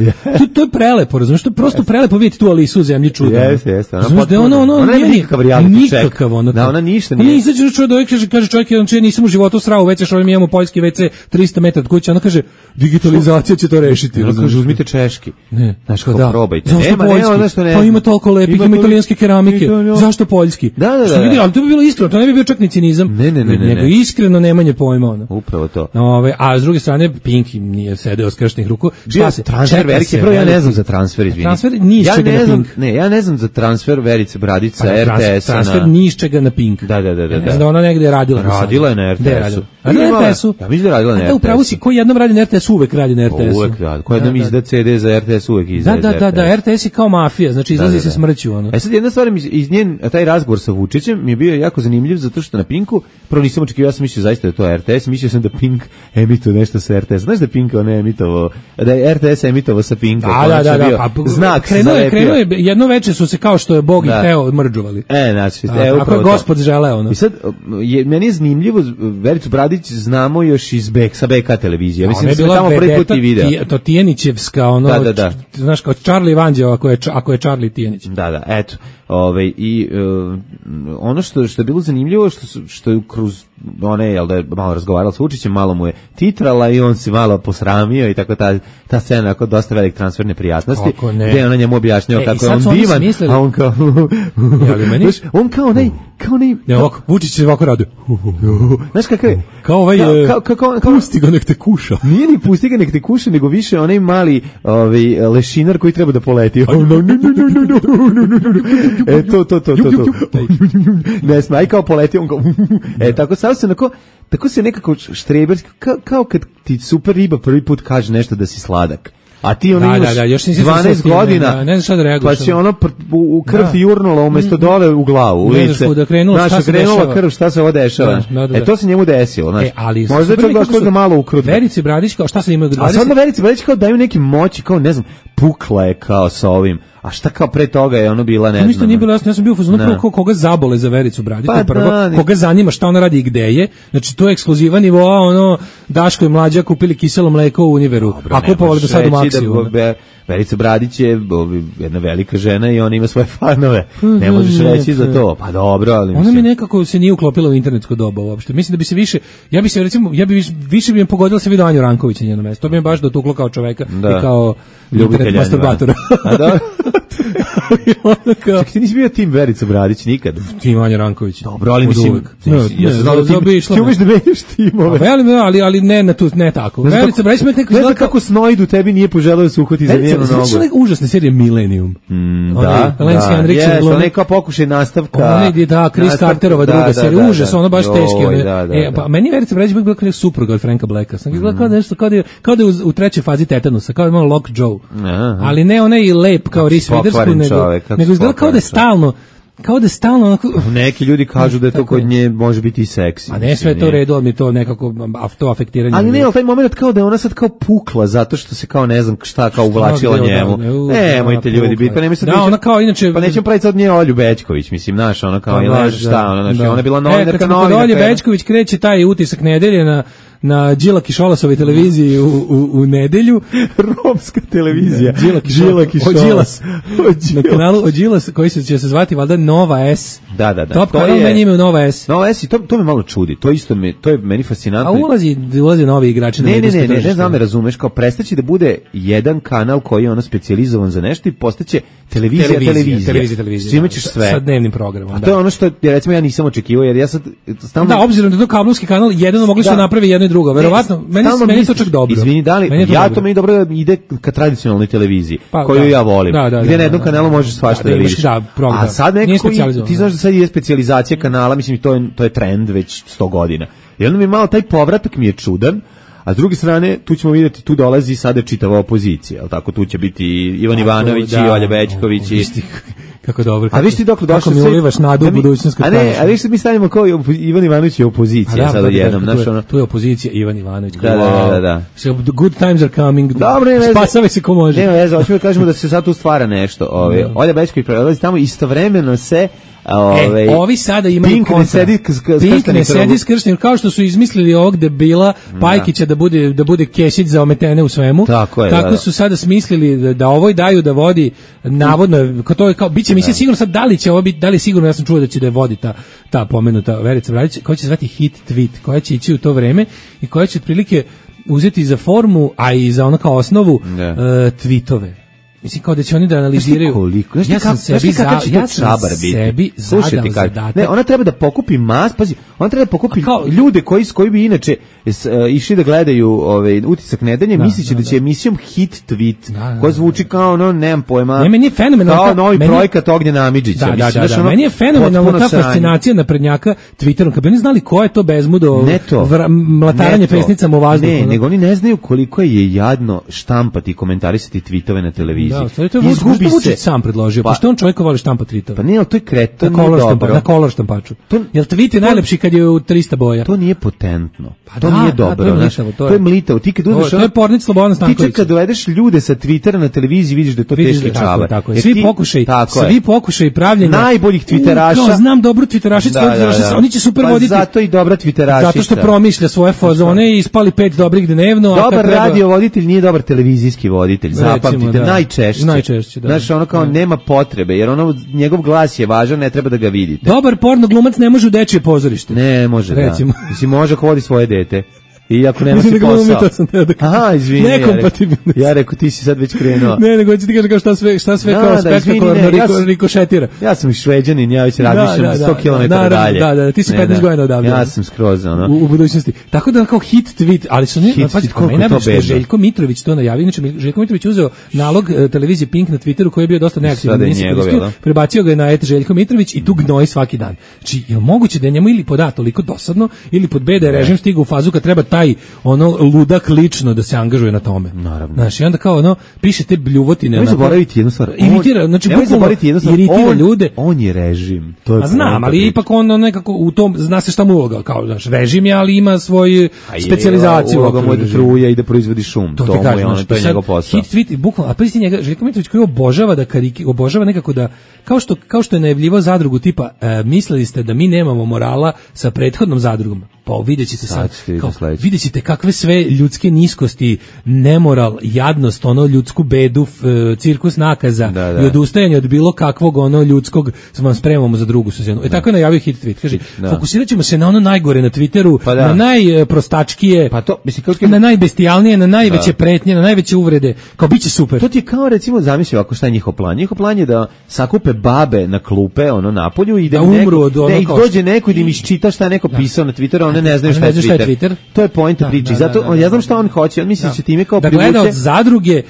To je prelepo, razumiješ, to je prosto prelepo vidjeti tu Alisu u zemlji čuda. Jeste. Ona nije nikakav reality check. Nikakav ono. Da, ona ništa nije. Ona izađe čovjek, kaže čovjek, nisam u životu srao WC, što mi imamo poljski WC 300 metara od kuće. Ona kaže, digitalizacija će to rešiti. Ona kaže, uzmite češki. Znaš kao probajte. Zašto poljski? Pa ima toliko lepih, ima italijanske keramike. Zašto poljski? Da. Ali to bi bilo iskreno, to ne bi bio čak ni cinizam. Nego iskreno nemanje pojma. Upravo to. A s druge strane, Pink nije sedeo skrštenih ruku. Šta se? Transfer Verice, prvo ja ne znam za transfer, izvini. Transfer ni iz čega na Pink. Ja ne znam za transfer Verice Bradić sa RTS-a. Transfer ni iz čega na Pink. Da. Da ona negde je radila. Radila je na RTS-u. A na RTS-u? Ja mislim da radila na RTS-u. Upravo si, ko jednom radi na RTS-u, uvek radi na RTS-u. Uvek radi. Ko jednom izda CD za RTS, uvek izda. Da, RTS je kao mafija, znači izlazi se smrću. Sad jedna stvar, iz njen, taj razgovor sa Vučićem mi je bio jako zanimljiv, zato što na Pinku, prvo nisam očekivao, ja sam mislio zaista da je to RTS, mislio sam da Pink emituje nešto sa RTS. Znaš da Pink ne emitovao, da je RTS emitovao sa Pinka. Da, znak krenuo je, jedno veče su se kao što je Bog i Teo mrđuvali. Znači, ako je Gospod želeo. I sad, meni je zanimljivo, Vericu Bradić znamo još sa BK televizije. Mislim da sam tamo prvi put i video. To Tijenićevska, znaš, kao Charlie Vanđeo, ako je Charlie Tijenić. Da, eto. I ono što je bilo zanimljivo, što je kroz one, jel da je malo razgovarala s Vučićem, malo mu je titrala i on se malo posramio i tako ta scena, ako dosta velik transfer neprijatnosti, gde ona njemu objašnjava kako je on divan, a on kao on kao onaj Vučić se ovako radi. Znaš kakav je? Kao ovaj, pusti ga nek te kuša. Nije ni pusti ga nek te kuša, nego više onaj mali lešinar koji treba da poleti. To. Ne smaj kao poleti, on kao tako se nekako štreberski, kao kad ti super riba prvi put kaže nešto da si sladak. A ti ono imaš 12 godina, ne znaš šta da reaguješ. Pa si ono u krv ti jurnula umjesto dole u glavu, u lice. Znaš, krenula krv, šta se ovo dešava. To se njemu desilo. Možda je čak došlo da malo ukrutno. Verici Bradić, kao šta se imaju 20? A sad na Verici Bradić kao daju neke moći, kao ne znam, pukla je kao sa ovim. A šta kao pre toga je ono bila, ne znam. Ništa nije bilo jasno, ja sam bio u fazonu prvo koga zabole za Vericu Bradić, to je prvo, koga zanima šta ona radi i gde je, znači to je ekskluzivan nivo, Daško i Mlađa kupili kiselo mleko u Univeru, a kupovali do sad u Maksiju. Verica Bradić je jedna velika žena i ona ima svoje fanove. Ne možeš reći za to. Pa dobro, ali ona mi nekako se nije uklopila u internetsko doba uopšte. Mislim da bi se više, ja bi više bi mi pogodila se vidio Anju Ranković na njeno mesto. To bi me baš dotuklo kao čoveka i kao internet masturbatora. A da. Čak ti nisi bio tim Verica Bradić nikad? Tim Anja Ranković. Dobro, ali mislim, ja sam znao da ti umeš da menjaš timove. Ali ne tako. Verica Bradić me ne znam kako Snojdu tebi nije poželeo da se uhvati za njenu nogu. Znači užasne serije Millennium. Da, Lenski Andriksen glumi. Ona je kao pokušaj nastavka. Ona je, Chris Carterova druga serija. Užas, ona baš teški. Pa meni Verica Bradić bila kao supruga od Franka Blacka. Sam gledala kao nešto, kao da je u trećoj fazi tetanusa, kao da je Lock Joe. Ali ne onaj lep kao Reese Witherspoon, nego izgleda kao da je stalno onako... Neki ljudi kažu da je to kod nje može biti i seksi. A ne sve to redu, ali mi to nekako to afektiranje. Ali ne, ali taj moment kao da je ona sad kao pukla zato što se kao ne znam šta kao uvlačila njemu. Nemojte ljudi biti, pa nemoj sad... Da, ona kao inače... Pa nećemo praviti sad nje Olju Bećković, mislim, znaš, ona kao, ili nešto šta, ona je bila novinarka. Kad Olje Bećković kreće taj utisak nedelje na Đilak i Šolasovoj televiziji u nedelju. Romska televizija. Đilak i Šolas. Na kanalu Odžilas, koji će se zvati valjda Nova S. Da. Top kanal meni ime Nova S. Nova S i to me malo čudi. To je meni fascinantno. A ulazi novi igrači na medijsko tržište. Ne znam me razumeš, kao prestaće da bude jedan kanal koji je ono specijalizovan za nešto i postaće televizija. Svima ćeš sve. Sa dnevnim programom. A to je ono što recimo ja nisam očekivao, jer ja sad stalno... Da, obzirom da je to kablovski kanal, jedino mogli su napraviti jedno i drugo. Verovatno, meni je to čak dobro. Izvini, da li, to meni dobro da ide ka tradicionalnoj televiziji, koju ja volim. Gdje na jednom kanalu možeš svašta da vidiš. A sad nekako, ti znaš da sad je specijalizacija kanala, mislim, to je trend već 100 godina. I onda mi malo taj povratak mi je čudan, a s druge strane, tu ćemo vidjeti, tu dolazi sada čitava opozicija, jel tako, tu će biti Ivan Ivanović i Olja Bećković i... Kako dobro. A viš ti dokle došao? Kako mi ulivaš nadu u budućnost. A viš mi stavimo kao Ivan Ivanović je opozicija sada jednom. Tu je opozicija Ivan Ivanović. Da. So good times are coming. Dobre, spasave se ko može. Nema veze, hoćemo da kažemo da se sad tu stvara nešto. Olja Bećković prelazi tamo, istovremeno se ovi sada imaju kontra. Pink ne sedi skršten, kao što su izmislili ovog debila Pajkića da bude kešić za ometene u svemu. Tako su sada smislili da ovoj daju da vodi navodno, to je kao biće emisija sigurno sad da li će ovo biti, da li sigurno, ja sam čuo da će da vodi ta pomenuta Verica Bradić, koja će zvati Hit Tweet, koja će ići u to vreme i koja će otprilike uzeti za formu, a i za ono kao osnovu tweetove. Mislim kao da će oni da analiziraju. Ja sam sebi zadao zadatak. Ne, ona treba da pokupi pazi, ona treba da pokupi ljude koji bi inače išli da gledaju utisak nedelje, misliće da će emisijom Hit Tweet, koja zvuči kao ono, nemam pojma. Ne, meni je fenomenalno. Kao novi projekat Ognjena Amidžića. Da, meni je fenomenalno ta fascinacija naprednjaka Twitterom. Kad bi oni znali ko je to bezmudo mlataranje pesnicama u vazduhu. Ne, nego oni ne znaju koliko je jadno štampati i komentarisati tweetove na televiziji. Da, to je Vučić sam predložio, pošto on čovjek voli štampa tweetove. Pa nije, ali to je kreto, na kolor štampaču. Jel tweet je najlepši kad je u 300 boja? To nije potentno. To nije dobro. To je mlitavo. Ti kad to je pornic Slobodan Stanković. Ti kad dovedeš ljude sa Twittera na televiziji, vidiš da je to teški čabar. Svi pokušaj pravljenja najboljih twitteraša. Znam dobru twitterašicu, oni će super voditi. Zato i dobra twitterašica. Zato što promišlja svoje fazone i ispali 5 dobrih dnevno. Dobar radio voditelj nije dobar televizijski voditelj. Zapamtite, najčešće. Znaš, ono kao nema potrebe, jer ono, njegov glas je važan, ne treba da ga vidite. Dobar porno glumac ne može u dečije pozorište. Ne može, recimo. Mislim, može ako vodi svoje dete. I ako nema si posao. Aha, izvini. Ja rekao, ti si sad već krenuo. Ne, nego ti kažem kao šta sve kao spektakularno rikošetira. Ja sam i Šveđanin, ja već razmišljam 100 km dalje. Da, ti si 15 godina odavde. Ja sam skroz, ono. U budućnosti. Tako da kao hit tweet, ali su ne, pa Željko Mitrović to najavio. Inače, Željko Mitrović uzeo nalog televizije Pink na Twitteru koji je bio dosta neaktivan. Prebacio ga je na Željko Mitrović i tu gnoji svaki dan. Znači, je moguće da je njemu ili pod A toliko dosadno, ili pod B da je režim stigao u fazu kad treba taj ono ludak lično da se angažuje na tome. Naravno. Znaš, i onda kao ono piše te bljuvotine. Ne zaboraviti jednu stvar. Imitira, znači iritira ljude. On je režim. To je znam, ali ipak on nekako u tom zna se šta mu uloga, kao znaš, režim je, ali ima svoju specijalizaciju. Uloga mu je da truje i da proizvodi šum. To mu je ono, to je njegov posao. Hit tweet, bukvalno, a prisi njega Željko Mitrović koji obožava da obožava nekako da kao što je najavljivao zadrugu tipa mislili ste da mi nemamo morala sa prethodnom zadrugom. pa videćete videćete kakve sve ljudske niskosti, nemoral, jadnost, ono ljudsku bedu, cirkus nakaza i odustajanje od bilo kakvog ono ljudskog vam spremamo za drugu sezonu. Tako je najavio hit tweet, kaže, fokusirat ćemo se na ono najgore na Twitteru, na najprostačkije, na najbestijalnije, na najveće pretnje, na najveće uvrede, kao biće super. To ti je kao recimo, zamisli ovako šta je njihov plan. Njihov plan je da sakupe babe na klupe, ono napolju i da umru od ono i dođe neko i da im isčita šta je neko pisao na Twitteru, one ne znaju šta je Twitter. To je poenta priče. Zato ja znam šta on hoće, on misli da će time kao privuče. Da gleda od zadruge,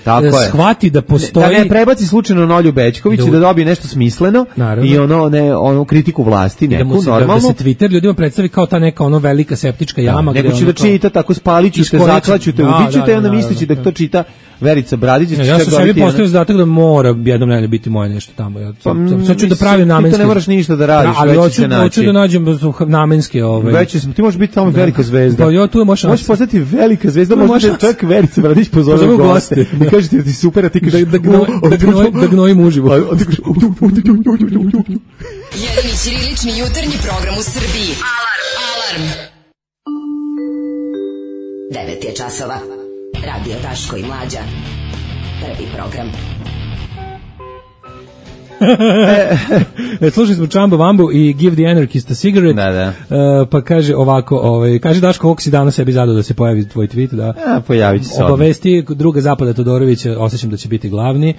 shvati da postoji. Da ne prebaci slučajno Nolju Bećković i da dobije nešto smisleno i ono kritiku vlasti, neku normalno. Da se Twitter ljudima predstavi kao ta neka ono velika septička jama. Neko će da čita tako, spaliću te, zaklaću te, ubiću te, onda mislići da to čita Verica Bradić. Ja sam sebi postavio zadatak da mora jednom nedeljno biti moje nešto tamo. Sad ću da pravim namenski. Ti ne moraš ništa da radiš, već se naći. Hoću da nađem namenske. Ti možeš biti tamo velika zvezda. Možeš postati velika zvezda, možeš čak Verica Bradić pozove u goste. I kaže ti super, a ti kažeš da gnojim uživo. Jedini ćirilični jutarnji program u Srbiji. Alarm! 9 je časova. Radio Daško i Mlađa. Prvi program. Slušali smo Čamba Vambu i Give the Anarchist a Cigarette. Pa kaže ovako, kaže Daško, ovog si danas sebi zadao da se pojavi tvoj tweet, pojavit će se. Obavesti druga Zapada Todorovića, osjećam da će biti glavni,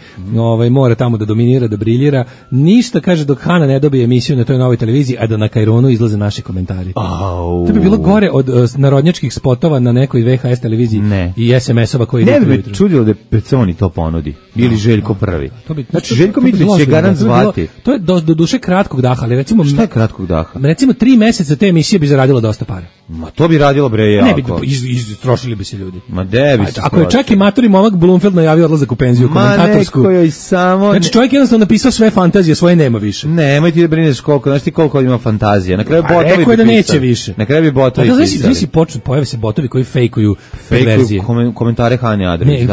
mora tamo da dominira, da briljira. Ništa, kaže, dok Hana ne dobije emisiju na toj novoj televiziji, a da na Kajronu izlaze naši komentari. To bi bilo gore od narodnjačkih spotova na nekoj VHS televiziji i SMS-ova koji ne bi čudilo da Peconi to ponudi. Ili Željko prvi. Znači, Željko Mitrović će garant zvati. To je do duše kratkog daha, ali recimo... Šta je kratkog daha? Recimo 3 meseca te emisije bi zaradilo dosta para. Ma to bi radilo bre jako. Ne bi, istrošili bi se ljudi. Ma debi se. Ako je čak i matori momak Blumfeld najavio odlazak u penziju komentatorsku. Ma neko joj samo... Znači čovjek jednostavno napisao sve fantazije, svoje nema više. Nemoj ti da brineš koliko, znaš ti koliko ima fantazija. Na kraju botovi rekao je da neće više. Na kraju bi botovi pisali. Znači pojave se botovi koji fejkuju verzije. Komentare Hanje Adrić.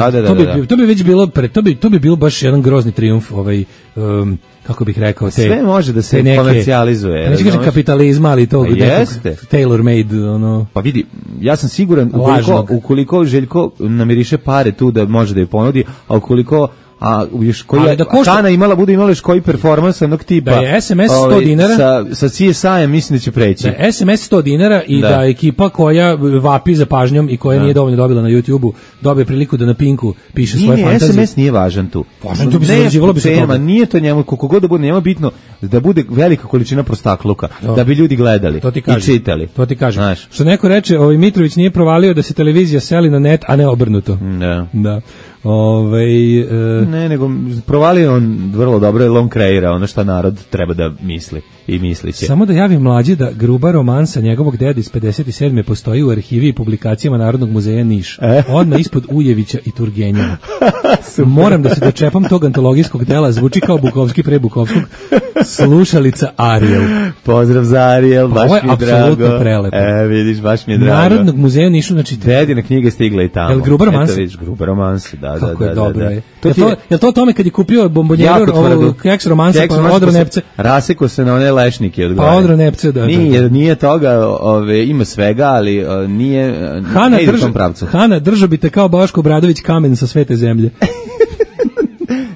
To bi već bilo, to bi bilo baš jedan grozni trijumf kako bih rekao, sve može da se komercijalizuje. Neću kažem kapitalizma, ali to tailor made, ono. Pa vidi, ja sam siguran ukoliko Željko namiriše pare tu da može da je ponudi, a ukoliko još koji Hana bude imala još koji performans onog tipa. Da je SMS 100 dinara. Sa CSI-em mislim da će preći. Da je SMS 100 dinara i da ekipa koja vapi za pažnjom i koja nije dovoljno dobila na YouTube-u dobije priliku da na Pinku piše svoje fantazije. SMS nije važan tu. Važan tu bi se zarađivalo bi se toga. Nije to njemu, koliko god da bude, njemu bitno da bude velika količina prostakluka, da bi ljudi gledali i čitali. To ti kažem. Što neko reče, Mitrović nije provalio da se televizija seli na net, a ne obrnuto. Da. Ne, nego provalio on vrlo dobro, jer on kreira ono što narod treba da misli i misliće. Samo da javim Mlađi da gruba romansa njegovog deda iz 57. postoji u arhivi i publikacijama Narodnog muzeja Niš. Odmah ispod Ujevića i Turgenjeva. Moram da se dočepam tog antologijskog dela, zvuči kao Bukovski pre Bukovskog. Slušalica Ariel. Pozdrav za Ariel, baš mi je drago. Ovo je apsolutno prelepo. Vidiš, baš mi je drago. Narodnog muzeja Nišu, znači... Dedina knjiga je stigla i tamo. Jel gruba romansa? Gruba romansa, da. Kako je dobro, je to tome kad je kupio bombonjeru keks romansa, pa odro nepce? Raseko se na one lešnike od gore. Pa odro nepce, da. Nije toga, ima svega, ali nije, ne ide u tom pravcu. Hana, držao bi te kao Boško Obradović kamen sa svete zemlje.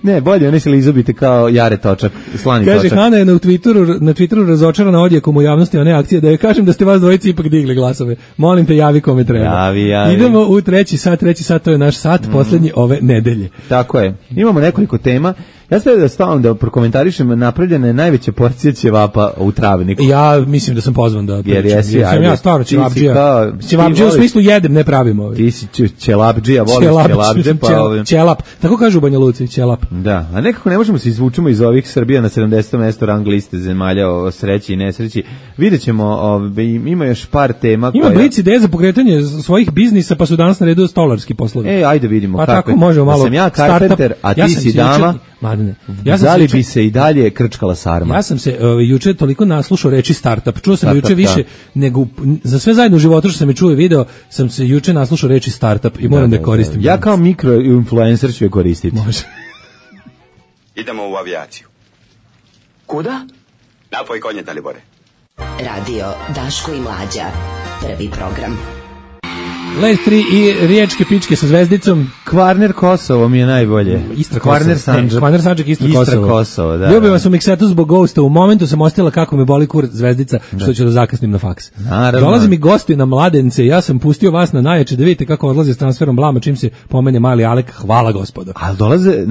Ne, bolje, oni se li izobite kao Jare Točak, slani Kaže, Točak. Kaže, Hana je na Twitteru razočarana odjekom u javnosti one akcije, da joj kažem da ste vas dvojici ipak digli glasove. Molim te, javi kome treba. Javi. Idemo u treći sat, to je naš sat, posljednji ove nedelje. Tako je. Imamo nekoliko tema. Ja stavim da stavim da prokomentarišem, napravljena je najveća porcija ćevapa u Travniku. Ja mislim da sam pozvan da pričam. Jer sam ja stvarno ćevapđija. Ćevapđija u smislu jedem, ne pravimo. Ti si ćelapđija, voliš ćelapđe. Ćelap, tako kažu u Banja Luci, ćelap. Da, a nekako ne možemo se izvučemo iz ovih Srbija na 70. mesto rang liste zemalja o sreći i nesreći. Vidjet ćemo, ima još par tema. Ima Blic ideje za pokretanje svojih biznisa, pa su danas na redu stolarski poslovi. Ajde vidimo. Pa tako možemo malo. Sam ja karpenter, a ti si dama. Da li bi se i dalje krčkala sarma? Ja sam se juče toliko naslušao reči startup. Čuo sam juče više nego za sve zajedno u životu što sam je čuo i video, sam se juče naslušao reči startup i moram da koristim. Ja kao mikroinfluencer ću je koristiti. Može. Idemo u avijaciju. Kuda? Napoj konje, Dalibore. Radio Daško i Mlađa. Prvi program. Les 3 i riječke pičke sa zvezdicom. Kvarner Kosovo mi je najbolje. Istra Kosovo. Kvarner Sandžak, Istra Kosovo, da. Ljubim vas u miksetu zbog Ghosta. U momentu sam ostila kako me boli kurac zvezdica, što ću da zakasnim na faks. Naravno. Dolazi mi gosti na Mladence, ja sam pustio vas na najjače da vidite kako odlaze s transferom blama čim se pomene mali Alek. Hvala gospodo. Ali dolaze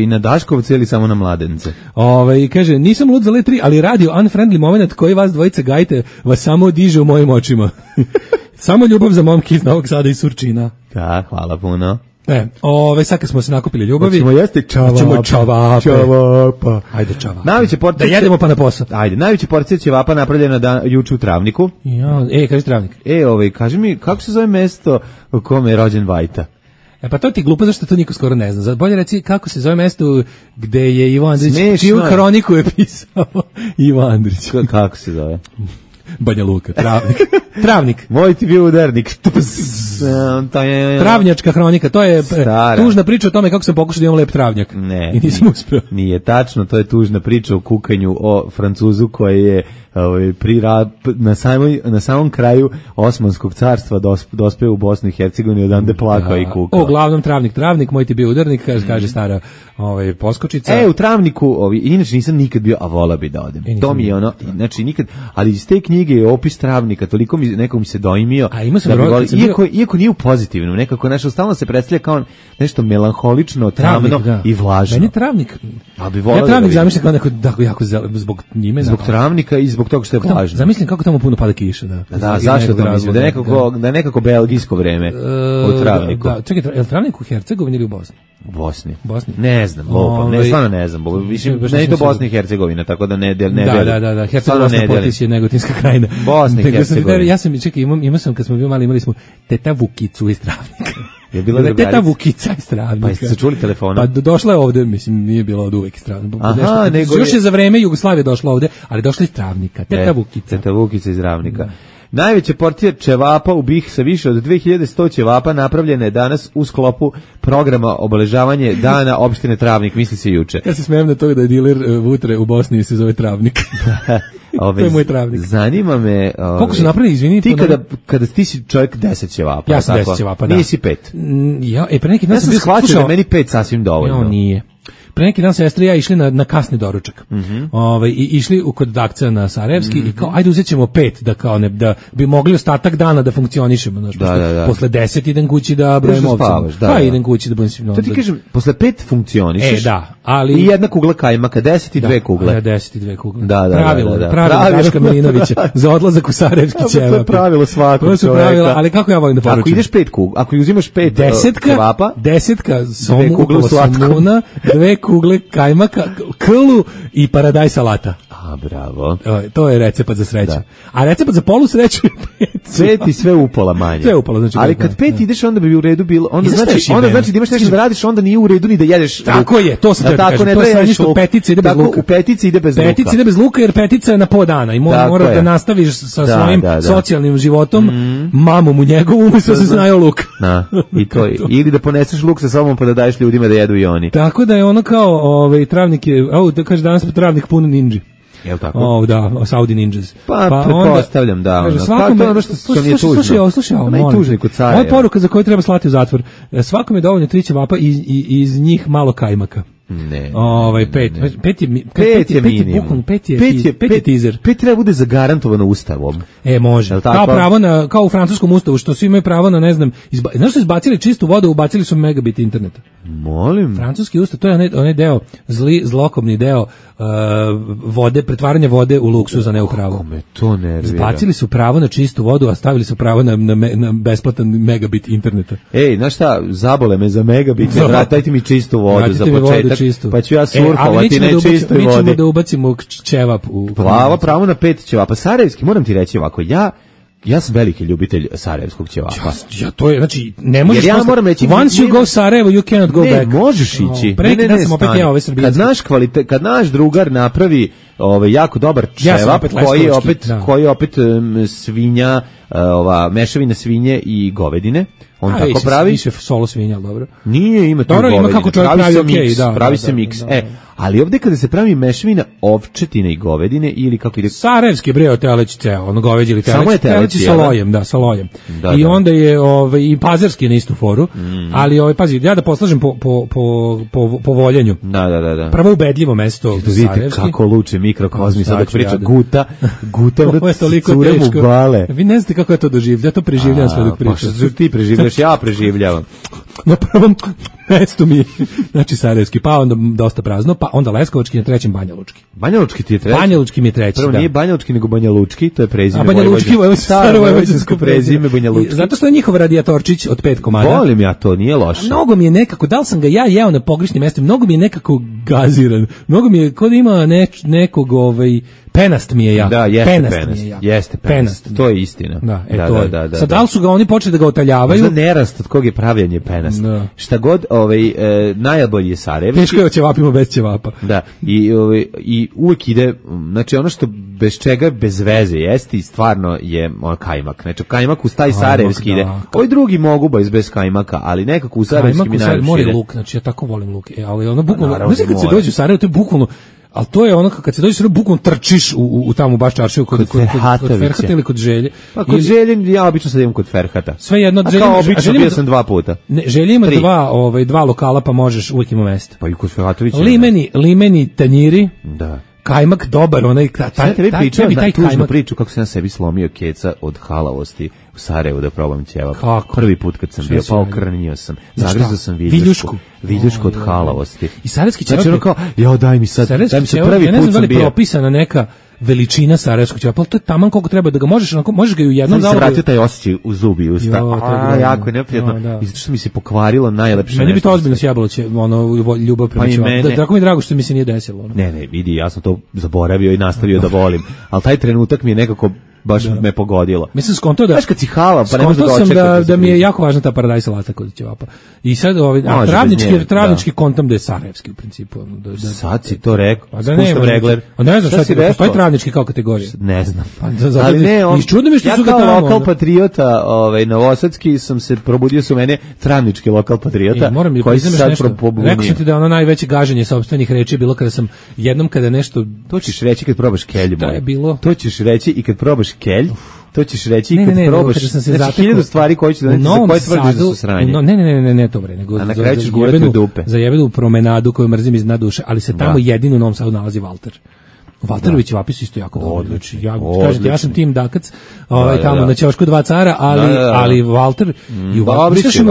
na Daškovce ili samo na Mladence? Kaže, nisam lud za Le 3, ali radio unfriendly moment koji vas dvojice gajite vas samo diže u mojim očima. Samo ljubav za momke iz Novog Sada i Surčina. Da, hvala puno. Sad kad smo se nakupili ljubavi, hoćemo jesti čavapa. Ajde čavapa. Da jedemo pa na posao. Ajde, najveća porcija ćevapa napravljena juče u Travniku. Kaži Travnik. Kaži mi, kako se zove mesto u kome je rođen Vajta? Pa to ti glupo, zašto to niko skoro ne zna. Bolje reci kako se zove mesto gde je Ivo Andrić, čiju hroniku je pisao Ivo Andrić. Kako se zove? Banja Luka, Travnik. Moj ti bio udarnik. Travnjačka hronika, to je tužna priča o tome kako sam pokušao da imam lep travnjak. Ne, i nisam uspeo. Nije tačno, to je tužna priča o kukanju o Francuzu koji je na samom kraju Osmanskog carstva dospeo u Bosnu i Hercegovini, odande plakao i kukao. Uglavnom Travnik, moj ti bio udarnik, kaže stara poskočica. U Travniku, inače nisam nikad bio, a vola bi da odem. To mi je ono, znači nikad, ali iz te knjige je opis Travnika, toliko nekom se doimio, iako nije u pozitivnom, nekako nešto stalno se predstavlja kao nešto melanholično, tamno i vlažno. Meni Travnik, ja Travnik zamišljam kao neko jako zbog njime. Zbog Travnika i zbog toga što je vlažno. Zamislim kako tamo puno pada kiša. Da, zašto to mislim? Da je nekako belgijsko vreme u Travniku. Čekaj, je li Travnik u Hercegovini ili u Bosni? U Bosni. Ne znam, stvarno ne znam. Ne je to Bosna i Hercegovina, tako da ne delim. Da, Hercegovina potis je Negotinska krajina. Bosna i Hercegovina. Ja sam, imao sam, kad smo bili mali, imali smo teta Vukicu iz Travnika. Je bila teta Vukica iz Travnika. Pa jeste se čuli telefonom? Pa došla je ovde, mislim, nije bila od uvek iz Travnika. Aha, nego još je za vreme Jugoslavije došla ovde, ali došla iz Travnika. Teta Vukica. Teta Vukica iz Travnika. Najveća porcija ćevapa u BiH sa više od 2100 ćevapa napravljena je danas u sklopu programa obeležavanje dana opštine Travnik, misli se juče. Ja se smijem na to da je diler vutre u Bosni se zove Travnik. To je moj Travnik. Zanima me... Koliko su napravili, izvini? Ti kada ti si čovjek 10 ćevapa. Ja sam 10 ćevapa, da. Nisi 5. Pre neki dan sam shvatio da meni 5 sasvim dovoljno. Nije. Pre neki dan sestra i ja išli na kasni doručak. I išli kod Dakca na Sarajevski i kao ajde uzećemo 5 da bi mogli ostatak dana da funkcionišemo, znači posle 10 idem kući da brojim ovce. Pa idem kući da brojim. To ti kažem, posle 5 funkcionišeš. Ali i jedna kugla kajmaka, 10 i 2 kugle. 10 i 2 kugle. Pravilo Daška Milinovića za odlazak u Sarajevski ćevap. To je pravilo svakog čoveka. Ali kako ja volim da poručim? Ako ideš 5 kugla, ako uzimaš 5 ćevapa, 10 somu upala somuna, 2 kugle kajmaka, klu i paradajz salata. Bravo. To je recept za sreću. A recept za polu sreću je 5. 5 i sve upola manje. Sve upola, znači. Ali kad 5 ideš, onda bi u redu bilo. Onda znači da imaš nešto da radiš, onda nije u redu ni da jedeš. Tako je, to sam da kažem. To je sve što petica ide bez luka. U petici ide bez luka. Petica ide bez luka jer petica je na po dana i mora da nastaviš sa svojim socijalnim životom, mamom u njegovu, umesto da se znaju luk. I to je. Ili da poneseš luk sa sobom pa da daješ ljudima da jedu i oni. Tako da je ono kao Travnik je, da kaže danas Travnik pun ninji. Jel tako? Saudi Ninjas. Pa pretpostavljam da. Svakom je nešto što nije tužno. Slušaj, tužni kod cara. Moja poruka za koju treba slati u zatvor. Svakom je dovoljno 3 ćevapa i iz njih malo kajmaka. Ne. 5 je minimum. 5 je teaser. 5 treba bude zagarantovano ustavom. Može. Kao u francuskom ustavu što svi imaju pravo na, ne znam, znaš što izbacili čistu vodu, ubacili su megabit interneta. Molim. Francuski ustav, to je onaj deo, zlokobni deo vode, pretvaranje vode u luksuz, a ne u pravo. Kako me to nervira. Izbacili su pravo na čistu vodu, a stavili su pravo na besplatan megabit interneta. Znaš šta, zabole me za megabit, dajte mi čistu vodu za početak. Pa ću ja surfovati na čistoj vodi. Mi ćemo da ubacimo ćevap u... Pravo na 5 ćevapa. Sarajevski, moram ti reći ovako, ja sam veliki ljubitelj sarajevskog ćevapa. To je, znači, ne možeš... Jer ja moram reći... Once you go Sarajevo, you cannot go back. Ne, možeš ići. Kad naš drugar napravi jako dobar Ja sam ćevap opet koji je opet svinja, mešavina svinje i govedine. On tako pravi. Više solo svinja, dobro. Nije, ima tu dobro, govedine. Ima kako čovjek pravi okej, pravi se miks. Ali ovdje kada se pravi mešavina ovčetine i govedine ili kako ide... Sarajevski breo teleć ceo, ono goveđi ili teleć. Samo je teleć sa lojem, sa lojem. I onda je i pazarski na istu foru, ali pazi, ja da poslažem po voljenju. Da. Prvo ubedljivo mesto Sarajevski. Kako luče mikrokozmi, sad dok priča Guta cure mu bale. Vi ne znate kako je to doživlja, ja to preživljam sve dok pričam. Pa što ti preživljaš, ja preživljavam. Na prvom mestu mi znači Sarajevski, pa onda dosta prazno, pa onda Leskovački, na trećem Banjalučki. Banjalučki ti je treći? Banjalučki mi je treći, prvo nije Banjalučki, nego Banjalučki, to je prezime Banjalučki, staro vojvođansko prezime Banjalučki. Zato što je njihov radijatorčić od 5 komada. Volim ja to, nije loše. Mnogo mi je nekako, da li sam ga ja jeo na pogrešnim mestima, mnogo mi je nekako gaziran, mnogo mi je, kod ima nekog penast mi je ja. Da, jeste penast. To je istina. Da. Sad, da li su ga oni počeli da ga otaljavaju? Možda nerast od kog je pravljanje penast. Šta god, najbolji je Sarajevski. Teško je ćevapima bez ćevapa. Da, i uvijek ide, znači ono što bez čega bez veze jesti, stvarno je kajmak. Znači kajmak uz taj Sarajevski ide. Ovi drugi mogu bez kajmaka, ali nekako u Sarajevski mi najviše ide. Mora luk, znači ja tako volim luk. Ali ono bukvalno, znači kad se dođe u Sarajevo, to je bukvalno, ali to je ono kad se dođe bukvalno trčiš u tamo baš čaršiju kod Ferhata ili kod Želje. Pa kod Želje ja obično sad idem kod Ferhata. Sve jedno, kao obično bio sam 2 puta. Ne, Želje ima dva lokala, pa možeš uvijek ima mesta. Pa i kod Ferhatovića. Limeni tanjiri. Da. Kajmak dobar, onaj taj tužnu priču kako sam ja sebi slomio keca od halavosti u Sarajevu da probam ćevap. Prvi put kad sam bio, pa okrnio sam. Zagrizao sam viljušku od halavosti. I sarajevski ćevap. Znači ono kao, daj mi sad prvi put sam bio. Ja ne znam da li propisana neka veličina sarajevskog ćevapa, ali to je taman koliko treba da ga možeš ga i u jednom zalogu. Sam se vratio taj osjećaj u zubi i usta. Jako je neprijatno. I zato što mi se pokvarilo najlepše nešto. Meni bi to ozbiljno sjebalo ljubav prema ćevapu. Tako mi je drago što mi se nije desilo. Ne, vidi, ja sam to zaboravio i nastavio da volim. Ali taj trenutak mi je nekako baš me pogodilo. Mislim skonto da baš kad si hala, pa ne možeš da očekati da mi je jako važna ta paradajz salata kod ćevapa. I sad travnički kontam da je sarajevski u principu. Sad si to rekao. Spuštam regler. Ne znam šta si rekao. Postoji travnički kao kategorija. Ne znam. Ali ne, čudno mi što su ga tamo. Ja kao lokal patriota, novosadski sam se probudio su mene travnički lokal patriota. Koji se sad probunio. Rekao sam ti da ono najveće gaženje sopstvenih reči bilo kada sam jednom kada nešto. To ćeš reći kad probaš kelju. To je bilo. To ćeš reći i kad probaš kelj, to ćeš reći i kad probaš. Znači 1000 stvari koje ću doneti, za koje tvrdiš da su sranje. Ne to bre, nego a na kraju ćeš gurati u dupe. Za jebenu promenadu koju mrzim iz dna duše, ali se tamo jedino u Novom Sadu nalazi Valter. Valterović ćevapi su isto jako dobro. Znači, ja sam tim Dakac, tamo na Ćošku 2 cara, ali Valter, i u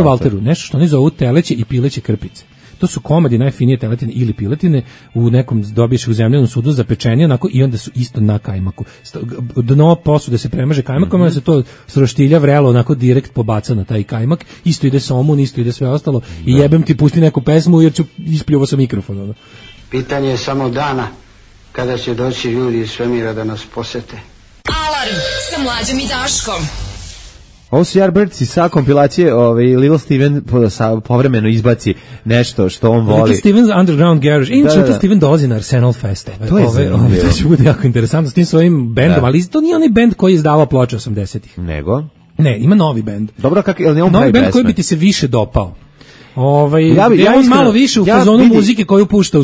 Valteru, nešto što oni zovu teleće i pileće krpice. To su komadi najfinije teletine ili piletine, u nekom dobiješ u zemljanom sudu za pečenje, onako, i onda su isto na kajmaku. Dno posude se premaže kajmakom, onda se to sroštilja vrelo, onako direkt pobaca na taj kajmak, isto ide somun, isto ide sve ostalo, i jebem ti pusti neku pesmu jer ću ispljuvo sa mikrofon. Pitanje je samo dana kada će doći ljudi iz svemira da nas posete. Alarm sa Mlađom i Daškom. Ovo su Yardbirds sa kompilacije, Little Steven povremeno izbaci nešto što on voli. Little Steven's Underground Garage. Inače, Little Steven dolazi na Arsenal Fest. To je zanimljivo. To će bude jako interesantno s tim svojim bendom, ali to nije onaj bend koji je izdavao ploče 80-ih. Nego? Ne, ima novi bend. Dobro, novi bend koji bi ti se više dopao. Ja malo više u fazonu muzike koju pušta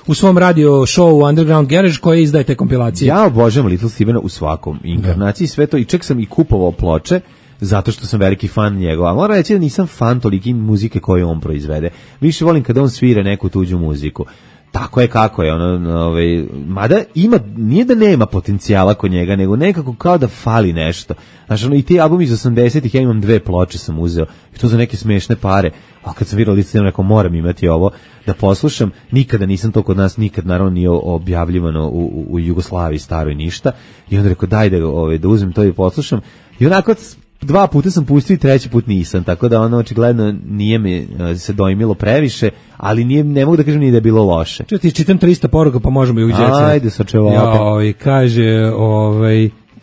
u svom radio showu Underground Garage koji izdaje te kompilacije. Ja obožavam Little Stevena u svakom inkarnaciji, sve to, i čak sam i kupovao ploče zato što sam veliki fan njegova. Moram reći da nisam fan toliki muzike koju on proizvede. Više volim kada on svira neku tuđu muziku. Tako je kako je, mada ima, nije da nema potencijala kod njega, nego nekako kao da fali nešto. Znači, i ti albumi iz 80-ih, ja imam 2 ploče sam uzeo, i to za neke smešne pare, a kad sam vidio Little Steven, rekao, moram imati ovo da poslušam. Nikada nisam to kod nas, nikad naravno nije objavljivano u Jugoslaviji staroj ništa, i onda rekao, daj da uzmem to i poslušam, i onako 2 puta sam pustio i 3. put nisam, tako da očigledno nije mi se dojmilo previše, ali ne mogu da kažem ni da je bilo loše. Ti čitam 300 poruka, pa možemo i uđeti. Ajde, sa čevapom. Kaže,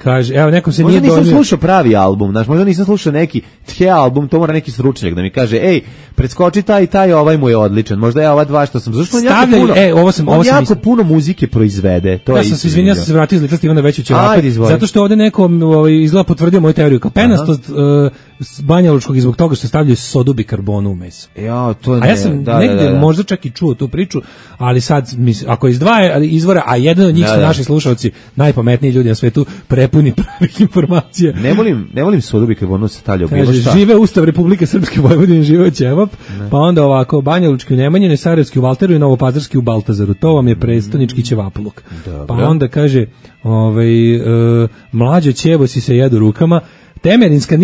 Kaže, evo, nekom se možda nije nisam dojmio. slušao pravi album, znaš, možda nisam slušao neki tje album, to mora neki stručnjak da mi kaže, ej, preskoči taj i taj, ovaj mu je odličan, možda je ova dva što sam, zašto on jako puno muzike proizvede, to je ja sam se izvinio, sam se vratio iz ličnosti Ivana Veću Ćevape, zato što ovde neko izgleda potvrdio moju teoriju, kao penastost Banja Lučkog i zbog toga što stavljaju sodu bikarbonu u meso. Ja, to ne, a ja sam negde možda čak i čuo tu priču, ali sad, ako iz dva izvora, a jedan od njih su naši slušalci, najpametniji ljudi na svetu, prepuni pravih informacija. Ne volim sodu bikarbonu se stavlja u bilo šta. Žive Ustav Republike Srpske Vojvodine, žive Ćevap, pa onda ovako, Banja Lučki u Nemanjine, Sarajevski u Valteru i Novopazarski u Baltazaru. To vam je prestonički ćevapluk. Pa onda kaže, mlađo ćevo si se jedu rukama, Temerinska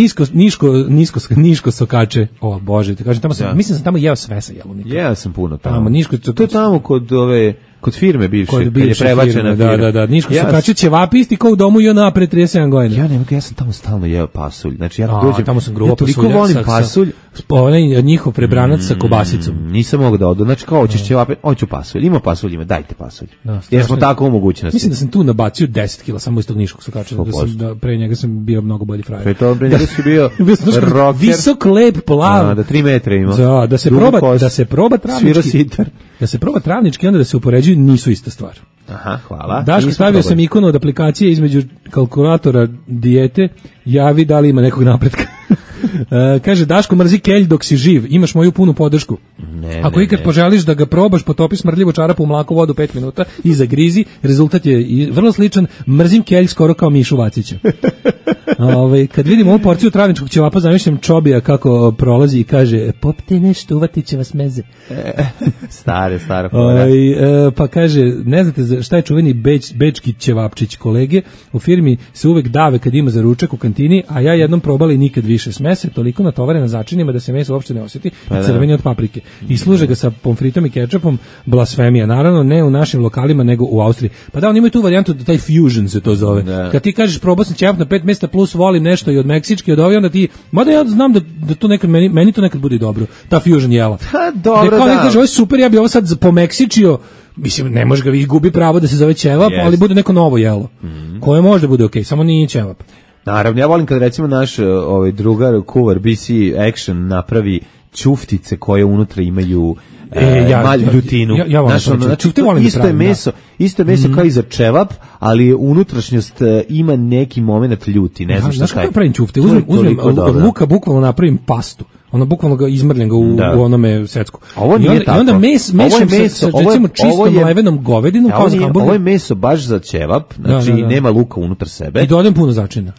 niško sokače. O Bože, te kažem, tamo sam, mislim da sam tamo jeo sve sa jelovnika. Jeo sam puno tamo. To je tamo kod firme bivše, kad je prebačena firma. Da, niško sokače ćevapi isti kao u domu i ona pre 37 godina. Ja sam tamo stalno jeo pasulj. Znači ja dođem, tamo sam grubo pasulja. Toliko volim pasulj. Onaj njihov prebranac sa kobasicom. Nisam mogao da odu. Znači kao hoćeš ćevape, hoću pasulj. Ima pasulj, ima, dajte pasulj. Jer smo tako u mogućnosti. Mislim da sam tu nabacio 10 kila samo iz tog niškog sokača. Da pre njega sam bio mnogo bolji frajer. Pre njega si bio rocker. Visok, lep, plav. Da 3 metra ima. Da se proba travnički. Da se proba travnički, onda da se upoređuju, nisu ista stvar. Aha, hvala. Daško, stavio sam ikonu od aplikacije između kalkulatora dijete, javi da li ima nekog napretka. Kaže, Daško, mrzi kelj dok si živ, imaš moju punu podršku. Ako ikad poželiš da ga probaš, potopi smrdljivu čarapu u mlaku vodu 5 minuta i zagrizi, rezultat je vrlo sličan, mrzim kelj skoro kao Mišu Vacića. Kad vidim ovu porciju travničkog ćevapa, zamišljam Čobija kako prolazi i kaže, popite nešto, uvatit će vas meze. Stara pa kaže, ne znate šta je čuveni bečki ćevapčić, kolege u firmi se uvek dave kad ima za ručak u kantini, a ja jednom probala i nikad više. Smese toliko natovare na začinima da se meso uopšte ne osjeti i crveni od paprike. I služe ga sa pomfritom i kečapom, blasfemija. Naravno, ne u našim lokalima, nego u Austriji. Pa da, oni imaju tu varijantu da taj fusion se to zove. Kad ti kažeš probao sam ćevap na 5 mjesta plus volim nešto i od meksički, od ovi, onda ti, mada ja znam da to nekad, meni to nekad bude dobro, ta fusion jela. Dobro, da. Kaže, ovo je super, ja bi ovo sad pomeksičio, mislim, ne može ga gubi pravo da se zove ćevap, ali bude neko novo jelo, koje može bude okej, samo nije ćevap. Naravno, ja volim kad recimo naš drugar, kuvar BC Action napravi ćuftice koje unutra imaju ljutinu. Ja volim isto je meso kao i za ćevap, ali unutrašnjost ima neki moment ljuti, ne znam šta. Znaš kako pravim ćufte? Uzmem od luka, bukvalno napravim pastu. Ono bukvalno ga izmrljam ga u onome secku. Ovo nije tako. I onda mešam sa recimo čistom mlevenom govedinom kao za hamburger. Ovo je meso baš za ćevap, znači nema luka unutar sebe. I dodam puno začina.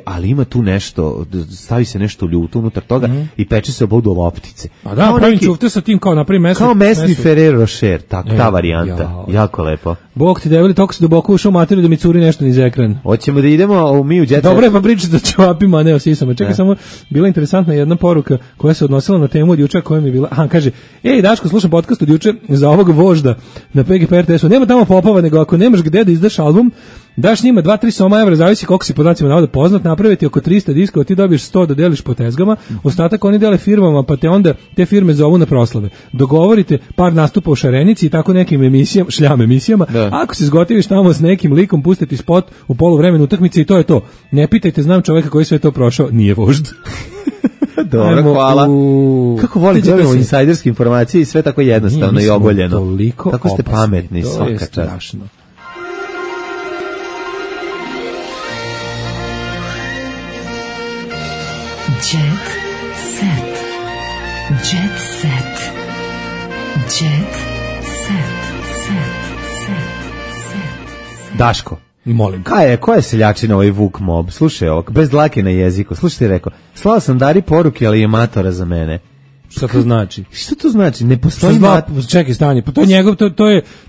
Ali ima tu nešto, stavi se nešto ljuto unutar toga i peče se obodu loptice. Pa da, pravim ćufte sa tim kao napravim meso. Kao mesni Ferrero Rocher, ta varijanta. Jako lepo. Bog ti devili, toko se duboko ušao u materiju da mi curi nešto niz ekran. Hoćemo da idemo u Miju Jet Set. Dobro je pa pričati o ćevapima, a ne o sisama. Čekaj, samo bila interesantna jedna poruka koja se odnosila na temu od juče, koja mi je bila, kaže, ej Daško, slušam podcast od juče za ovog vožda na PGP RTS-u, nema tamo popova, nego ako nemaš gde da izdaš album, daš njima 2-3 soma evra, zavisi koliko si podacima navoda poznat, napraviti oko 300 diskova, ti dobiješ 100 da deliš po tezgama, ostatak oni dele firmama, pa te onda te firme zovu na proslave. Dogovorite par nastupa u Šarenici i tako nekim emisijama, šljam emisijama, ako se zgotiviš tamo s nekim likom, pustiti spot u poluvremenu utakmice i to je to. Ne pitajte, znam čoveka koji sve to prošao, nije vožd. Dobro, hvala. Kako volim da dobijemo insajderske informacije i sve tako jednostavno i ogoljeno. Tako ste pametni, svaka čast. To je strašno. Jet set. Jet set. Jet set. Daško. Molim. Koja je seljačina ovaj Vuk Mob? Slušaj ovako, bez dlake na jeziku. Slušaj, rekao, slao sam Dari poruke, ali je matora za mene. Šta to znači? Što to znači? Ne postoji čekaj, stanje, pa to je njegov,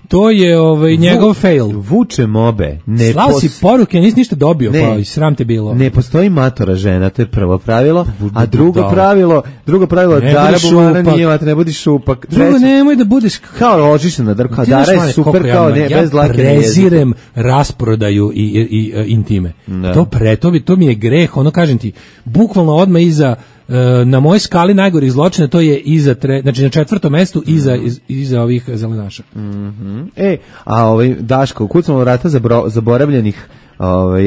to je njegov fail. Vuče Mobe. Slao si poruke, nisi ništa dobio, pa i sram te bilo. Ne postoji matora žena, to je prvo pravilo, a drugo pravilo Dara Bumana nije matora, ne budi šupak. Drugo, nemoj da budeš kao ložiš na drka, Dara je super kao ne, bez dlake na jeziku. Ja prezirem rasprodaju i intime. To mi je greh, ono kažem ti, bukvalno odmah iza na mojoj skali najgorih zločina to je znači na 4. mestu iza ovih zelenaša. A Daško, kucamo vrata zaboravljenih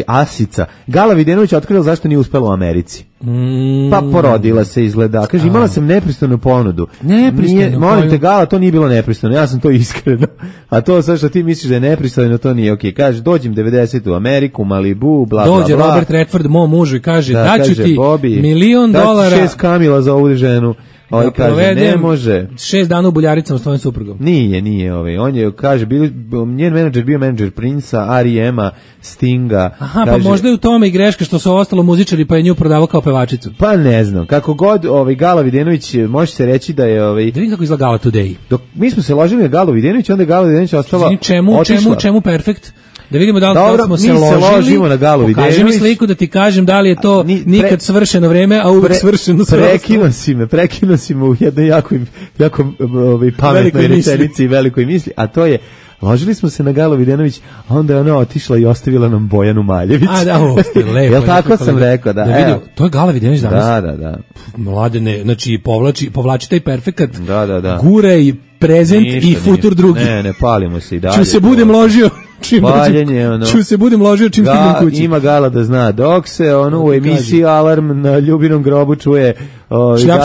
Asica. Gala Videnović otkrila zašto nije uspela u Americi. Pa porodila se, izgleda. Kaže, imala sam nepristojnu ponudu. Nepristojnu? Molim te, Gala, to nije bilo nepristojno. Ja sam to iskreno. A to sad što ti misliš da je nepristojno, to nije okej. Kaže, dođem 90 u Ameriku, Malibu, bla, bla, bla. Dođe Robert Redford, mom mužu, i kaže, daću ti Bobby, $1.000.000. daću 6 kamila za ovu ženu. Da kaže, ne može. 6 dana u Buljaricama s tvojim suprugom. Nije. On je, kaže, njen menadžer bio menadžer Princa, R.E.M.a, Stinga. Aha, kaže, pa možda je u tome i greška što su ostalo muzičari, pa je nju prodavao kao pevačicu. Pa ne znam, kako god Gala Videnović, može se reći da je... Da vidim kako izgleda Gala Today. Dok mi smo se ložili na Galu Videnović, onda je Gala Videnović ostala... Čemu perfekt? Da vidimo da li smo se ložimo na Galu Videnović. Pokaži mi sliku da ti kažem da li je to nikad svršeno vreme, a uvek svršeno sve. Prekinuo si me u jednoj jako pametnoj rečenici i velikoj misli, a to je, ložili smo se na Galu Videnović, a onda je ona otišla i ostavila nam Bojanu Maljević. A da, ovo ste lepo. Jel tako sam rekao, da. Vidio, to je Gala Videnović danas. Da. Mladene, znači povlači taj perfekat. Da. Gure i prezent i futur drugi. Ne, palimo se i dalje. Ću se budem ložio čim stignem kući. Ima Gala da zna, dok se u emisiji Alarm na Ljubinom grobu čuje šljap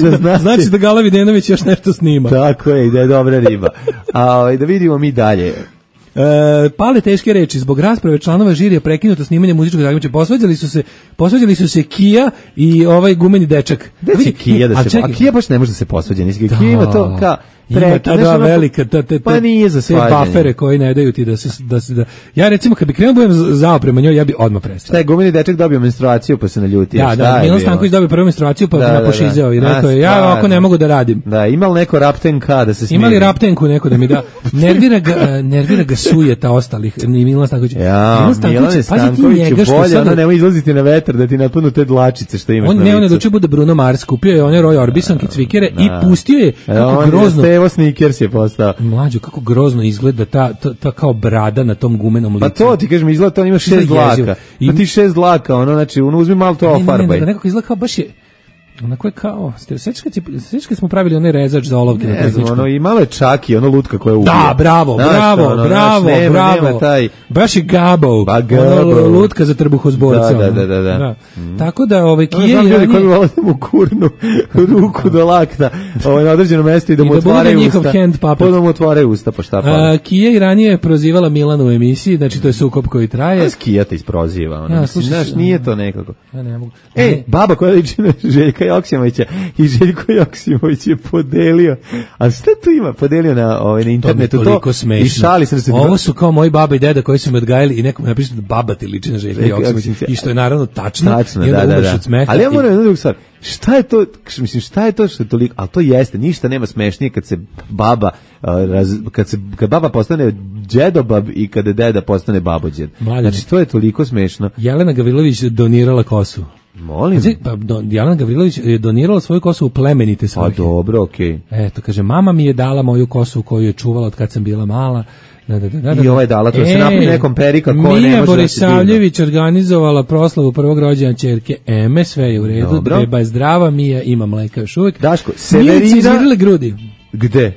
da zna. Znači da Gala Videnović još nešto snima. Tako je, i da je dobra riba. A da vidimo mi dalje. Pale teške reči, zbog rasprave članova žirija prekinuto snimanje muzičkog takmičenja. Posvađali su se Kija i ovaj gumeni dečak. A Kija baš ne može da se posvađa, Kija ima to kao ima ta dva velika, pa nije za svađanje. Te bafere koji ne daju ti da se ja recimo kad bi krenuo budem zao prema njoj, ja bi odmah prestao. Šta je gumeni dečak dobio menstruaciju pa se naljuti? Da, Milan Stanković dobio prvu menstruaciju pa me pošizeo i rekao je ja ovako ne mogu da radim. Da, imao neko raptenka da se smiri. Imali raptenku neko da mi da. Nervira ga sujeta ostalih, ni Milan Stanković. Ja, Milan Stanković bolje, ona nemoj izlaziti na vetar da ti napadnu te dlačice što imaš na licu. On ne odlučio bude Bruno Mars, kupio je one Roy Orbisonke cvikere i pustio je kako grozno. Evo Snickers je postao. Mlađo, kako grozno izgleda ta kao brada na tom gumenom licu. Pa to ti kažem, izgleda to ima 6 dlaka. Pa ti 6 dlaka, znači uzmi malo to ofarbaj. Ne, nekako izgleda kao baš je onako je kao, sveći smo pravili onaj rezač za olovke na tehničkom. I malo je čaki, ono lutka koja ubija. Da, bravo. Baš je Gabo. Lutka za trbuhozborca. Da. Tako da, Kije... Znam ljudi koji vole da mu kurnu ruku do lakta na određeno mesto i da mu otvaraju usta. Pa da mu otvaraju usta, pa šta pa. Kije i ranije prozivala Milanu u emisiji, znači to je sukob koji traje. Kija te isproziva. Znaš, nije to nekako. Ja ne mogu. Baba koja liči na Željka Joksimovića i Željko Joksimović je podelio, a šta tu ima? Podelio na internetu to i šali sam se. Ovo su kao moji baba i deda koji su me odgajali i nekom napisao da baba ti liči na Željka Joksimovića i što je naravno tačno da. Ali ja moram jednu drugu stvar, šta je to što je toliko, ali to jeste, ništa nema smešnije kad se baba kad baba postane džedobab i kada deda postane babođed. Znači to je toliko smešno. Jelena Gavrilović donirala kosu. Molim. Jelena Gavrilović je donirala svoju kosu u plemenite svrhe. Pa dobro, okej. Eto, kaže, mama mi je dala moju kosu koju je čuvala od kad sam bila mala. I ova je dala, to se napravi nekom perika ko ne može da se Mija Borisavljević organizovala proslavu prvog rođena ćerke Eme, sve je u redu, beba je zdrava, Mija ima mleka još uvijek. Daško, Severina... Milici izvirile grudi. Gde?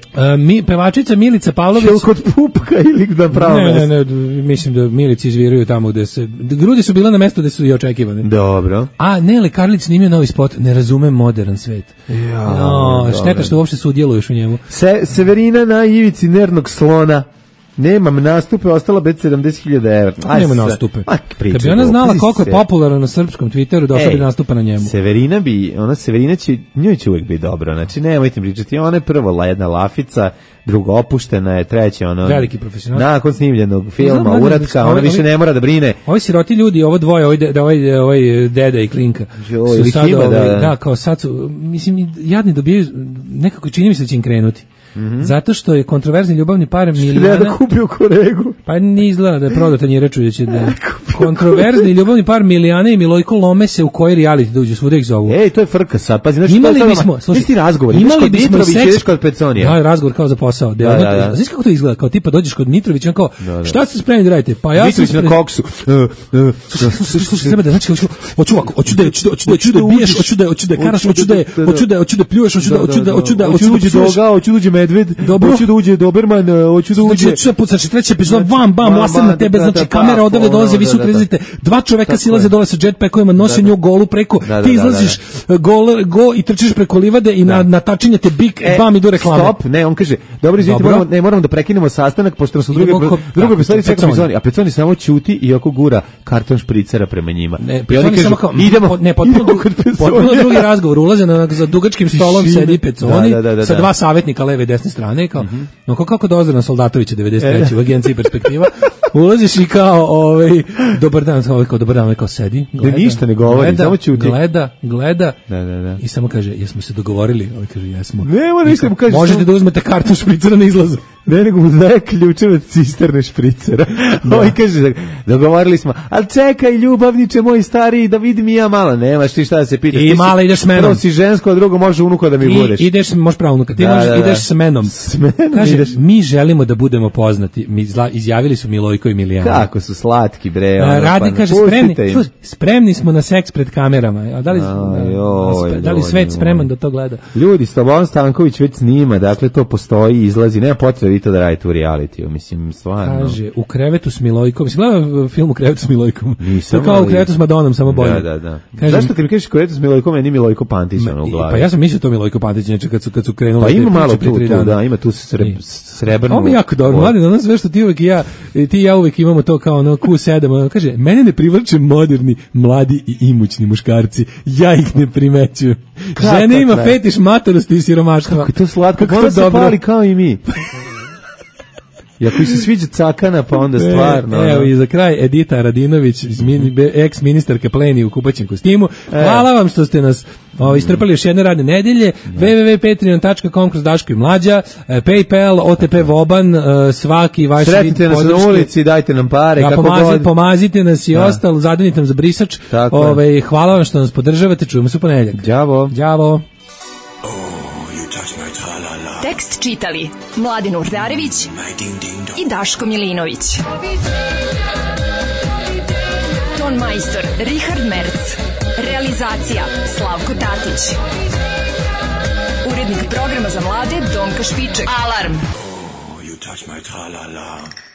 Pevačica Milica Pavlović. Šel kod pupka ili da pravo? Ne, mislim da Milici izviruju tamo gde se... Grudi su bile na mestu gde su i očekivane. Dobro. A Nele Karlić snimio novi spot, ne razumem modern svet. Šteta što uopšte sudjeluješ u njemu. Severina na ivici nervnog slona. Nemam nastupe, ostala bez 70.000 evra. Nema nastupe. Kad bi ona znala koliko je popularno na srpskom Twitteru, došla bi nastupa na njemu. Severina će, njoj će uvijek biti dobro. Znači, nemojte pričati. Ona je prvo jedna lafica, druga opuštena je, treća veliki profesional. Nakon snimljenog filma, uratka, ona više ne mora da brine. Ovi siroti ljudi, ovo dvoje, ovaj deda i Klinka. Su sad, kao sad su, mislim, jadni dobijaju, nekako čini mi se da će im krenuti. Zato što je kontroverzni ljubavni par Milijana... da kupio koregu. Pa ni izgleda da je prodao tanjiraču da će da... Kontroverzni ljubavni par Milijana i Milojko lome se u koji reality da uđu, svuda ih zovu. To je frka sad. Pazi, znači, imali bismo, slušaj, razgovor. Imali bismo seks kod Peconija. Da, razgovor kao za posao. Znaš kako to izgleda? Kao tipa dođeš kod Mitrovića, on kao, šta ste spremni da radite? Pa ja sam Mitrović na koksu. Slušaj, treba da, znači, hoću da biješ, hoću da karaš, hoću da pljuješ, hoću da medved, hoću da uđe Doberman, hoću da uđe. Znači treća epizoda, bam, lasem na tebe, znači kamera odavde dolaze, vi su krezite, dva čoveka silaze dole sa jetpackovima, nose nju golu preko, ti izlaziš go i trčiš preko livade i na tačinje te bik, bam, idu reklame. Stop, ne, on kaže, dobro, izvinite, moramo da prekinemo sastanak, pošto su druge epizodi čeka Peconi, a Peconi samo ćuti i oko gura karton špricera prema njima. I oni kažu, idemo, potpuno drugi razgovor, ulaze za dugačkim stolom, sedi Peconi, sa dva savjetnika leve i desne strane, kao, no kako dozirno Soldatovića 93. u agenciji Perspektiva, ulaziš i kao, dobar dan, kao sedi, gleda, ništa ne govori, samo ćuti. Gleda, i samo kaže, jesmo se dogovorili? Ovaj kaže, jesmo. Nema ništa mu kaže. Možete da uzmete karton špricera na izlazu. Ne, nego mu daje ključeve od cisterne špricera. Ovaj kaže, dogovorili smo, ali čekaj, ljubavniče moj stariji, da vidim i ja malo. Nemaš ti šta da se pitaš. I mala ideš s menom. Prvo si žensko, a drugo može unuka da mi budeš. Možeš pravo unuka, ti ideš s menom. Kaže, mi želimo da budemo poznati. Izjavili su Milojko i Milijana. Kako su slatki, bre. Radi, kaže, spremni smo na seks pred kamerama. Da li svet spreman da to gleda? Ljudi, Slobodan Stanković već snima, dakle to postoji, izlazi, nema potrebe vi to da radite u realitiju, mislim, stvarno. Kaže, u krevetu s Milojkom, mislim, gledam film u krevetu s Milojkom. Nisam, kao u krevetu s Madonom, samo bolje. Da. Zašto kad mi kažeš krevetu s Milojkom, meni Milojko Pantić u glavi? Pa ja sam mislio to Milojko Pantić, znači kad su krenuli. Pa ima malo tu, ima tu srebrnu. Ovo mi jako dobro, mladen, ono sve što ti uvek i ja uvek imamo to kao ono Q7, kaže, mene ne privlače moderni, mladi i imućni muškarci, ja ih ne primećujem. Žene ima fetiš matorosti i siromaštva. Kako je to slatko, kako se pali kao i mi. I ako se sviđa cakana, pa onda stvarno. Evo i za kraj Edita Radinović, ex-ministarka Pleni u kupaćem kostimu. Hvala vam što ste nas istrpali još jedne radne nedelje. www.patreon.com kroz Daško i Mlađa, PayPal, OTP Voban, svaki vaš vid podrške. Sretite nas na ulici, dajte nam pare. Pomazite nas i ostalo, zadonite nam za brisač. Hvala vam što nas podržavate, čujemo se u ponedeljak. Đavo. Tekst čitali Mladen Urdarević i Daško Milinović. Ton majstor Richard Merc. Realizacija Slavko Tatić. Urednik programa za mlade Donka Špiček. Alarm! Oh, you touch my tra-la-la.